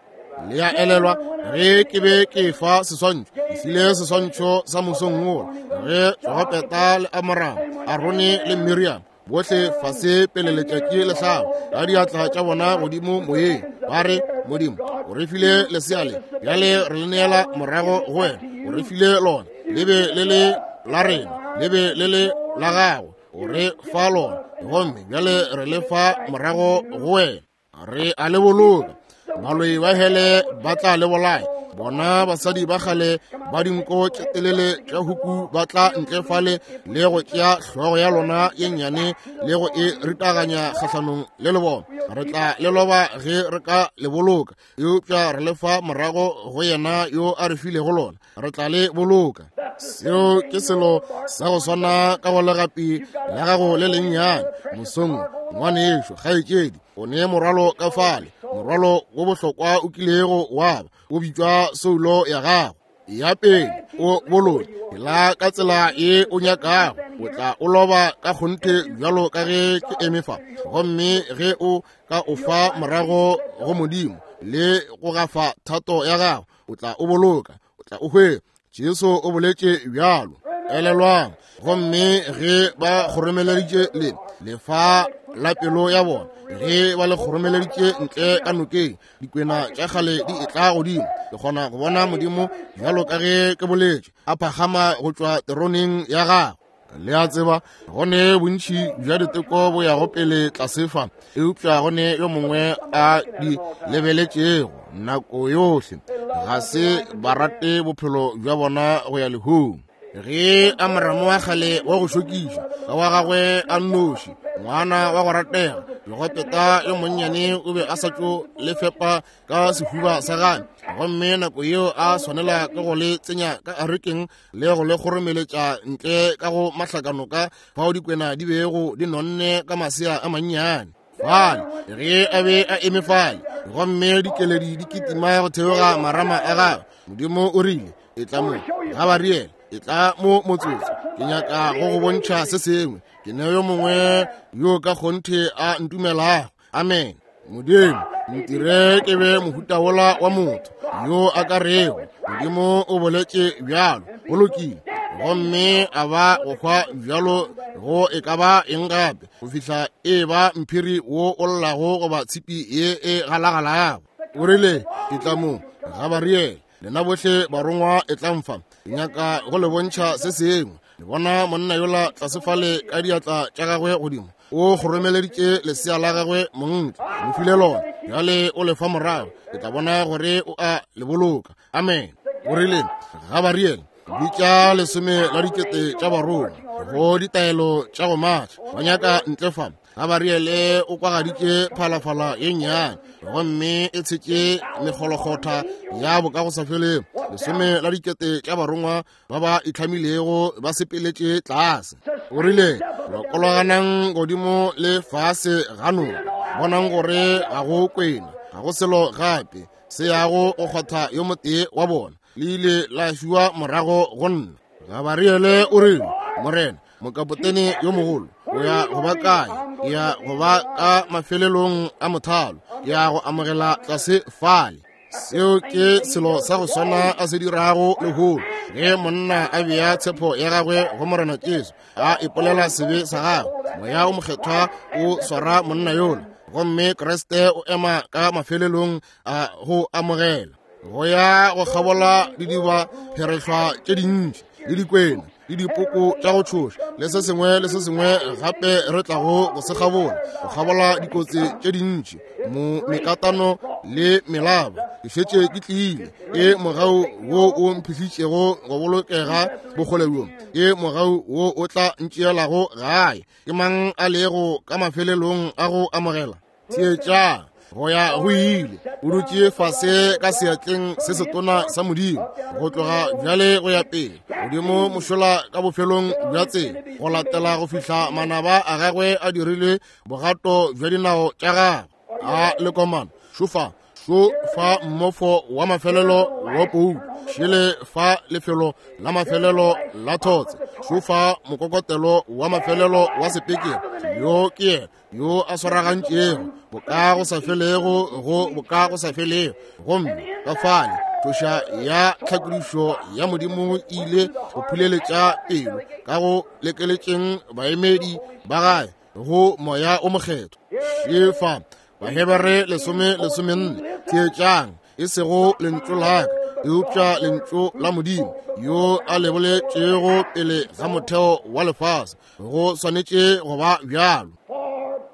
Le a elelwa ge ke be ke fa seswantšho, ke file seswantšho sa mosong wola ge Jogopeta le Amoramo, Arone le Miriam, bohle fase pele letšatši le hlaba, ka diatla tša bona godimo moyeng, ba re, Modimo o re file lesea le, bjale re le neela morago go wena, o re file lona, le be le le la rena. Le be le le la gago, o re fa lona, gomme bjale re le fa morago go wena. Re a le boloka. Baloi ba hele ba tla le bolaya. Bona basadi ba kgale ba dinko tše telele tša huku ba tla ntle fale le go tšea hlogo ya lona ye nnyane le go e ritaganya kgahlanong le le bona. Re tla le loba ge re ka le boloka, eupša re le fa morago go yena yo a re filego lona. Re tla le boloka. Seo ke selo sa go swana ka go legapi la gago le lennyane mosong, ngwanešo, kgaetšedi. O ne morwalo ka fale, morwalo wo bohlokwa o kilego wa ba, o bitšwa soulo ya gago. Ya pele o boloke la ka tsela ye o nyakago, o tla o loba ka kgonthe bjalo ka ge ke eme fa. Gomme ge o ka o fa morago go Modimo le go gafa thato ya gago, o tla o boloka, o tla o hwetša. Jesu o boletše bjalo. Elelwang, gomme ge ba kgoromeleditše le lefa la pelo ya bona, ge ba le kgoromeleditše ntle ka nokeng, dikwena tša kgale di etla godimo. Ke kgona go bona Modimo bjalo ka ge ke boletše, a phagama go tšwa teroneng ya gagwe. Le a tseba, go ne bontši bja diteko bo yago pele tlase fa, eupša go ne yo mongwe a di lebeletšego nako yohle. Ga se ba rate bophelo bja bona go ya lehung. Ge Amramo wa kgale wa go šokiša ka wa gagwe a nnoši, ngwana wa go ratega, Jogopeta yo monnyane o be a sa tšo le fepa ka sehuba sa gagwe, gomme nako yeo a swanela ke go le tsenya ka arekeng le go le kgoromeletša ntle ka go mahlakanoka fao dikwena di bego di nonne ka masea a mannyane. Fale ge a be a eme fale, gomme dikeledi di kitima go theoga marama a gagwe, Modimo o rile, Etla mo, Gabariele, etla mo motsotso, ke nyaka go go bontšha se sengwe. Ke ne yo mongwe yo ka kgonthe a ntumelago. Amen. Modimo, ntire ke be mohuta wola wa motho yo a ka rego Modimo o boletše bjalo, go lokile, gomme a ba go hwa bjalo go e ka ba eng gape, go fihla e ba mphiri wo o llago goba tshipi ye e galagalago. O rile, Etla mo, Gabariele, lena bohle barongwa etlang fa, ke nyaka go le bontšha se sengwe. Le bona monna yola tlase fale ka diatla tša gagwe godimo, o kgoromeleditše lesea la gagwe montle, mo file lona, bjale o le fa morago, ke tla bona gore o a le boloka. Amen. O rile, Gabariele, bitša 10 la dikete tša barongwa go ditaelo tša go matša, ba nyaka ntle fa. Gabariele o kwagaditše phalafala ye nnyane, gomme e tshetše mekgolokgotha ya bokagosafelego. 10 la dikete tša barongwa ba ba itlhamilego ba sepeletše tlase. O rile, Lokologanang godimo le fase ga noka, bonang gore ga go kwena, ga go selo gape se yago go kgwatha yo motee wa bona. Le ile la fiwa morago go nna. Gabariele o rile, Morena, mokapotene yo mogolo, o ya go ba kae? Ke ya go ba ka mafelelong a mothalo, ke ya go amogela tlase fale. Seo ke selo sa go swana a se dirago lehono. Ge monna a bea tshepo ya gagwe go Morena Jesu, a ipolela sebe sa gagwe, Moya o Mokgethwa o swara monna yola, gomme Kriste o ema ka mafelelong a go amogela. Go ya go kgabola didiba pherehlwa tše dintši le dikwena le dipoko tša go tšhoša le se sengwe le se sengwe gape re tlago go se kgabola, go kgabola dikotsi tše dintši, mo mekatano le melaba. Ke šetše ke tlile, ke mogau wo o mphihlitšego go bolokega bokgole bjo, ke mogau wo o tla ntšeelago gae. Ke mang a lego ka mafelelong a go amogela? Theetšang, go ya go ile, o dutše fase ka seatleng se setona sa Modimo, go tloga bjale go ya pele, godimo mošola ka bofelong bja tsela, go latela go fihla manaba a gagwe a dirile bogato bja dinao tša gagwe. A lekomana, šofa, šo fa mmofo wa mafelelo wa poulo, šele fa lefelo la mafelelo la thotse, šo fa mokokotelo wa mafelelo wa sepekere. Yo ke yena yo a swaragantšego boka go sa felego go boka go sa felego. Gomme ka fale tšhoša ya tlhakodišo ya Modimo e ile go phuleletša pelo ka go lekeletšeng baemedi ba gae go Moya o Mokgethwa. Šefa Bahebere 14, theetšang, e sego lentšu la ka, eupša lentšu la Modimo yo a le boletšego pele ga motheo wa lefase. Go swanetše go ba bjalo,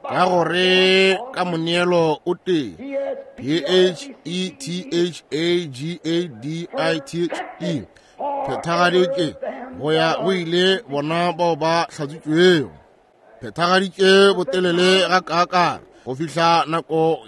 ka gore ka moneelo o tee P-H-E-T-H-A-G-A-D-I-T-H-E phethagaditše go ya go ile bona bao ba hlatswitšwego. Phethagaditše botelele ga kaakang go fihla nako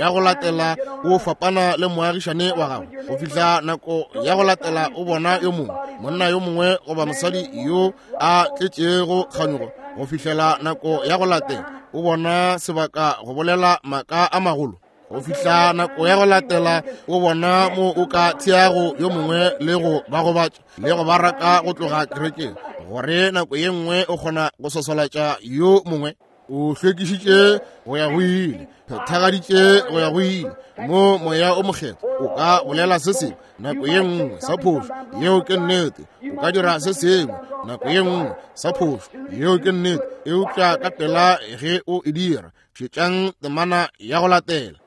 ya go latela o fapana le moagišane wa gago, go fihla nako ya go latela o bona yo mongwe, monna yo mongwe goba mosadi yo a tletšego kganyogo, go fihlela nako ya go latela o bona sebaka go bolela maaka a magolo, go fihla nako ya go latela o bona mo o ka theago yo mongwe le go ba gobatša le go ba raka go tloga kerekeng, gore nako ye nngwe o kgona go sosolatša yo mongwe. O hlwekišitše go ya go ile, phethagaditše go ya go ile. Mo moya o mokgethwa o ka bolela se sengwe nako ye nngwe sa phošo, yeo ke nnete. O ka dira se sengwe nako ye nngwe sa phošo, yeo ke nnete. Eupša ka pela ge o e dira, šetšang temana ya go latela.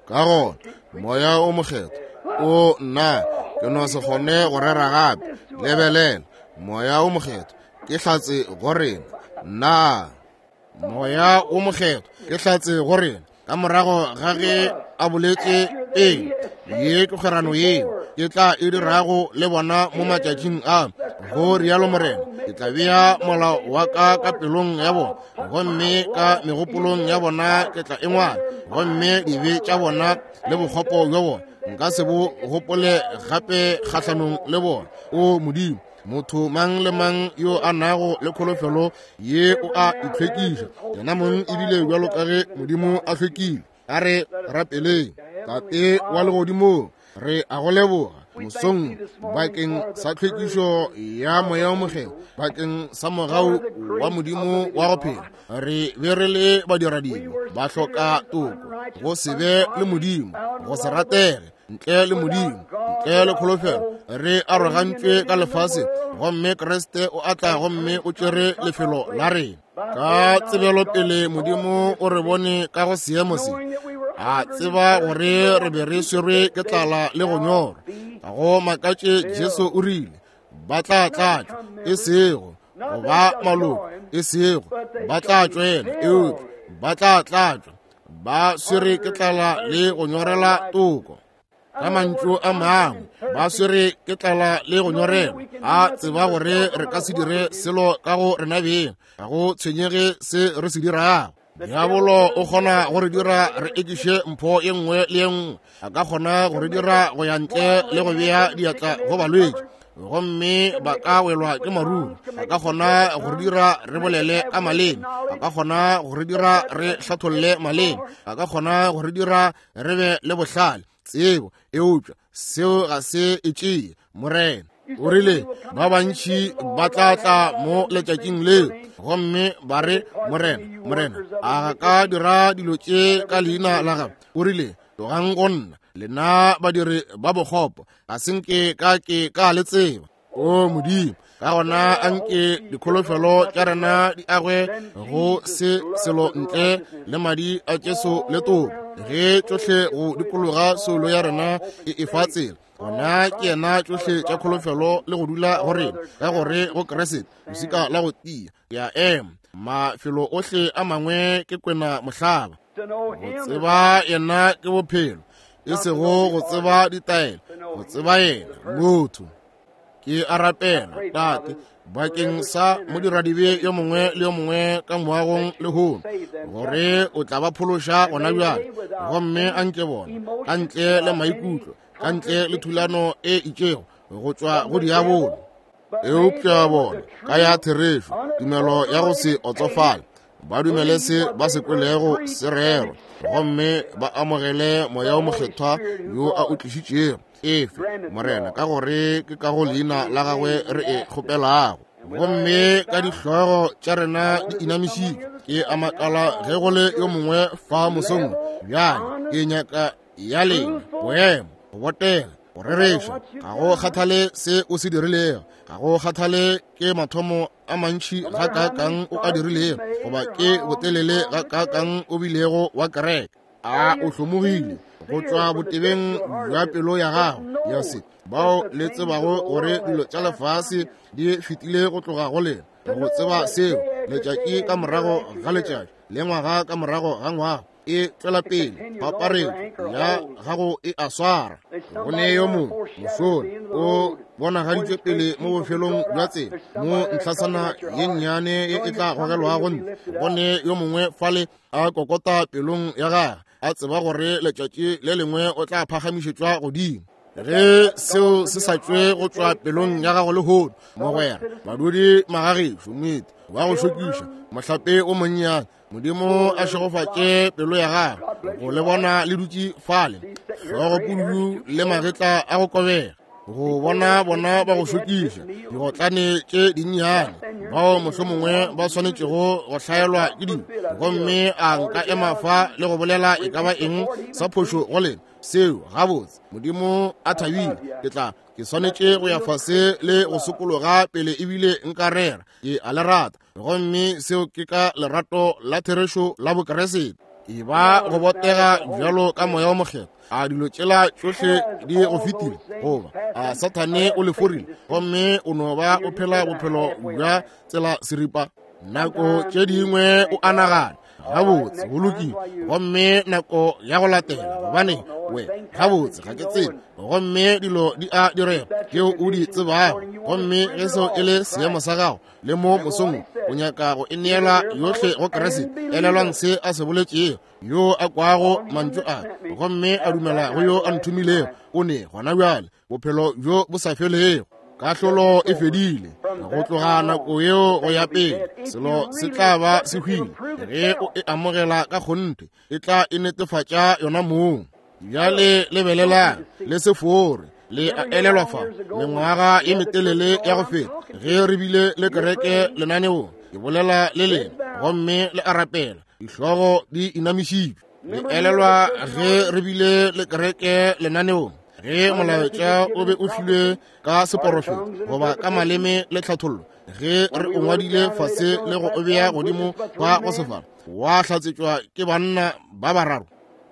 Ka gona moya o mokgethwa o nna ke no se kgone go rera gape. Lebelela, moya o mokgethwa ke hlatse go rena. Nna moya o mokgethwa ke hlatse go rena ka morago ga ge a boletše pele ye ke kgwerano yeo ke tla e dirago le bona mo matšatšing a, go rialo Morena. Ke tla bea molao wa ka ka pelong ya bona, gomme ka megopolong ya bona ke tla e ngwala, gomme dibe tša bona le bokgopo bja bona nka se bo gopole gape kgahlanong le bona. O Modimo, motho mang le mang yo a nago le kholofelo ye o a itlhwekiša yena mong, ebile bjalo ka ge Modimo a hlwekile. A re rapeleng. Tate wa legodimong, re a go leboga mosong bakeng sa tlhwekišo ya moya o mokgethwa, bakeng sa mogau wa Modimo wa go phela. Re be re le badiradibe, ba hloka toko, go se be le Modimo, go se ratege, ntle le Modimo, ntle le kholofelo. Re arogantšwe ka lefase, gomme Kriste o atla gomme o tšere lefelo la rena. Ka tsebelopele Modimo o re bone ka go seemo se, a tseba gore re be re swerwe ke tlala le go nyorwa. Ga go makatše Jesu o rile, ba tla tlatšwa, e sego go ba maloko, e sego ba tla tšwela, eupša ba tla tlatšwa, ba swere ke tlala le go nyorela toko. Ka mantšu a mangwe, ba swere ke tlala le go nyorelwa. A tseba gore re ka se dire selo ka go rena beng, ga go tshwenyege se re se dirago. Diabolo o kgona go re dira re ekiše mpho ye nngwe le ye nngwe. A ka kgona go re dira go ya ntle le go bea diatla go balwetši, gomme ba ka welwa ke maruru. A ka kgona go re dira re bolele ka maleme. A ka kgona go re dira re hlatholle maleme. A ka kgona go re dira re be le bohlale, tsebo, eupša seo ga se e tšee. Morena o rile ba bantši ba tla tla mo letšatšing leo gomme ba re, Morena, Morena, a ga ka dira dilo tše ka leina la gago? O rile, tlogang go nna, lena badiri ba bokgopo, ga se nke ka ke ka le tseba. O Modimo, ka gona anke dikholofelo tša rena di agwe go se selo ntle le madi a Jesu le toko. Ge tšohle go dikologa soulo ya rena e efa tsela, gona ke yena tšohle tša kholofelo le go dula go rena, ka gore go Kriste losika la go tia ke a ema. Mafelo ohle a mangwe ke kwena mohlaba. Go tseba yena ke bophelo, e sego go tseba ditaelo, go tseba yena motho. Ke a rapela, Tate, bakeng sa modiradibe yo mongwe le yo mongwe ka moagong lehono, gore o tla ba phološa gona bjale, gomme a nke bona ka ntle le maikutlo, ka ntle le thulano e itšego go tšwa go diabolo, eupša bona ka ya therešo, tumelo ya go se otsofale, ba dumele se ba se kwelego se rerwa, gomme ba amogele moya o mokgethwa yo a o tlišitšego. Efe, Morena, ka gore ke ka go leina la gagwe re e kgopelago. Gomme ka dihlogo tša rena di inamišitšwe, ke a makala ge go le yo mongwe fa mosong bjale, ke nyaka ya lena boemo go botega. Go rereša, ga go kgathale se o se dirilego, ga go kgathale ke mathomo a mantši gakaakang o a dirilego, goba ke botelele gakaakang o bilego wa kereke, a o hlomogile go tšwa botebeng bja pelo ya gago ya se bao le tsebago gore dilo tša lefase di fetile go tloga go lena, go tseba seo letšatši ka morago ga letšatši le ngwaga ka morago ga ngwaga e tšwela pele, paparetšo ya gago e a swara. Go ne yo mongwe mošola o bonagaditšwe pele mo bofelong bja tsela, mo ntlhasana ye nnyane ye e tla gogelwago ntle. Go ne yo mongwe fale a kokota pelong ya gagwe, a tseba gore letšatši le lengwe o tla phagamišetšwa godimo. Ge seo se sa tšwe go tšwa pelong ya gago lehono, mogwera, badudi magagešo, moeti wa go šokiša, mohlape o monnyane, Modimo a šegofatše pelo ya gago go le bona le dutše fale, hlogo pududu le magetla a go kobega, go bona bona ba go šokiša, digotlane tše dinnyane, bao mohlomongwe ba swanetšego go hlaelwa ke dilo, gomme a nka ema fa le go bolela e ka ba eng sa phošo go lena, seo gabotse Modimo a thabile, ke tla ke swanetše go ya fase le go sokologa pele ebile nka rera. Ke a le rata, gomme seo ke ka lerato la therešo la Bokeresete. E ba go botega bjalo ka Moya o Mokgethwa. A dilo tšela tšohle di go fetile, goba a Sathane o le forile, gomme o no ba o phela bophelo bja tsela seripa? Nako tše dingwe o a nagana, gabotse go lokile, gomme nako ya go latela, gobane we gabotse ga ke tsebe, gomme dilo di a direga tšeo o di tsebago, gomme ge seo e le seemo sa gago le mo mosong o nyaka go e neela yohle go Kriste, elelwang se a se boletšego, yo a kwago mantšu a gomme a dumela go yo a nthomilego, o ne gona bjale bophelo bjo bo sa felego. Kahlolo e fedile. Go tloga nako yeo go ya pele, selo se tla ba se hwile. Ge o e amogela ka kgonthe, e tla e netefatša yona mong. Bjale lebelelang, le se fore. Le a elelwa fa, mengwaga ye metelele ya go feta, ge re bile le kereke lenaneong, ke bolela le lena, gomme le a rapela, dihlogo di inamišitšwe. Le elelwa ge re bile le kereke lenaneong, ge molaetša o be o filwe ka seporofeto goba ka maleme le tlhathollo, ge re o ngwadile fase le go o bea godimo kwa go sefala, wa hlatsetšwa ke banna ba bararo.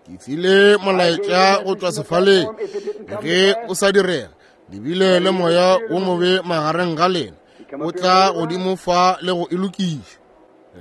Ke file molaetša go tšwa sefaleng, ge o sa direga, le bile le moya wo mobe magareng ga lena, o tla godimo fa le go e lokiša.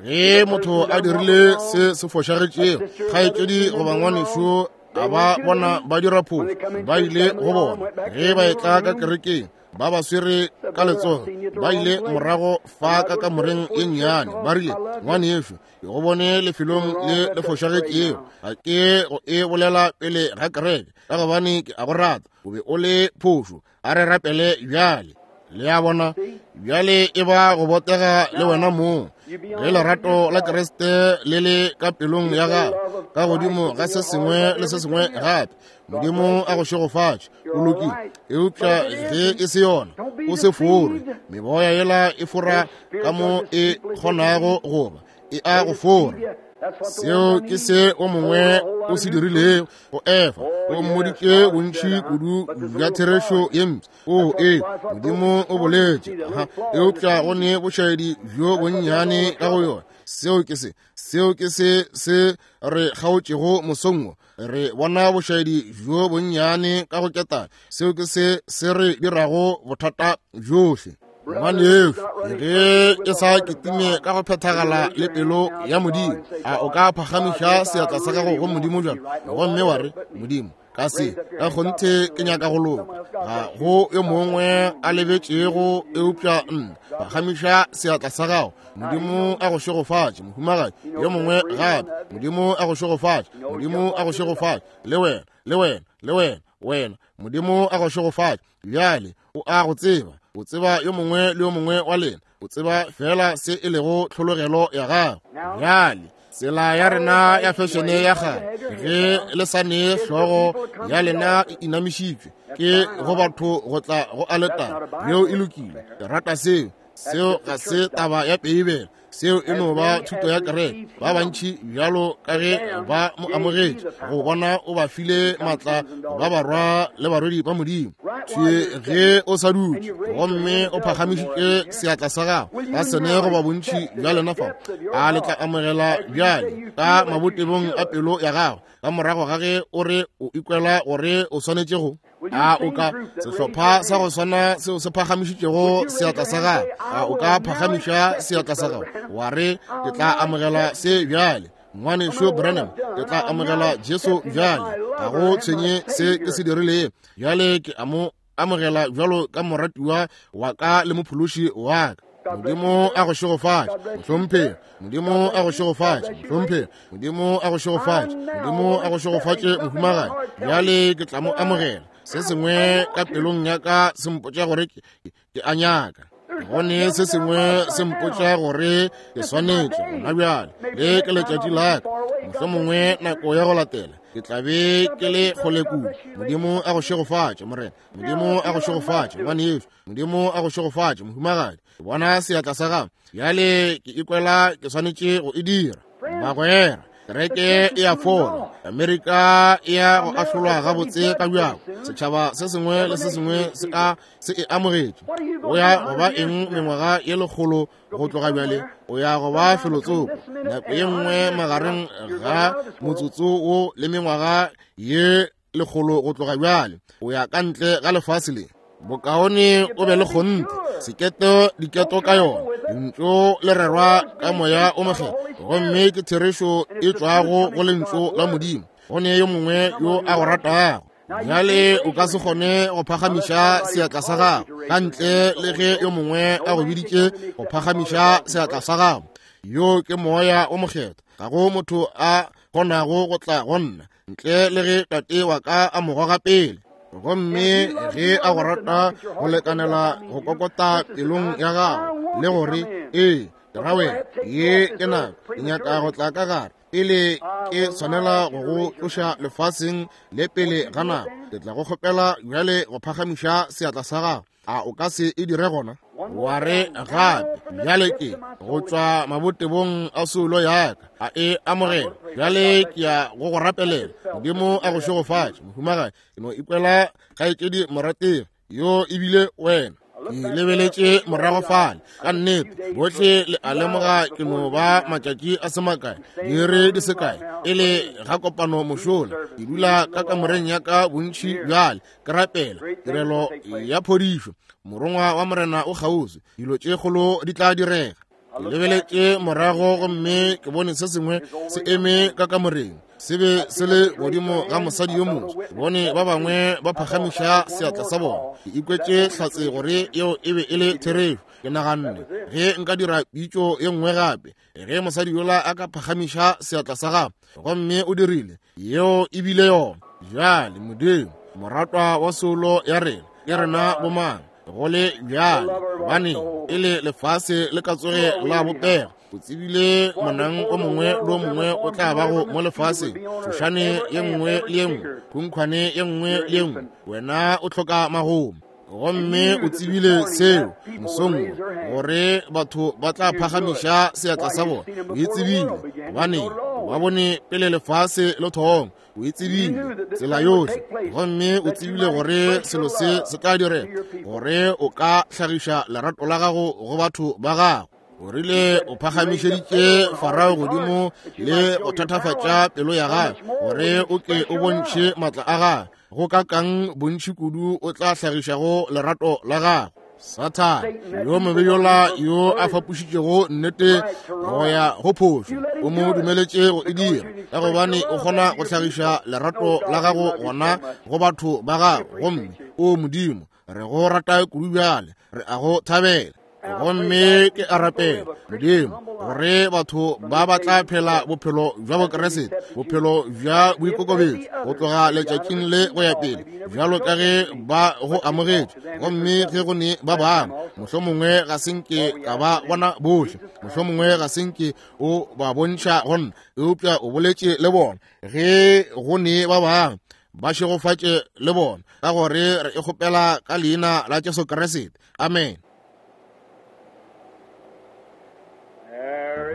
Ge motho a dirile se se fošagetšego, kgaetšedi goba ngwanešo, a ba bona ba dira phošo, ba ile go bona ge ba etla ka kerekeng, ba ba swere ka letsogo, ba ile morago fa ka kamoreng ye nnyane, ba rile, ngwanešo, ke go bone lefelong le le fošagetšego, ga ke go e bolela pele ga kereke, ka gobane ke a go rata, o be o le phošo, a re rapele bjale. Le a bona, bjale e ba go botega le wena mong, ge lerato la Kriste le le ka pelong ya gago, ka godimo ga se sengwe le se sengwe gape, Modimo a go šegofatše, o lokile. Eupša ge e se yona, o se fore. Meboya yela e fora ka mo e kgonago goba e a go fora. Seo ke se o mongwe o se dirilego go Efa. O mmoditše bontši kudu bja therešo ye mpsha. O ee, Modimo o boletše, aha, eupša go ne bošaedi bjo bonnyane ka go yona. Seo ke se, seo ke se se re kgaotšego mosong wo. Re bona bošaedi bjo bonnyane ka go ketane. Seo ke se se re dirago bothata bjohle. Ngwanešu, ge ke sa kitime ka go phethagala le pelo ya Modimo, a o ka phagamiša seatla sa gago go Modimo bjalo gomme wa re, Modimo, ka se ka kgonthe ke nyaka go loka, ga go yo mongwe a lebetšego eupša nna. Phagamiša seatla sa gago. Modimo a go šegofatše, mohumagadi. Yo mongwe gape. Modimo a go šegofatše. Modimo a go šegofatše. Le wena, le wena, le wena, wena. Modimo a go šegofatše. Bjale o a go tseba, o tseba yo mongwe le yo mongwe wa lena, o tseba fela se e lego tlhologelo ya gago. Bjale tsela ya rena ya fešene ya kgale, ge le sa ne hlogo ya lena e inamišitšwe ke go batho go tla go aletara, yeo e lokile. Ke rata seo. Seo ga se taba ya Beibele. Seo e no ba thuto ya kereke. Ba bantši bjalo ka ge ba mo amogetše, go bona o ba file maatla ba barwa le barwedi ba Modimo. Thwi ge o sa dutše gomme o phagamišitše seatla sa gago, ba sene goba bontši bja lena fao, a le tla amogela bjale ka mabotebong a pelo ya gago, ka morago ga ge o re o ikwela gore o swanetše go? A o ka sehlopha sa go swana seo se phagamišitšego seatla sa gago, a o ka phagamiša seatla sa gago wa re, ke tla amogela se bjale, Ngwanešu Branham, ke tla amogela Jesu bjale, ga go tshwenye se ke se dirilego, bjale ke a mo amogela bjalo ka moratiwa wa ka le mophološi wa ka. Modimo a go šegofatše, mohlomphegi. Modimo a go šegofatše, mohlomphegi. Modimo a go šegofatše. Modimo a go šegofatše, mohumagadi. Bjale ke tla mo amogela. Se sengwe ka pelong ya ka se mpotša gore ke a nyaka. Gone se sengwe se mpotša gore ke swanetše gona bjale. Le ke letšatši la ka. Mohlomongwe nako ya go latela ke tla be ke le kgole kudu. Modimo a go šegofatše, Morena. Modimo a go šegofatše, ngwanešu. Modimo a go šegofatše, mohumagadi. Ke bona seatla sa gago. Bjale ke ikwela ke swanetše go e dira. Bagwera, kereke e a fola. Amerika e ya go ahlolwa gabotse ka bjako. Setšhaba se sengwe le se sengwe se a se e amogetše. O ya go ba eng mengwaga ye lekgolo go tloga bjale? O ya go ba felotsoko nako ye nngwe magareng ga motsotso wo le mengwaga ye lekgolo go tloga bjale. O ya ka ntle ga lefase le. Bokaone o be le kgonthe seketo diketo ka yona. Lentšu le rerwa ka moya o mokgethwa, gomme ke therešo e tšwago go lentšu la Modimo. Go ne yo mongwe yo a go ratago. Bjale o ka se kgone go phagamiša seatla sa gago ka ntle le ge yo mongwe a go biditše go phagamiša seatla sa gago. Yo ke moya o mokgethwa. Ga go motho a kgonago go tla go nna ntle le ge tate wa ka a mo goga pele. Gomme ge a go rata go lekanela go kokota pelong ya gago le gore, ee, ke ra wena, ye ke nako, ke nyaka go tla ka gare pele ke swanela go go tloša lefaseng le pele ga nako, ke tla go kgopela bjale go phagamiša seatla sa gago. A o ka se e dire gona? Wa re gape, bjale ke go tšwa mabotebong a soulo ya ka, a e amogela. Bjale ke ya go go rapelela. Modimo a go šegofatše, mohumagadi. Ke no ikwela kgaetšedi morategi yo ebile wena. Ke lebeletše morago fale ka nnete. Bohle le a lemoga ke no ba matšatši a se makae, diiri di se kae e le ga kopano mošola. Ke dula ka kamoreng ya ka bontši bjale ke rapela tirelo ya phodišo. Morongwa wa Morena o kgauswi, dilo tše kgolo di tla direga. Ke lebeletše morago gomme ke bone se sengwe se eme ka kamoreng, se be se le godimo ga mosadi yo moswa. Ke bone ba bangwe ba phagamiša seatla sa bona. Ke ikwetše hlatse gore yeo e be e le therešo. Ke naganne, ge nka dira pitšo ye nngwe gape, ge mosadi yola a ka phagamiša seatla sa gagwe, gomme o dirile, yeo e bile yona. Bjale Modimo, moratwa wa soulo ya rena, ke rena bomang go le bjale, gobane e le lefase le ka tsoge la bopega. O tsebile monang o mongwe le o mongwe o tla bago mo lefaseng, tšhošane ye nngwe le ye nngwe, khunkhwane ye nngwe le ye nngwe, wena o hloka magomo. Gomme o tsebile seo mosong wo, gore batho ba tla phagamiša seatla sa bona. O e tsebile, gobane o ba bone pele lefase le thoma. O e tsebile tsela yohle, gomme o tsebile gore selo se se tla direga, gore o ka hlagiša lerato la gago go batho ba gago. O rile o phagamišeditše Farao godimo le go thatafatša pelo ya gagwe, gore o ke o bontšhe maatla a gagwe. Go ka kang bontši kudu o tla hlagišago lerato la gago. Sathane yo mobe yola yo a fapošitšego nnete go ya go phošo, o mo dumeletše go e dira, ka gobane o kgona go hlagiša lerato la gago gona go batho ba gago. Gomme o Modimo, re go rata kudu bjale, re a go thabela. Gomme ke a rapela, Modimo, gore batho ba ba tla phela bophelo bja Bokriste, bophelo bja boikokobetšo go tloga letšatšing le go ya pele, bjalo ka ge ba go amogetše. Gomme ge go ne ba bangwe, mohlomongwe ga se nke ka ba bona bohle, mohlomongwe ga se nke o ba bontšha go nna, eupša o boletše le bona. Ge go ne ba bangwe, ba šegofatše le bona, ka gore re e kgopela ka leina la Jesu Kriste. Amen.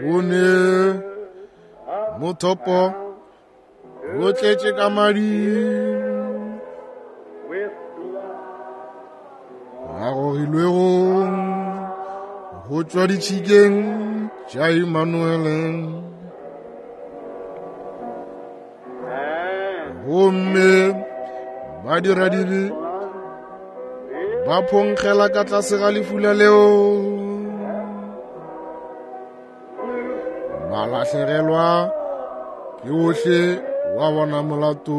Go ne mothopo o tletše ka madi a gogilwego go tšwa ditšhikeng tša Immanuele. Gomme badiradibe ba phonkgela ka tlase ga lefula leo, ba lahlegelwa ke ohle wa bona molato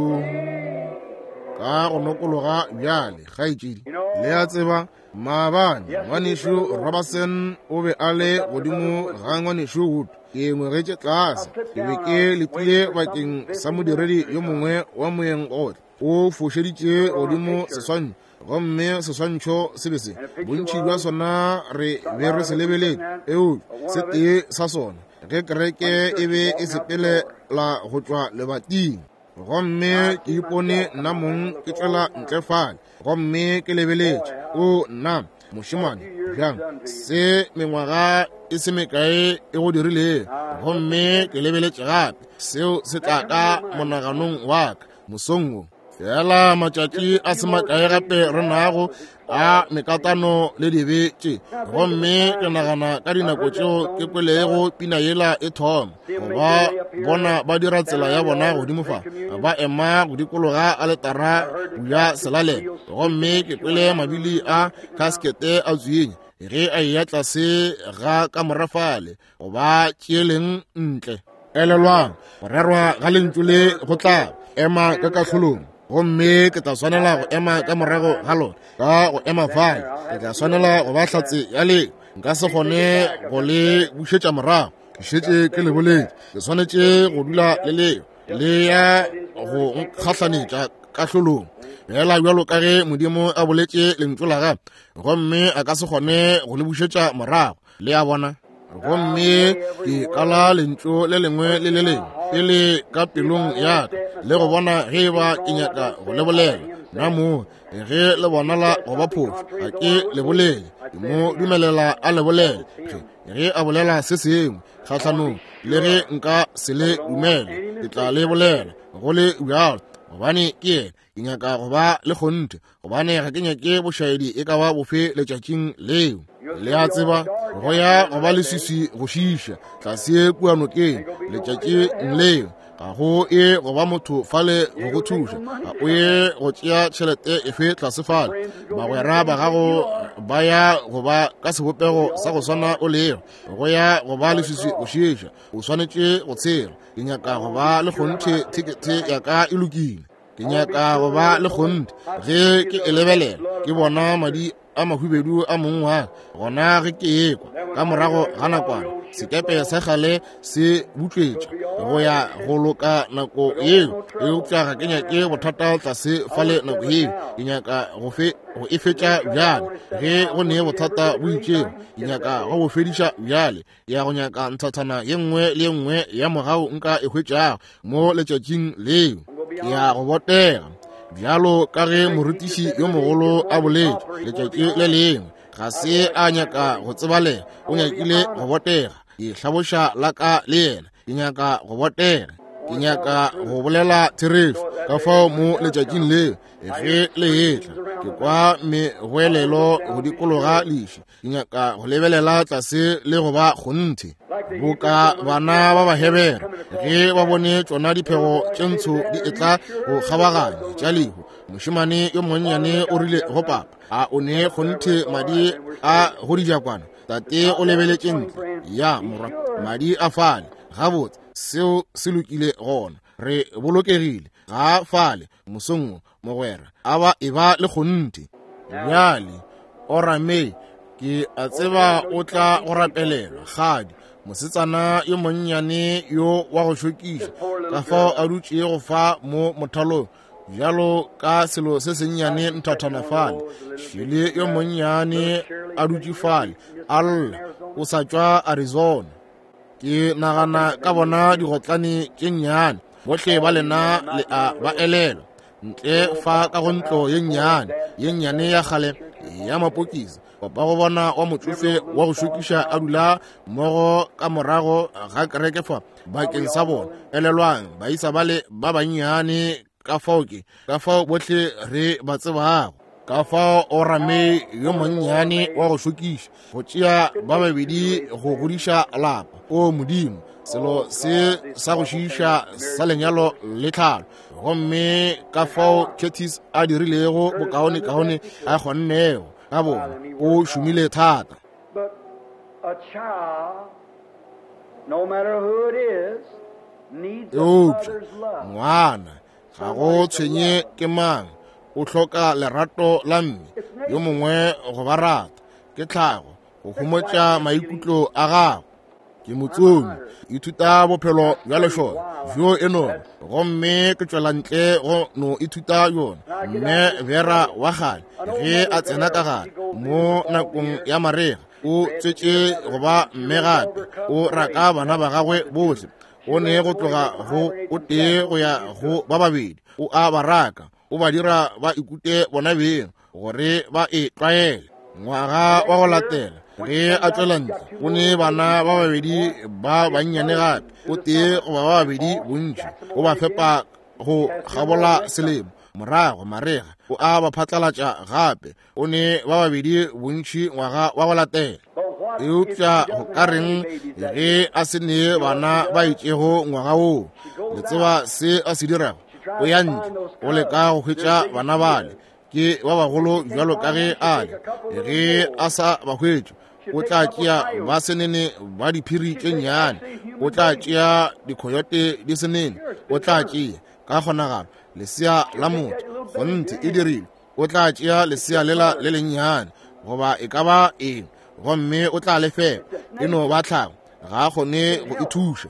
ka go nokologa bjale. Kgaetšedi, le a tseba, maabane ngwanešu Robertson o be a le godimo ga ngwanešu Wood. Ke ngwegetše tlase, ke be ke letile bakeng sa modiredi yo mongwe wa moyeng gotle. O fošeditše godimo seswantšho, gomme seswantšho se be se bontši bja sona re be re se lebeletše, eupša se tee sa sona ge kereke e be e sepelela go tšwa lebating. Gomme ke ipone nna mong ke tšwela ntle fale, gomme ke lebeletše. O nna mošemane, bjang se mengwaga e se mekae e go dirilego. Gomme ke lebeletše gape, seo se tla ka monaganong wa ka mosong wo. Fela matšatši a se makae gape re nago a mekatano le dibe tše. Gomme ke nagana ka dinako tšeo ke kwelego pina yela e thoma, ba bona ba dira tsela ya bona godimo fa, ba ema go dikologa aletara ya selalelo. Gomme ke kwele mabili a kaskete a tswinya ge a eya tlase ga kamora fale, go ba tšeeleng ntle. Elelwang, go rerwa ga lentšu le go tla ema ka kahlolong, gomme ke tla swanela go ema ka morago ga lona. Ka go ema fale, ke tla swanela go ba hlatse ya leo. Nka se kgone go le bušetša morago, ke šetše ke le boletše. Ke swanetše go dula le leo, le ya go nkgahlanetša kahlolong, fela bjalo ka ge Modimo a boletše lentšu la gagwe, gomme a ka se kgone go le bušetša morago. Le a bona? Gomme ke kala lentšu le lengwe le le lengwe pele ka pelong ya ka, le go bona ge e ba ke nyaka go le bolela. Nna mo ge le bonala go ba phošo, ga ke le bolele, ke mo dumelela a le bolele. Ge a bolela se sengwe kgahlanong le ge nka se le dumele, ke tla le bolela go le bjalo, gobane ke yena. Ke nyaka go ba le kgonthe, gobane ga ke nyake bošaedi e ka ba bofe letšatšing leo. Le a tseba, go ya go ba leswiswi go šiiša tlase kua nokeng letšatšing leo. Ga go ye go ba motho fale go go thuša, ga o ye go tšea tšhelete efe tlase fale. Bagwera ba gago ba ya go ba ka sebopego sa go swana o lego. Go ya go ba leswiswi go šiiša, o swanetše go tshela. Ke nyaka go ba le kgonthe thekethe ya ka e lokile. Ke nyaka go ba le kgonthe ge ke e lebelela, ke bona madi a mahubedu a mong wa ka. Gona ge ke ekwa ka morago ga nakwana sekepe sa kgale se butšwetša go ya go loka nako yeo, eupša ga ke nyake bothata tlase fale nako yeo. Ke nyaka go e fetša bjale. Ge go ne bothata bo itšego, ke nyaka go bo fediša bjale. Ke ya go nyaka nthathana ye nngwe le ye nngwe ya mogau nka e hwetšago mo letšatšing leo. Ke ya go botega bjalo ka ge morutiši yo mogolo a boletše letšatši le lengwe. Ga se a nyaka go tsebalega, o nyakile go botega. Ke hlaboša la ka le yena, ke nyaka go botega, ke nyaka go bolela therešo. Ka fao mo letšatšing leo ge le etla, ke kwa megoelelo go dikologa leši. Ke nyaka go lebelela tlase le go ba kgonthe boka bana ba Bahebere ge ba bone tšona diphego tše ntsho di etla go kgabaganya tša lehu. Mošemane yo monnyane o rile go papa, a o ne kgonthe madi a go dijakwana? Tate o lebeletše ntle, ya morwa, madi a fale. Gabotse, seo se lokile gona, re bolokegile. Ga fale mosong wo, mogwera, a ba e ba le kgonthe. Bjale Orame, ke a tseba o tla go rapelelwa. Gadi, mosetsana yo monnyane yo wa go šokiša, ka fao a dutšego fa mo mothalong bjalo ka selo se sennyane nthathana fale. Šele yo monnyane a dutše fale a lla, o sa tšwa Arizona. Ke nagana ka bona digotlane tše nnyane, bohle ba lena le a ba elelwa. Ntle fa ka go ntlo ye nnyane, ye nnyane ya kgale ya mapokisi, papa go bona wa motsofe wa go šokiša a dula mmogo ka morago ga kereke fa bakeng sa bona. Elelwang, baisa bale ba bannyane ka fao ke, ka fao bohle re ba tsebago. Ka fao o rame yo monnyane wa go šokiša go tšea ba babedi go godiša lapa. O Modimo, selo se sa go šiiša sa lenyalo le tlhalo. Gomme ka fao Curtis a dirilego bokaonekaone a kgonnego ka bona, o šomile thata. But a child, no matter who it is, needs a Eupša mother's love. ngwana ga go tshwenye ke mang, o hloka lerato la mme yo mongwe go ba rata. Ke tlhago go homotša maikutlo a gago. Ke motsomi, ithuta bophelo bja lešole bjo e no, gomme ke tšwela ntle go no ithuta yona. Mme Vera wa kgale ge a tsena ka gare mo nakong ya marega, o tswetše go ba mme gape, o raka bana ba gagwe bohle. O ne go tloga go o tee go ya go ba babedi, o a ba raka, o ba dira ba ikute bona beng gore ba e tlwaele. Ngwaga wa go latela ge a tšwela ntle, o ne bana ba babedi ba bannyane gape, o tee goba ba babedi bontši, o ba fepa go kgabola selemo. Morago marega o a ba phatlalatša gape, o ne ba babedi bontši ngwaga wa go latela. Eupša go ka reng ge a se ne bana ba itšego ngwaga woo? Le tseba se a se dirago? O ya ntle, o leka go hwetša bana bale, ke ba bagolo bjalo ka ge a le. Ge a sa ba hwetše, o tla tšea ba senene ba diphiri tše nnyane, o tla tšea dikhoyote di senene, o tla tšea ka kgonagalo lesea la motho, kgonthe e dirile, o tla tšea lesea lela le lennyane goba e ka ba eng, gomme o tla le fepa. E no ba tlhago, ga a kgone go e thuša.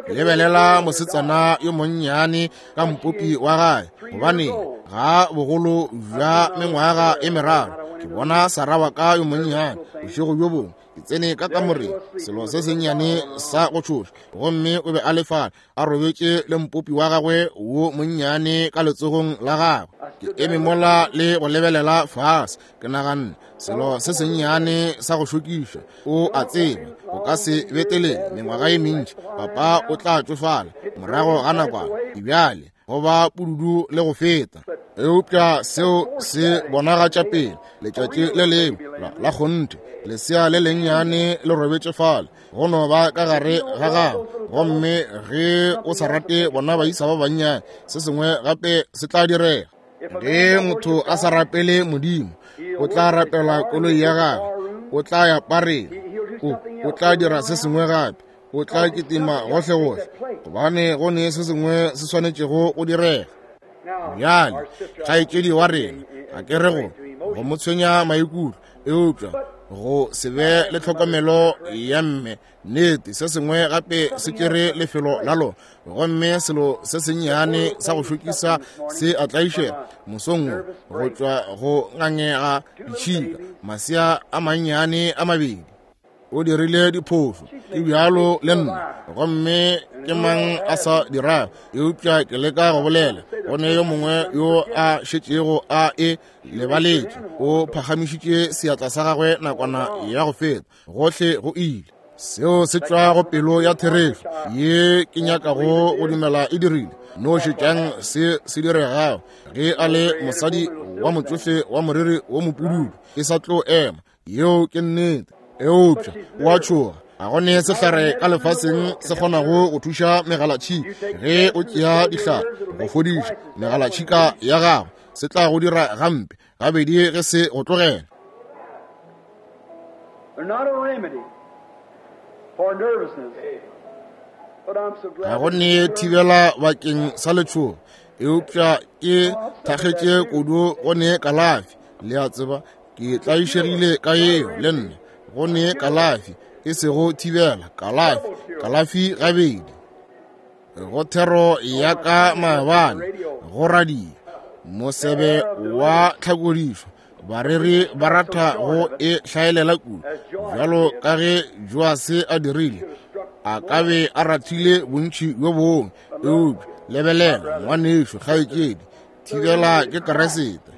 Lebelela mosetsana yo monnyane ka mpopi wa gae, gobane ga bogolo bja mengwaga e meraro. Ke bona Sara wa ka yo monnyane bošego bjo bongwe, ke tsene ka kamoreng, selo se sennyane sa go tšhoša, gomme o be a le fale a robetše le mpopi wa gagwe wo monnyane ka letsogong la gagwe. Ke eme mola le go lebelela fase, ke naganne, selo se sennyane sa go šokiša, o a tseba o ka se betelele mengwaga e mentši, papa o tla tšofala morago ga nakwana, bjale go ba pududu le go feta. Eupša seo se bonagatša pele letšatši le lengwe la kgonthe, lesea le lennyane le robetše fale, go no ba ka gare ga gago. Gomme ge o sa rate bona baisa ba bannyane, se sengwe gape se tla direga. Ge motho a sa rapele Modimo, o tla rapela koloi ya gagwe, o tla ya pareng, o tla dira se sengwe gape, o tla kitima gohle-gohle, gobane go ne se sengwe se swanetšego go direga. Bjale, kgaetšedi wa rena, ga ke re go mo tshwenya maikutlo, eupša go se be le tlhokomelo ya mme, nnete se sengwe gape se tšere lefelo la lona. Gomme selo se sennyane sa go šokisa se a tlaišega mosong wo, go tšwa go ngangega ditšhika, masea a mannyane a mabedi. O dirile diphošo, ke bjalo le nna, gomme ke mang a sa dirago? Eupša ke leka go bolela, go ne yo mongwe yo a šetšego a e lebaletše, o phagamišitše seatla sa gagwe nakwana ya go feta, gohle go ile. Seo se tšwa go pelo ya therešo ye ke nyakago go dumela e dirile. No šetšang se se diregago ge a le mosadi wa motsofe wa moriri wo mopududu, e sa tlo ema. Yeo ke nnete. Eupša o a tšhoga, ga go ne sehlare ka lefaseng se kgonago go thuša megalatšhika. Ge o tšea dihlare go fodiša megalatšhika ya gago, se tla go dira gampe gabedi ge se go tlogela. They're not a remedy for nervousness. But I'm so glad. Ga go ne thibela bakeng sa letšhogo, eupša ke thakgetše kudu go ne kalafi. Le a tseba, ke tlaišegile ka yeo le nna. Go ne kalafi, e sego thibela, kalafi, kalafi gabedi. Go thero ya ka maabane go radio, mosebe wa tlhakodišo, bareri ba rata go e hlaelela kudu, bjalo ka ge Joase a dirile, a ka be a rathile bontši bjo bongwe. Eupša lebelela, ngwanešo, kgaetšedi, Thibela ke Kriste.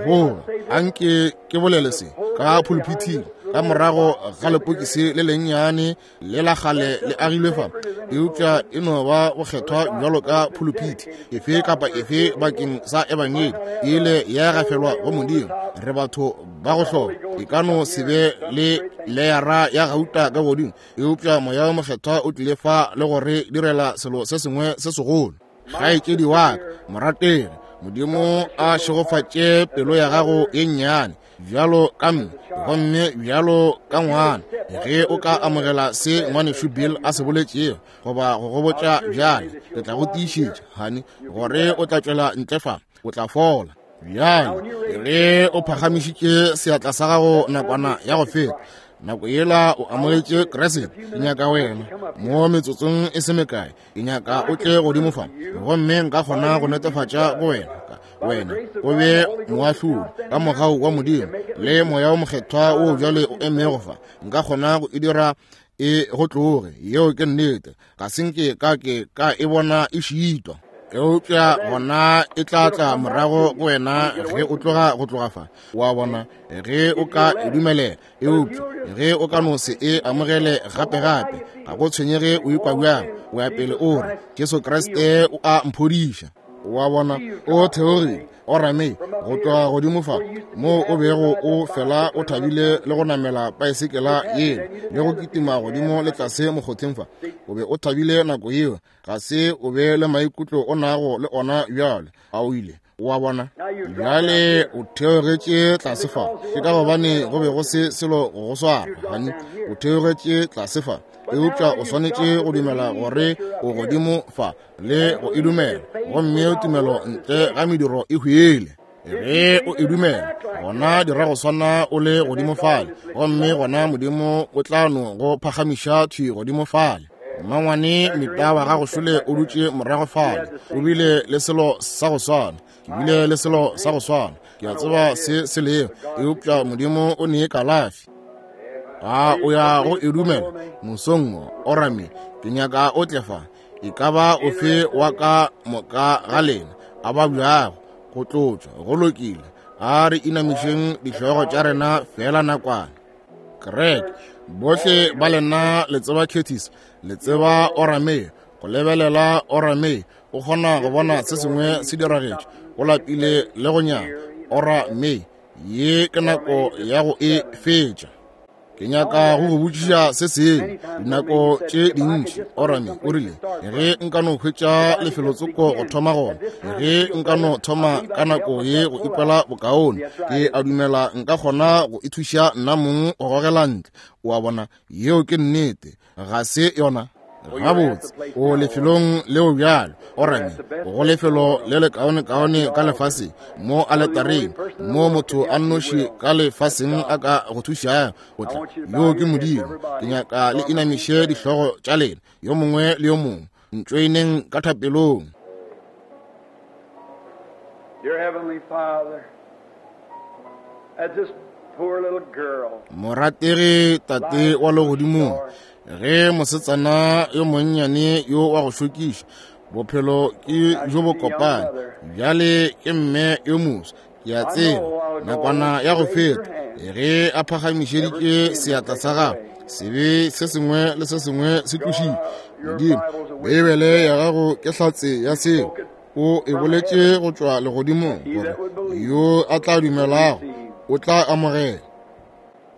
Goba anke ke bolele se ka phuluphithing, ka morago ga lepokisi le lennyane le la kgale le agilwe fa, eupša e no ba bokgethwa bjalo ka phuluphithi efe kapa efe bakeng sa ebangedi e ile ya gafelwa go Modimo. Re batho ba go hloka, e ka no se be le leyara ya gauta ka godimo, eupša Moya wo Mokgethwa o tlile fa le go re direla selo se sengwe se segolo. Kgaetšedi wa ka morategi, Modimo a šegofatše pelo ya gago ye nnyane bjalo ka mme gomme bjalo ka ngwana, ge o ka amogela se ngwanešu Bill a se boletšego goba go go botša bjale, ke tla go tiišetša, honey, gore o tla tšwela ntle fa, o tla fola. Bjale ge o phagamišitše seatla sa gago nakwana ya go feta, nako yela o amogetše Kriste, ke nyaka wena mo metsotsong e se mekae, ke nyaka o tle godimo fa, gomme nka kgona go netefatša go wena, wena o be moahlodi ka mogau wa Modimo le Moya wo Mokgethwa wo bjale o emego fa, nka kgona go e dira e go tloge. Yeo ke nnete, ga se nke ka ke ka e bona e šitwa, eupša gona e tla tla morago go wena ge o tloga go tloga fa, wa bona, ge o ka e dumelela. Eupša ge o ka no se e amogele gape-gape, ga go tshwenyege o ikwa bjang, o ya pele o re, Jesu Kriste o a mphodiša. Wa bona, o theogile, o rame go tloga godimo fa moo o bego o fela o thabile le go namela paesekela yeo le go kitima godimo le tlase mokgotheng fa, o be o thabile nako yeo, ga se o be le maikutlo o nago le ona bjale, a o ile wa bona. Bjale o theogetše tlase fa, ke ka gobane go be go se selo go go swara, gane o theogetše tlase fa, eupša o swanetše go dumela gore o godimo fa le go e dumela, gomme tumelo ntle ga mediro e hwele. Ge o e dumela, gona dira go swana o le godimo fale, gomme gona Modimo o tla no go phagamiša thwi godimo fale. Mmangwane Mita wa gago šole o dutše morago fale, o bile le selo sa go swana, ke bile le selo sa go swana, ke a tseba se se lego, eupša Modimo o nee kalafi. A o ya go e dumela mosong wo, Orame? Ke nyaka o tle fa. E ka ba ofe wa ka moka ga lena a ba bjago go tlotšwa, go lokile, a re inamišeng dihlogo tša rena fela nakwana. Kereke, bohle ba lena le tseba Curtis, le tseba Orame, go lebelela Orame o kgona go bona se sengwe se diragetše, o lapile le go nyama. Orame, ye ke nako ya go e fetša. Ke nyaka go go botšiša se sengwe. Dinako tše dintši Orame o rile, ge nka no hwetša lefelotsoko go thoma gona, ge nka no thoma ka nako ye go ikwela bokaone, ke a dumela nka kgona go ithuša nna mong go gogela ntle. O a bona, yeo ke nnete, ga se yona? Gabotse, o lefelong leo bjalo, Orame, go lefelo le lekaonekaone ka lefaseng, mo aletareng, mo motho a nnoši ka lefaseng a ka go thušago go tla, yoo ke Modimo. Ke nyaka le inamiše dihlogo tša lena, yo mongwe le yo mongwe, ntšoeneng ka thapelong. Dear Heavenly Father, as this poor little girl Morategi Tate wa legodimong, ge mosetsana yo monnyane yo wa go šokiša, bophelo ke jo bo kopane, bjale ke mme yo moswa, ke a tseba nakwana ya go feta ge a phagamišeditše seatla sa gagwe, sebe se sengwe le se sengwe se tlošitšwe. Modimo, Beibele ya gago ke hlatse ya seo, o e boletše go tšwa legodimong gore yo a tla dumelago o tla amogela.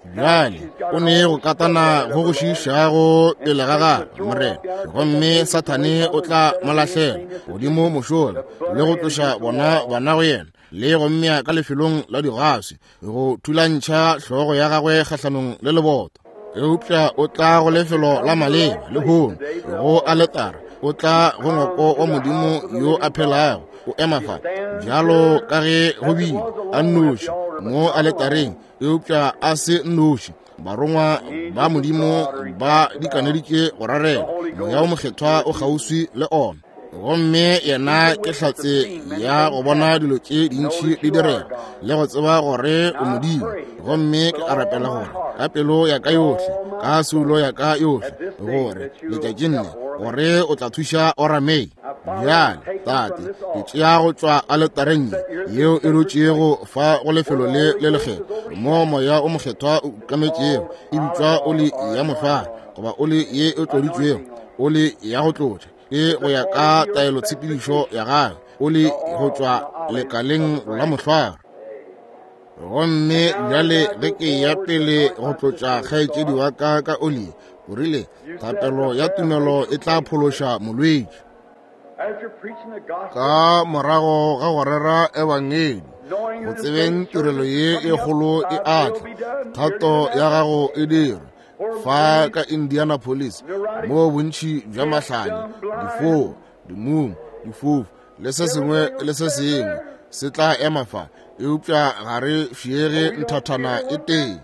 Bjale o ne go katana go go šiišago pele ga gagwe, Morena, gomme Sathane o tla mo lahlela godimo mošola le go tloša bona bana go yena le go mmea ka lefelong la digaswi go thulantšha hlogo ya gagwe kgahlanong le leboto. Eupša o tla go lefelo la maleba lehono, go aletara, o tla go ngwako wa Modimo yo a phelago, o ema fa bjalo ka ge go bile a nnoši mo aletareng, eupša a se nnoši. Barongwa ba Modimo ba dikaneditše go rarela, Moya wo Mokgethwa o kgauswi le ona, gomme yena ke hlatse ya go bona dilo tše dintši di direga le go tseba gore o Modimo. Gomme ke a rapela gore ka pelo ya ka yohle, ka soulo ya ka yohle, gore letšatšing le gore o tla thuša Orame. Bjale, Tate, ke tšea go tšwa aletareng yeo e dutšego fa go lefelo le le lekgethwa, mo Moya o Mokgethwa o ukametšego, e bitšwa oli ya mohlware, goba oli ye e tloditšwego, oli ya go tlotša, ke go ya ka taelotshepedišo ya gagwe, oli go tšwa lekaleng la mohlware. Gomme bjale ge ke ya pele go tlotša kgaetšedi wa ka ka oli, o rile, thapelo ya tumelo e tla phološa molwetši. Ka morago ga go rera ebangedi, go tsebeng tirelo ye e kgolo e atla, thato ya gago e dirwe fa ka Indianapolis, moo bontši bja mahlanya, difoo, dimumu, difofu le se sengwe le se sengwe se tla ema fa, eupša ga re fiege nthathana e tee.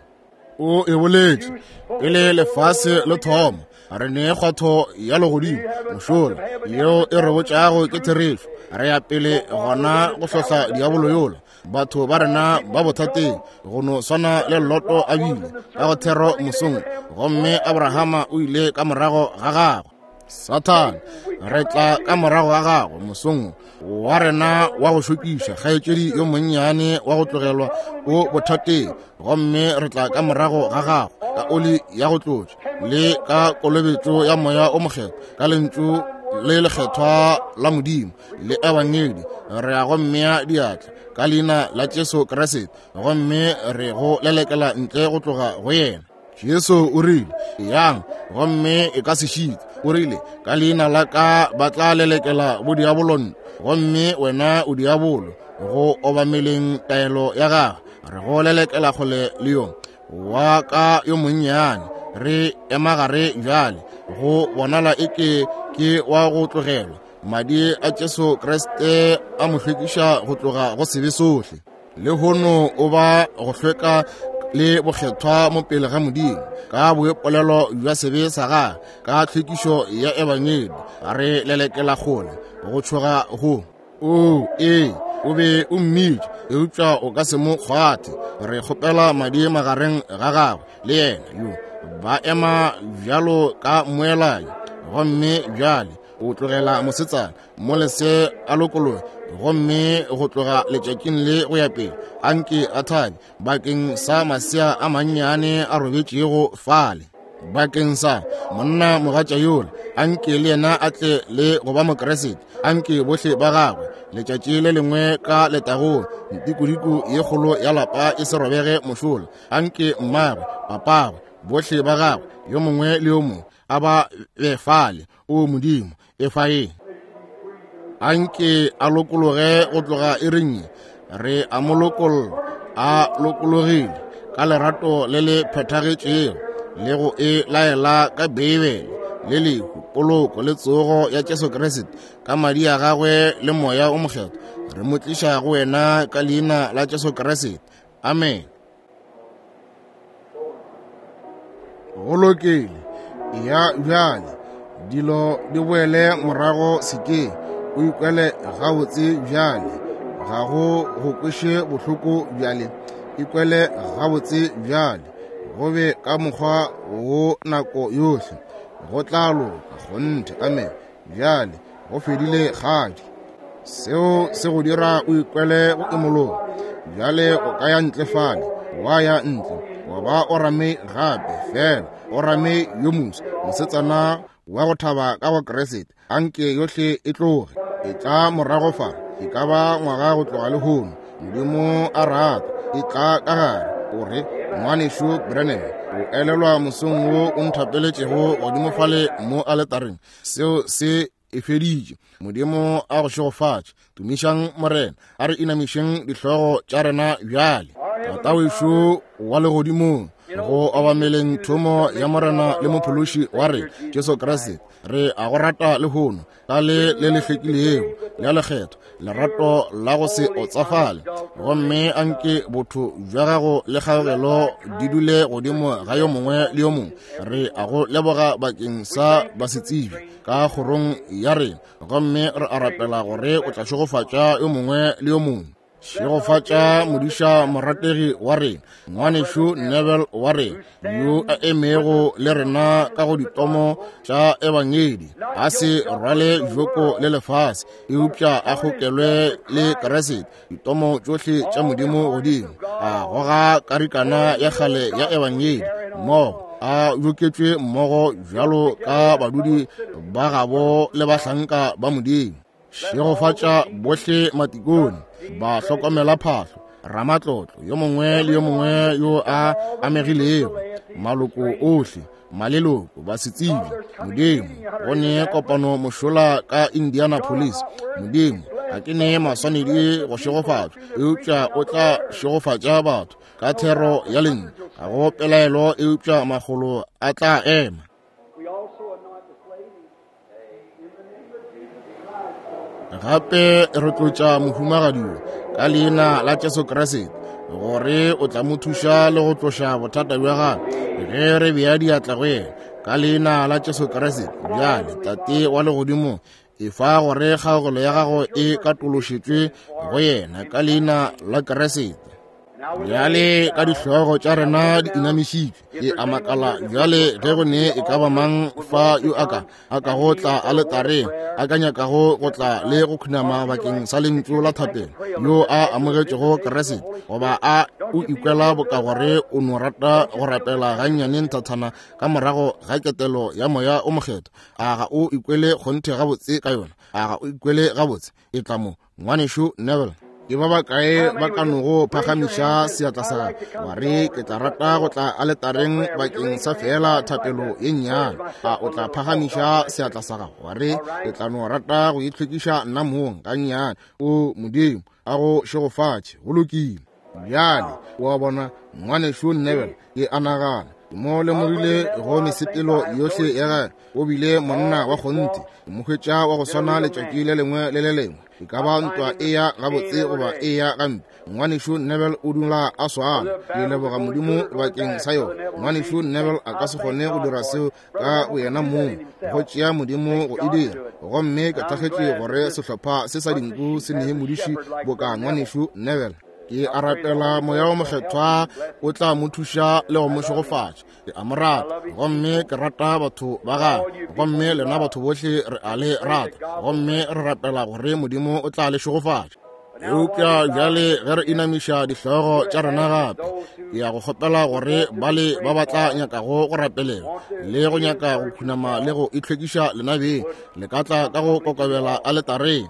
O e boletše pele lefase le thoma, re ne kgwatho ya legodimo mošola yeo e re botšago ke therešo. Re ya pele gona go hlohla diabolo yola. Batho ba rena ba bothateng go no swana le Loto a bile ka go thero mosong, gomme Abrahama o ile ka morago ga gagwe. Sathane, re tla ka morago ga gago mosong wa rena wa go šokiša, kgaetšedi yo monnyane wa go tlogelwa o bothateng, gomme re tla ka morago ga gago ka oli ya go tlotša le ka kolobetšo ya Moya o Mokgethwa, ka lentšu le lekgethwa la Modimo le ebangedi. Re ya go mmea diatla ka leina la Jesu Kriste, gomme re go lelekela ntle go tloga go yena. Jesu o rile, yang gomme e ka se šite. O rile, ka leina la ka ba tla lelekela bodiabolong, gomme wena o diabolo go obameleng taelo ya gagwe. Re go lelekela kgole le yo wa ka yo monnyane. Re emagare bjale, go bonala eke ke wa go tlogelwa. Madi a Jesu Kriste a mo hlwekiša go tloga go sebe sohle. Lehono o ba go hlweka le bokgethwa mo pele ga Modimo ka boipolelo bja sebe sa gagwe, ka tlhwekišo ya ebangedi. Re lelekela kgole go tšhoga go. O ee, o be o mmitša, eupša o ka se mo kgwathe. Re kgopela madi magareng ga gagwe le yena yo ba ema bjalo ka moelanyi. Gomme bjale o tlogela mosetsana mo lese a lokologe, gomme go tloga letšatšing le go ya pele a nke a thabe bakeng sa masea a mannyane a robetšego fale, bakeng sa monna mogatša yola, a nke le yena a tle le go ba Mokriste, a nke bohle ba gagwe letšatši le lengwe ka letagong, ntikodiko ye kgolo ya lapa e se robege mošola, a nke mmagwe, papagwe, bohle ba gagwe, yo mongwe le yo mongwe a ba be fale. O Modimo, e fa eng? A nke a lokologe go tloga iring, re a mo lokolla, a lokologile ka lerato le le phethagetšego le go e laela ka Beibele le lehu, poloko le tsogo ya Jesu Kriste ka madi a gagwe le Moya o Mokgethwa. Re mo tliša go wena ka leina la Jesu Kriste. Amen. Go lokile. Ya bjale dilo di boele morago sekeng, o ikwele gabotse bjale, ga go go kweše bohloko bjale, ikwele gabotse bjale, go be ka mokgwa wo nako yohle, go tla loka kgonthe. Amen. Bjale go fedile kgadi. Seo se go dira o ikwele go imologa. Bjale o ka ya ntle fale, wa ya ntle wa ba o rame gape, fela o rame yo moswa, mosetsana wa go thaba ka go Kriste. A nke yohle e tloge e tla morago fa, e ka ba ngwaga go tloga lehono, Modimo a rata, e tla ka gare. O re, Ngwanešu Branham, o elelwa mosong wo o nthapeletšego godimo fale mo aletareng? Seo se e feditše. Modimo a go šegofatše. Tumišang Morena. A re inamišeng dihlogo tša rena bjale. Tata wešo wa legodimong, go obameleng thomo ya Morena le Mophološi wa re Jesu Kriste, re a go rata lehono ka le le le hlwekilego le lekgetho, lerato la go se otsafale, gomme a nke botho bja gago le kgaogelo di dule godimo ga yo mongwe le yo mongwe. Re a go leboga bakeng sa basetsebi ka kgorong ya rena, gomme re a rapela gore o tla šegofatša yo mongwe le yo mongwe. Šegofatša modiša morategi wa rena, ngwanešu Neville wa rena, yo a emego le rena ka go ditomo tša Ebangedi, a se rwale joko le lefase, eupša a kgokelwe le Kriste, ditomo tšohle tša Modimo godimo, a goga karikana ya kgale ya Ebangedi mmogo, a joketšwe mmogo bjalo ka badudi ba gabo le bahlanka ba Modimo. Šegofatša bohle matikone, ba hlokomela phahlo, ramatlotlo yo mongwe le yo mongwe yo a amegilego, maloko ohle, maleloko, basetsebje. Modimo, go ne kopano mošola ka Indianapolis. Modimo, ga ke ne maswanedi go šegofatšwa, eupša o tla šegofatša batho ka thero ya lentšu. Ga go pelaelo, eupša makgolo a tla ema. Gape re tlotša mohumagadi yo ka leina la Jesu Kriste, gore o tla mo thuša le go tloša bothata bja gagwe ge re bea diatla go yena ka leina la Jesu Kriste. Bjale, Tate wa legodimong, efa gore kgaogelo ya gago e katološetšwe go yena ka leina la Kriste. Bjale ka dihlogo tša rena di inamišitšwe, ke a makala bjale ge go ne e ka ba mang fa yo a ka a ka go tla aletareng, a ka nyakago go tla le go khunama bakeng sa lentšu la thapelo, yo a amogetšego Kriste, goba a o ikwela boka gore o no rata go rapela gannyane nthathana ka morago ga ketelo ya Moya o Mokgethwa. A ga o ikwele kgonthe gabotse ka yona? A ga o ikwele gabotse? E tla mo, Ngwanešu Neville. Ke ba bakae ba ka nogo phagamiša seatla sa gago, wa re, ke tla rata go tla aletareng bakeng sa feela thapelo ye nnyane? A o tla phagamiša seatla sa gago, wa re, ke tla no rata go itlhwekiša nna mong gannyane? O Modimo a go šegofatše. Go lokile. Bjale, o a bona, Ngwanešu Neville, ke a nagana ke mo lemogile go mesepelo yohle ya gagwe. O bile monna wa kgonthe. Ke mo hwetša wa go swana letšatši le lengwe le le lengwe, e ka ba ntwa e ya gabotse goba e ya gampe. Ngwanešu Neville o dula a swana. Ke leboga Modimo bakeng sa yona. Ngwanešu Neville a ka se kgone go dira seo ka boyena mong, go tšea Modimo go e dira. Gomme ke thakgetše gore sehlopha se sa dinku se nee modiši boka Ngwanešu Neville. Ke a rapela Moya wo Mokgethwa o tla mo thuša le go mo šegofatša. Ke a mo rata, gomme ke rata batho ba gagwe, gomme lena batho bohle re a le rata, gomme re rapela gore Modimo o tla le šegofatša. Eupša bjale ge re inamiša dihlogo tša rena gape, ke ya go kgopela gore bale ba ba tla nyakago go rapelelwa le go nyaka go khunama le go itlhwekiša lena beng, le ka tla ka go kokobela aletareng.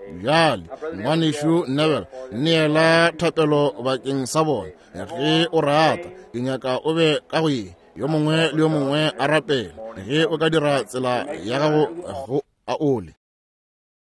Bjale, Ngwanešu Neville, neela thapelo bakeng sa bona ge o rata. Ke nyaka o be ka go ye, yo mongwe le yo mongwe a rapele. Ge o ka dira tsela ya gago go a ole.